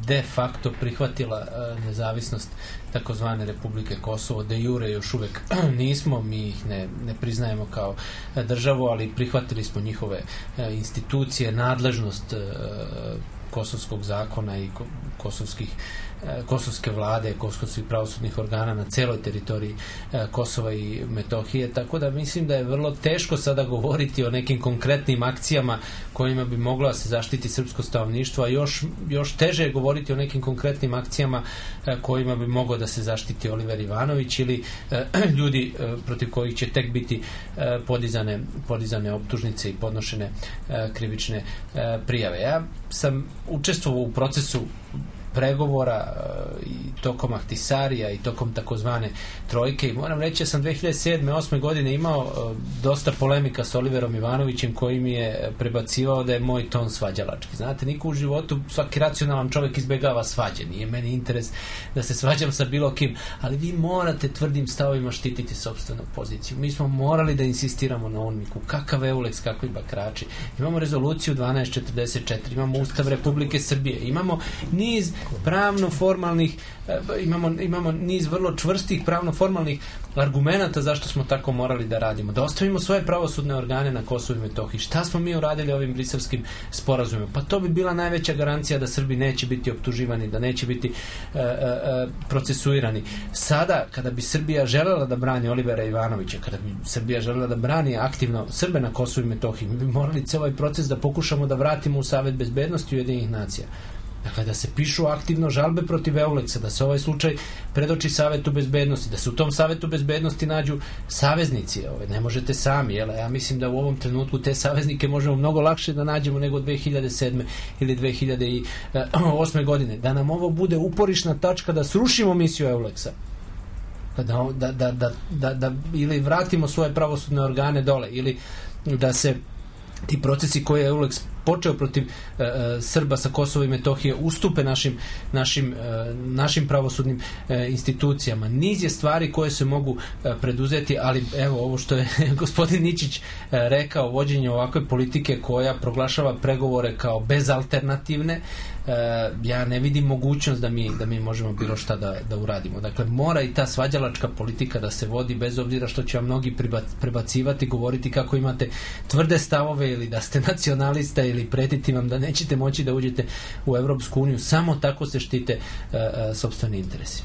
de facto prihvatila e, nezavisnost takozvane Republike Kosovo. De jure još uvek nismo, mi ih ne, ne priznajemo kao državu, ali prihvatili smo njihove e, institucije, nadležnost e, kosovskog zakona i ko, kosovskih kosovske vlade, kosovskih pravosudnih organa na celoj teritoriji e, Kosova i Metohije, tako da mislim da je vrlo teško sada govoriti o nekim konkretnim akcijama kojima bi moglo da se zaštiti srpsko stanovništvo, a još, još teže je govoriti o nekim konkretnim akcijama e, kojima bi moglo da se zaštiti Oliver Ivanović ili e, ljudi e, protiv kojih će tek biti e, podizane, podizane optužnice i podnošene e, krivične e, prijave. Ja sam učestvovao u procesu pregovora i tokom Ahtisarija i tokom takozvane trojke i moram reći da sam dve hiljade sedme osme godine imao dosta polemika s Oliverom Ivanovićem koji mi je prebacivao da je moj ton svađalački. Znate, niko u životu, svaki racionalan čovjek izbegava svađe, nije meni interes da se svađam sa bilo kim, ali vi morate tvrdim stavovima štititi sopstvenu poziciju. Mi smo morali da insistiramo na onmiku. Kakav Euleks, kakvi bakrači. Imamo rezoluciju dvanaest četrdeset četiri, imamo Ustav Republike Srbije, imamo niz pravno-formalnih, imamo, imamo niz vrlo čvrstih pravno-formalnih argumenata zašto smo tako morali da radimo. Da ostavimo svoje pravosudne organe na Kosovu i Metohiji. Šta smo mi uradili ovim briselskim sporazumima? Pa to bi bila najveća garancija da Srbi neće biti optuživani, da neće biti e, e, procesuirani. Sada, kada bi Srbija želela da brani Olivera Ivanovića, kada bi Srbija želela da brani aktivno Srbe na Kosovu i Metohiji, mi bi morali cijel ovaj proces da pokušamo da vratimo u Savet bezbednosti Ujedinjenih nacija. Dakle, da se pišu aktivno žalbe protiv Euleksa, da se ovaj slučaj predoči Savetu bezbednosti, da se u tom Savetu bezbednosti nađu saveznici. Ove, ne možete sami, jel? Ja mislim da u ovom trenutku te saveznike možemo mnogo lakše da nađemo nego dve hiljade sedme ili dve hiljade osme godine. Da nam ovo bude uporišna tačka da srušimo misiju Euleksa. Da, da, da, da, da, da ili vratimo svoje pravosudne organe dole, ili da se ti procesi koje je Euleks počeo protiv e, Srba sa Kosova i Metohije ustupe našim, našim, e, našim pravosudnim e, institucijama. Niz je stvari koje se mogu e, preduzeti, ali evo ovo što je gospodin Ničić e, rekao, vođenje ovakve politike koja proglašava pregovore kao bezalternativne, e, ja ne vidim mogućnost da mi, da mi možemo bilo šta da, da uradimo. Dakle, mora i ta svađalačka politika da se vodi bez obzira što će vam mnogi prebacivati, govoriti kako imate tvrde stavove ili da ste nacionalista ili pretiti vam da nećete moći da uđete u Evropsku uniju. Samo tako se štite uh, uh, sopstveni interesi.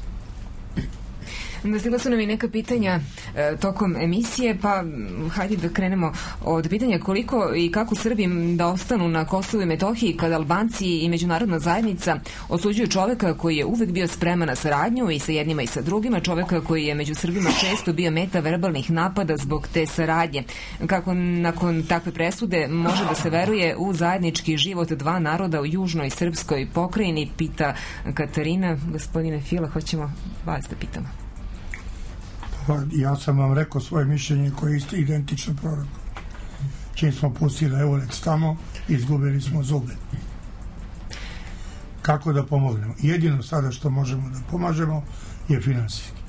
Nastigla su nam i neka pitanja e, tokom emisije, pa hajde da krenemo od pitanja koliko i kako Srbi da ostanu na Kosovu i Metohiji kada Albanci i međunarodna zajednica osuđuju čoveka koji je uvek bio spreman na saradnju i sa jednima i sa drugima, čoveka koji je među Srbima često bio meta verbalnih napada zbog te saradnje. Kako nakon takve presude može da se veruje u zajednički život dva naroda u južnoj srpskoj pokrajini, pita Katarina. Gospodine Fila, hoćemo vas da pitamo. Pa, ja sam vam rekao svoje mišljenje koje je isto identično proroku. Čim smo pustili Euleks tamo, izgubili smo zube. Kako da pomognemo? Jedino sada što možemo da pomažemo je finansijski.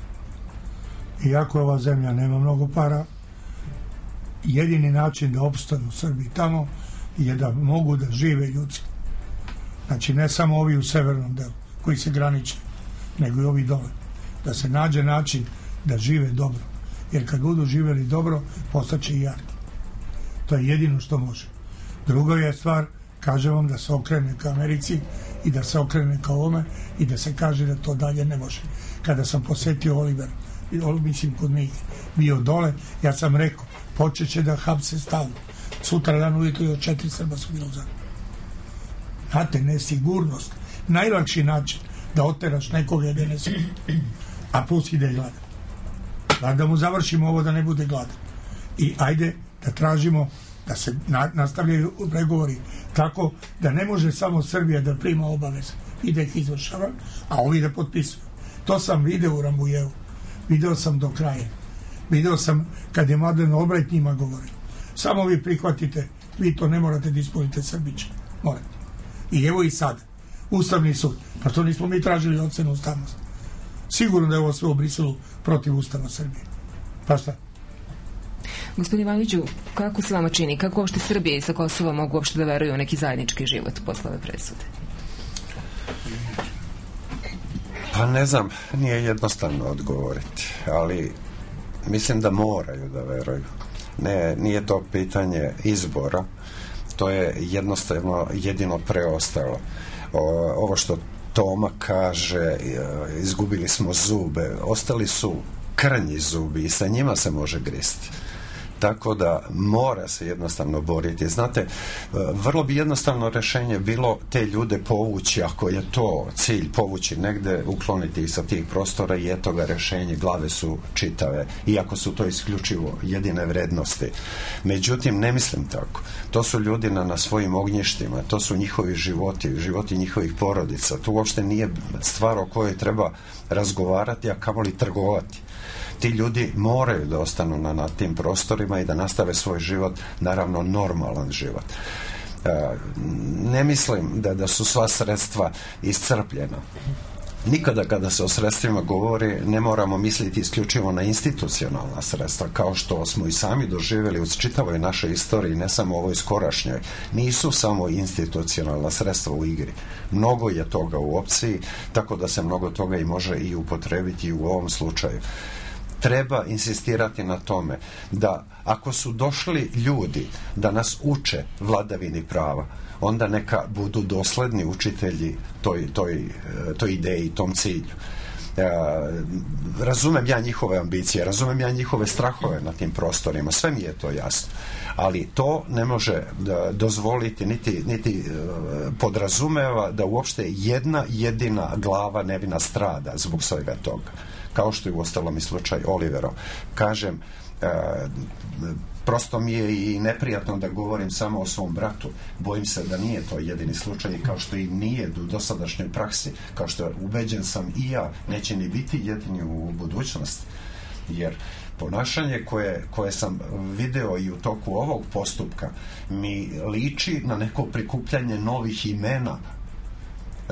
Iako ova zemlja nema mnogo para, jedini način da opstanu Srbi tamo je da mogu da žive ljudski. Znači, ne samo ovi u severnom delu koji se graniče, nego i ovi dole. Da se nađe način da žive dobro. Jer kad budu živeli dobro, postaće i jaki. To je jedino što može. Druga je stvar, kaže vam da se okrene ka Americi i da se okrene ka ovome i da se kaže da to dalje ne može. Kada sam posetio Oliver, mislim kod njih, bio dole, ja sam rekao, počeće da hapse stavno. Sutra dan ujutro i od četiri Srba su bilo za. Znate, nesigurnost. Najlakši način da oteraš nekoga je da ne sigurno. A plus ide gladan. Da mu završimo ovo da ne bude gladan. I ajde da tražimo da se na, nastavljaju pregovori tako da ne može samo Srbija da prima obaveze i da ih izvršava, a ovi da potpisuju. To sam video u Rambujevu. Video sam do kraja. Video sam kad je Madlen Albright njima govorio. Samo vi prihvatite, vi to ne morate da ispunite Srbiće. Morate. I evo i sad. Ustavni sud. Pa to nismo mi tražili ocenu ustavnosti. Sigurno da je ovo sve u Briselu protiv Ustava Srbije. Pa šta? Gospodin Ivanoviću, kako se vama čini? Kako uopšte Srbije i sa Kosova mogu uopšte da veruju u neki zajednički život posle ove presude? Pa ne znam, nije jednostavno odgovoriti, ali mislim da moraju da veruju. Ne, nije to pitanje izbora, to je jednostavno jedino preostalo. O, ovo što Toma kaže, izgubili smo zube, ostali su krnji zubi i sa njima se može gristi. Tako da mora se jednostavno boriti. Znate, vrlo bi jednostavno rešenje bilo te ljude povući, ako je to cilj, povući negde, ukloniti ih sa tih prostora i eto ga rešenje, glave su čitave, iako su to isključivo jedine vrednosti. Međutim, ne mislim tako. To su ljudi na, na svojim ognjištima, to su njihovi životi, životi njihovih porodica. To uopšte nije stvar o kojoj treba razgovarati, a kamoli trgovati. Ti ljudi moraju da ostanu na, na tim prostorima i da nastave svoj život, naravno normalan život. E, ne mislim da, da su sva sredstva iscrpljena. Nikada kada se o sredstvima govori ne moramo misliti isključivo na institucionalna sredstva, kao što smo i sami doživjeli u čitavoj našoj istoriji, ne samo ovoj skorašnjoj. Nisu samo institucionalna sredstva u igri. Mnogo je toga u opciji, tako da se mnogo toga i može i upotrebiti i u ovom slučaju. Treba insistirati na tome da ako su došli ljudi da nas uče vladavini prava, onda neka budu dosledni učitelji toj, toj, toj ideji, tom cilju. E, razumem ja njihove ambicije, razumem ja njihove strahove na tim prostorima, sve mi je to jasno. Ali to ne može da dozvoliti niti, niti podrazumeva da uopšte jedna jedina glava nevina strada zbog svega toga. Kao što je u ostalom i slučaj Oliverov. Kažem, e, prosto mi je i neprijatno da govorim samo o svom bratu. Bojim se da nije to jedini slučaj, kao što i nije u dosadašnjoj praksi, kao što ubeđen sam i ja, neće ni biti jedini u budućnosti. Jer ponašanje koje, koje sam video i u toku ovog postupka mi liči na neko prikupljanje novih imena.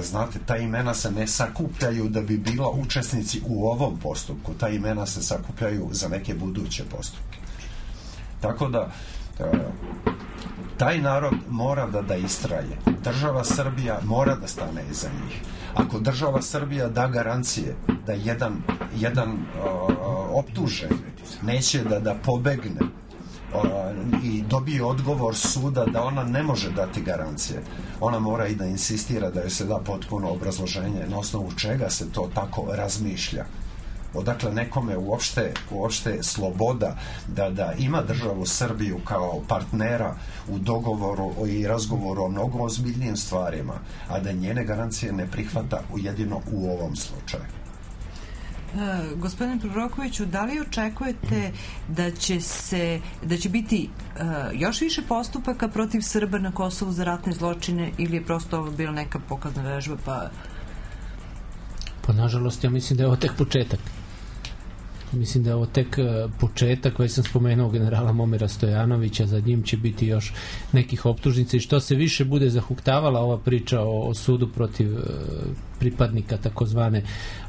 Znate, ta imena se ne sakupljaju da bi bila učesnici u ovom postupku. Ta imena se sakupljaju za neke buduće postupke. Tako da taj narod mora da da istraje. Država Srbija mora da stane iza njih. Ako država Srbija da garancije da jedan, jedan uh, optužen neće da, da pobegne uh, i dobije odgovor suda da ona ne može dati garancije, ona mora i da insistira da joj se da potpuno obrazloženje na osnovu čega se to tako razmišlja Odakle nekome uopšte, uopšte sloboda da, da ima državu Srbiju kao partnera u dogovoru i razgovoru o mnogo ozbiljnijim stvarima, a da njene garancije ne prihvata jedino u ovom slučaju. E, gospodine Prorokoviću, da li očekujete da će se da će biti e, još više postupaka protiv Srba na Kosovu za ratne zločine ili je prosto ovo bila neka pokazna vežba? Pa, pa nažalost ja mislim da je ovo tek početak. Mislim da je ovo tek početak koji sam spomenuo generala Momira Stojanovića, za njim će biti još nekih optužnica i što se više bude zahuktavala ova priča o, o sudu protiv e, pripadnika takozvane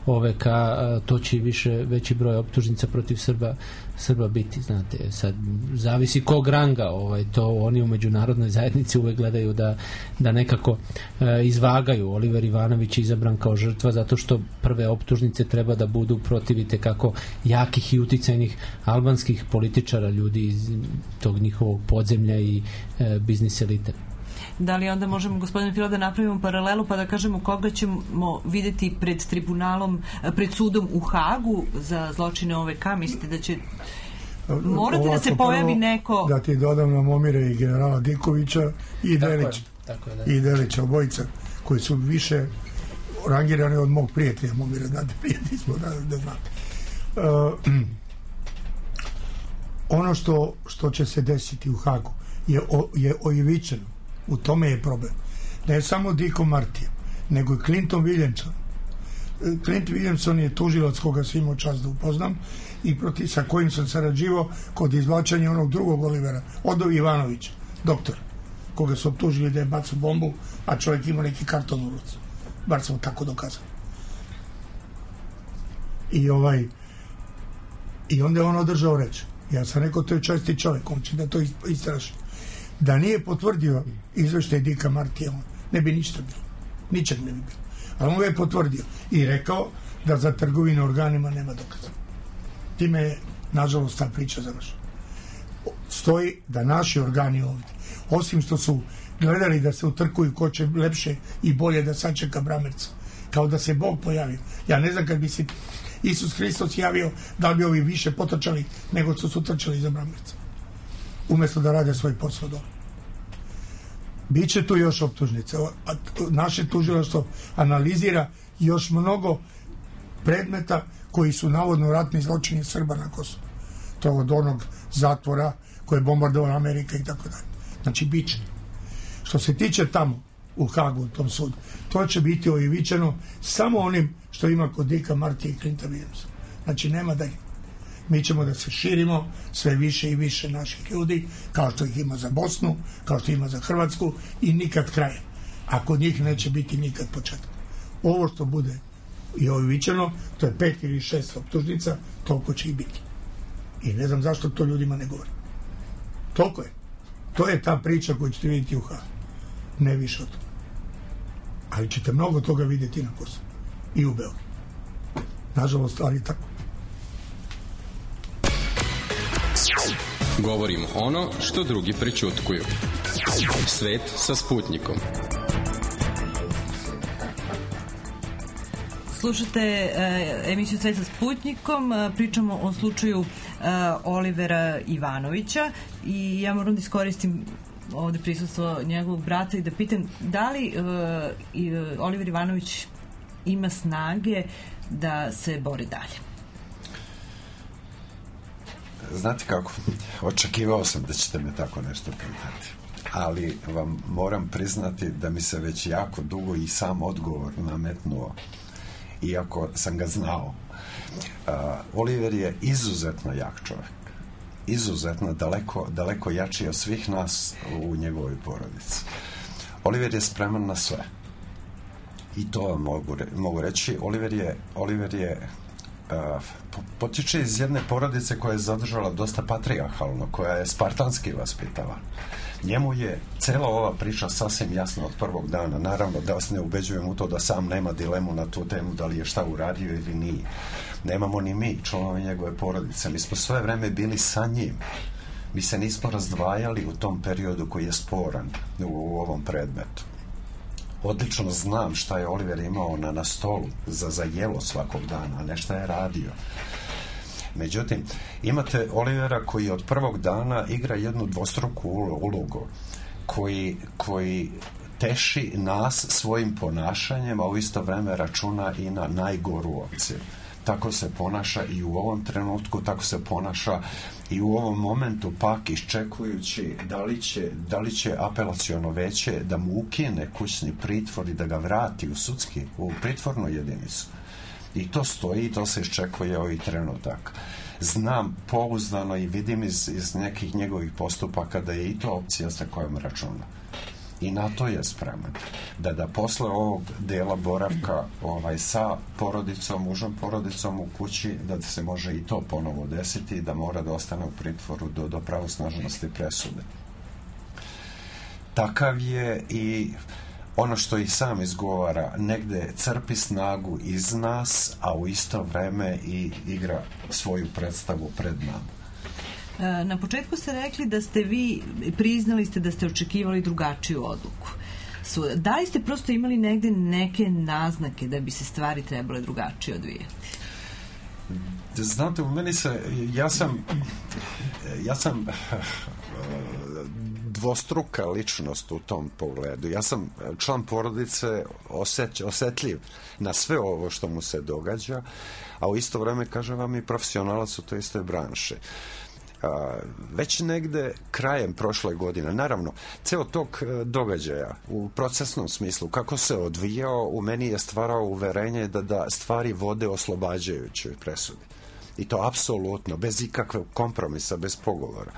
O V K, e, to će i više, veći broj optužnica protiv Srba, Srba biti, znate, sad zavisi kog ranga, ovaj, to oni u međunarodnoj zajednici uvek gledaju da, da nekako e, izvagaju. Oliver Ivanović je izabran kao žrtva zato što prve optužnice treba da budu protivite kako jakih i uticajnih albanskih političara, ljudi iz tog njihovog podzemlja i e, biznis elite. Da li onda možemo, gospodine Fila, da napravimo paralelu pa da kažemo koga ćemo videti pred tribunalom, pred sudom u Hagu za zločine O V K? Mislite da će morati ovako, da se pojavi neko... Da ti dodam na Momire i generala Dikovića i Delića. I Delića, obojica, koji su više rangirani od mog prijatelja Momira, znate, prijatelji smo, da, da znate. Uh, ono što, što će se desiti u Hagu je, o, je oivičeno. U tome je problem. Ne samo Diko Martija, nego i Clinton Williamson. Clint Williamson je tužilac koga sam imao čast da upoznam i protiv, sa kojim sam sarađivao kod izvlačanja onog drugog Olivera, Odo Ivanovića, doktor, koga su optužili da je bacao bombu, a čovjek imao neki karton u ruci. Bar sam tako dokazao. I ovaj i onda je on održao reč. Ja sam rekao, to je česti čovjek, on će da to istraži. Da nije potvrdio izveštaj Dika Martija, ne bi ništa bilo. Ničeg ne bi bilo. Ali on ga je potvrdio i rekao da za trgovinu organima nema dokaza. Time je, nažalost, ta priča završena. Stoji da naši organi ovdje, osim što su gledali da se utrkuju ko će lepše i bolje da sačeka Bramerca, kao da se Bog pojavio. Ja ne znam kad bi se Isus Hristos javio, da li bi ovi više potrčali nego što su trčali za Bramerca, umjesto da rade svoj posao dobro. Biće tu još optužnice. Naše tužilaštvo analizira još mnogo predmeta koji su navodno ratni zločini Srba na Kosovu. To od onog zatvora koje je bombardovala Amerika i tako dalje. Znači, biće. Što se tiče tamo, u Hagu, u tom sudu, to će biti oivičeno samo onim što ima kod Dika Martija i Clinta Williamsa. Znači, nema dalje. Mi ćemo da se širimo sve više i više naših ljudi, kao što ih ima za Bosnu, kao što ima za Hrvatsku i nikad kraja. A kod njih neće biti nikad početka. Ovo što bude i oivičeno, to je pet ili šest optužnica, toliko će i biti. I ne znam zašto to ljudima ne govori. Toliko je. To je ta priča koju ćete vidjeti u Hagu. Ne više od toga. Ali ćete mnogo toga vidjeti na Kosovu. I u Beogradu. Nažalost, ali tako. Govorimo ono što drugi prećutkuju. Svet sa Sputnikom. Slušate e, emisiju Svet sa Sputnikom, e, pričamo o slučaju e, Olivera Ivanovića i ja moram da iskoristim ovde prisustvo njegovog brata i da pitam da li e, i, Oliver Ivanović ima snage da se bori dalje. Znate kako, očekivao sam da ćete me tako nešto pitati, ali vam moram priznati da mi se već jako dugo i sam odgovor nametnuo, iako sam ga znao. Uh, Oliver je izuzetno jak čovjek, izuzetno daleko, daleko jači od svih nas u njegovoj porodici. Oliver je spreman na sve. I to vam mogu, re, mogu reći. Oliver je, Oliver je Uh, potiče iz jedne porodice koja je zadržala dosta patrijarhalno, koja je spartanski vaspitala. Njemu je cela ova priča sasvim jasna od prvog dana. Naravno da vas ne ubeđujem u to da sam nema dilemu na tu temu da li je šta uradio ili nije. Nemamo ni mi, članovi njegove porodice. Mi smo sve vreme bili sa njim. Mi se nismo razdvajali u tom periodu koji je sporan u, u ovom predmetu. odlično znam šta je Oliver imao na, na stolu za, za jelo svakog dana, a ne šta je radio. Međutim, imate Olivera koji od prvog dana igra jednu dvostruku ulogu, koji, koji teši nas svojim ponašanjem, a u isto vreme računa i na najgoru opciju. Tako se ponaša i u ovom trenutku, tako se ponaša i u ovom momentu, pak iščekujući da li će, da li će apelaciono veće da mu ukine kućni pritvor i da ga vrati u sudski, u pritvornu jedinicu. I to stoji i to se iščekuje ovaj trenutak. Znam pouzdano i vidim iz, iz nekih njegovih postupaka da je i to opcija sa kojom računa. I na to je spreman. Da da posle ovog dela boravka ovaj, sa porodicom, mužom porodicom u kući, da se može i to ponovo desiti i da mora da ostane u pritvoru do, do pravosnažnosti presude. Takav je i ono što i sam izgovara, negde crpi snagu iz nas, a u isto vreme i igra svoju predstavu pred nama. Na početku ste rekli da ste vi, priznali ste da ste očekivali drugačiju odluku. Da li ste prosto imali negde neke naznake da bi se stvari trebale drugačije odvijati? Znate, u meni se, ja sam ja sam dvostruka ličnost u tom pogledu. Ja sam član porodice, oseć, osetljiv na sve ovo što mu se događa, a u isto vreme, kažem vam, i profesionalac u toj istoj branši. A, već negde krajem prošle godine, naravno, ceo tog događaja u procesnom smislu, kako se odvijao, u meni je stvarao uverenje da, da stvari vode oslobađajućoj presudi. I to apsolutno, bez ikakvog kompromisa, bez pogovora.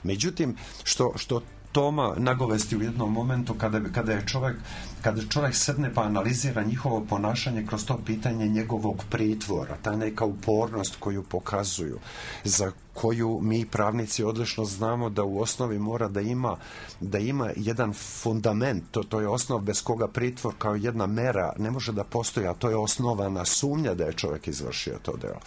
Međutim, što, što Toma nagovesti u jednom momentu kada, kada je čovjek, kada čovjek sedne pa analizira njihovo ponašanje kroz to pitanje njegovog pritvora, ta neka upornost koju pokazuju, za koju mi pravnici odlično znamo da u osnovi mora da ima, da ima jedan fundament, to, to je osnov bez koga pritvor kao jedna mera ne može da postoji, a to je osnovana sumnja da je čovjek izvršio to delo.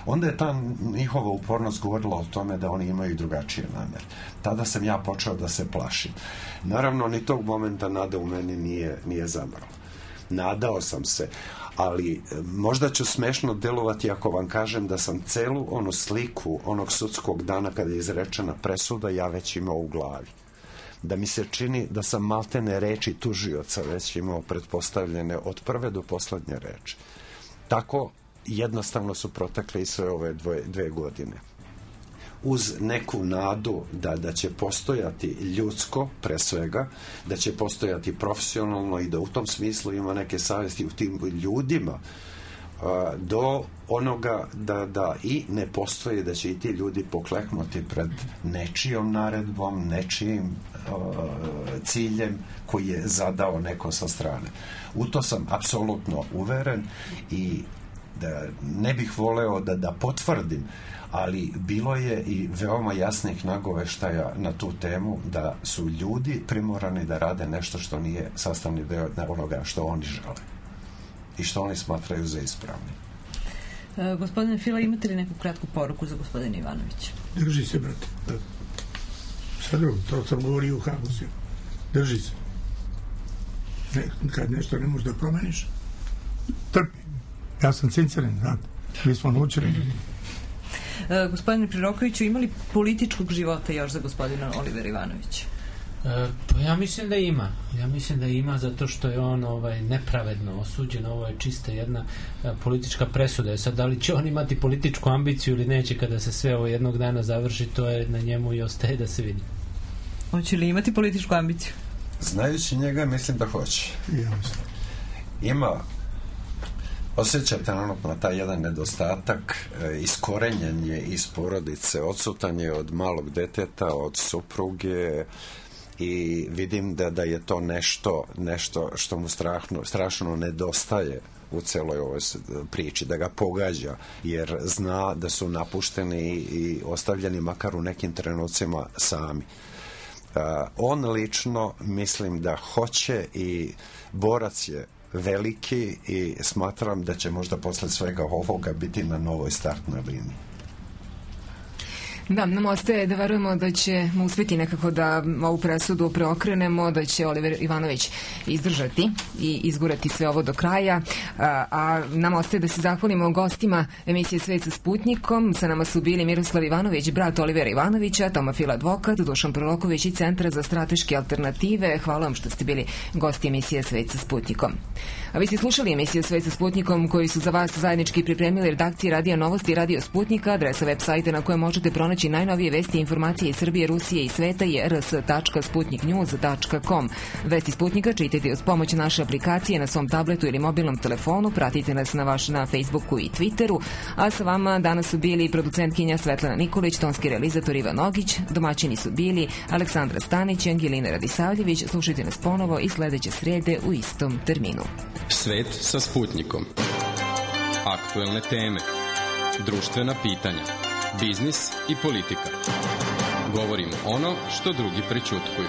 Onda je ta njihova upornost govorila o tome da oni imaju drugačije namere. Tada sam ja počeo da se plašim. Naravno, ni tog momenta nada u meni nije, nije zamrla. Nadao sam se, ali možda ću smešno delovati ako vam kažem da sam celu onu sliku onog sudskog dana kada je izrečena presuda ja već imao u glavi. Da mi se čini da sam maltene reči tužioca već imao pretpostavljene od prve do poslednje reči. Tako jednostavno su protekle i sve ove dvoje, dve godine. Uz neku nadu da, da će postojati ljudsko, pre svega, da će postojati profesionalno i da u tom smislu ima neke savjesti u tim ljudima, a, do onoga da, da i ne postoji, da će i ti ljudi pokleknuti pred nečijom naredbom, nečijim a, ciljem koji je zadao neko sa strane. U to sam apsolutno uveren i da ne bih voleo da, da potvrdim, ali bilo je i veoma jasnih nagoveštaja na tu temu da su ljudi primorani da rade nešto što nije sastavni deo onoga što oni žele i što oni smatraju za ispravni. E, gospodine Fila, imate li neku kratku poruku za gospodina Ivanovića? Drži se, brate. Sad drugo, to sam govorio u Hagu. Drži se. Ne, kad nešto ne možeš da promeniš, trpi. Ja sam sinceren, znate. Mi smo naučili. E, gospodine Prirokoviću, ima li političkog života još za gospodina Olivera Ivanovića? E, pa ja mislim da ima. Ja mislim da ima zato što je on ovaj, nepravedno osuđen. Ovo je čista jedna a, politička presuda. Sad, da li će on imati političku ambiciju ili neće kada se sve ovo jednog dana završi, to je na njemu i ostaje da se vidi. Hoće li imati političku ambiciju? Znajući njega, mislim da hoće. Ima, osjeća trenutno taj jedan nedostatak, e, iskorenjen je iz porodice, odsutan je od malog deteta, od supruge i vidim da, da je to nešto, nešto što mu strašno, strašno nedostaje u celoj ovoj priči, da ga pogađa, jer zna da su napušteni i ostavljeni makar u nekim trenucima sami. Uh, on lično mislim da hoće i borac je veliki i smatram da će možda posle svega ovoga biti na novoj startnoj liniji. Da, nam ostaje da verujemo da ćemo uspjeti nekako da ovu presudu preokrenemo, da će Oliver Ivanović izdržati i izgurati sve ovo do kraja, a, a nam ostaje da se zahvalimo gostima emisije Svet sa Sputnikom. Sa nama su bili Miroslav Ivanović, brat Olivera Ivanovića, Toma Fil advokat, Dušan Proloković i Centra za strateške alternative. Hvala vam što ste bili gosti emisije Svet sa Sputnikom. A vi ste slušali emisiju Svet sa Sputnikom koju su za vas zajednički pripremili redakcije Radija Novosti i Radio Sputnika. Adresa web sajta na kojem možete pronaći najnovije vesti i informacije iz Srbije, Rusije i sveta je r s tačka sputnik news tačka com. Vesti Sputnika čitajte uz pomoć naše aplikacije na svom tabletu ili mobilnom telefonu, pratite nas na vaš na Facebooku i Twitteru, a sa vama danas su bili producentkinja Svetlana Nikolić, tonski realizator Ivan Ogić, domaćini su bili Aleksandra Stanić i Angelina Radisavljević. Slušajte nas ponovo i sledeće srede u istom terminu. Svet sa Sputnikom. Aktuelne teme, društvena pitanja, biznis i politika. Govorimo ono što drugi prećutkuju.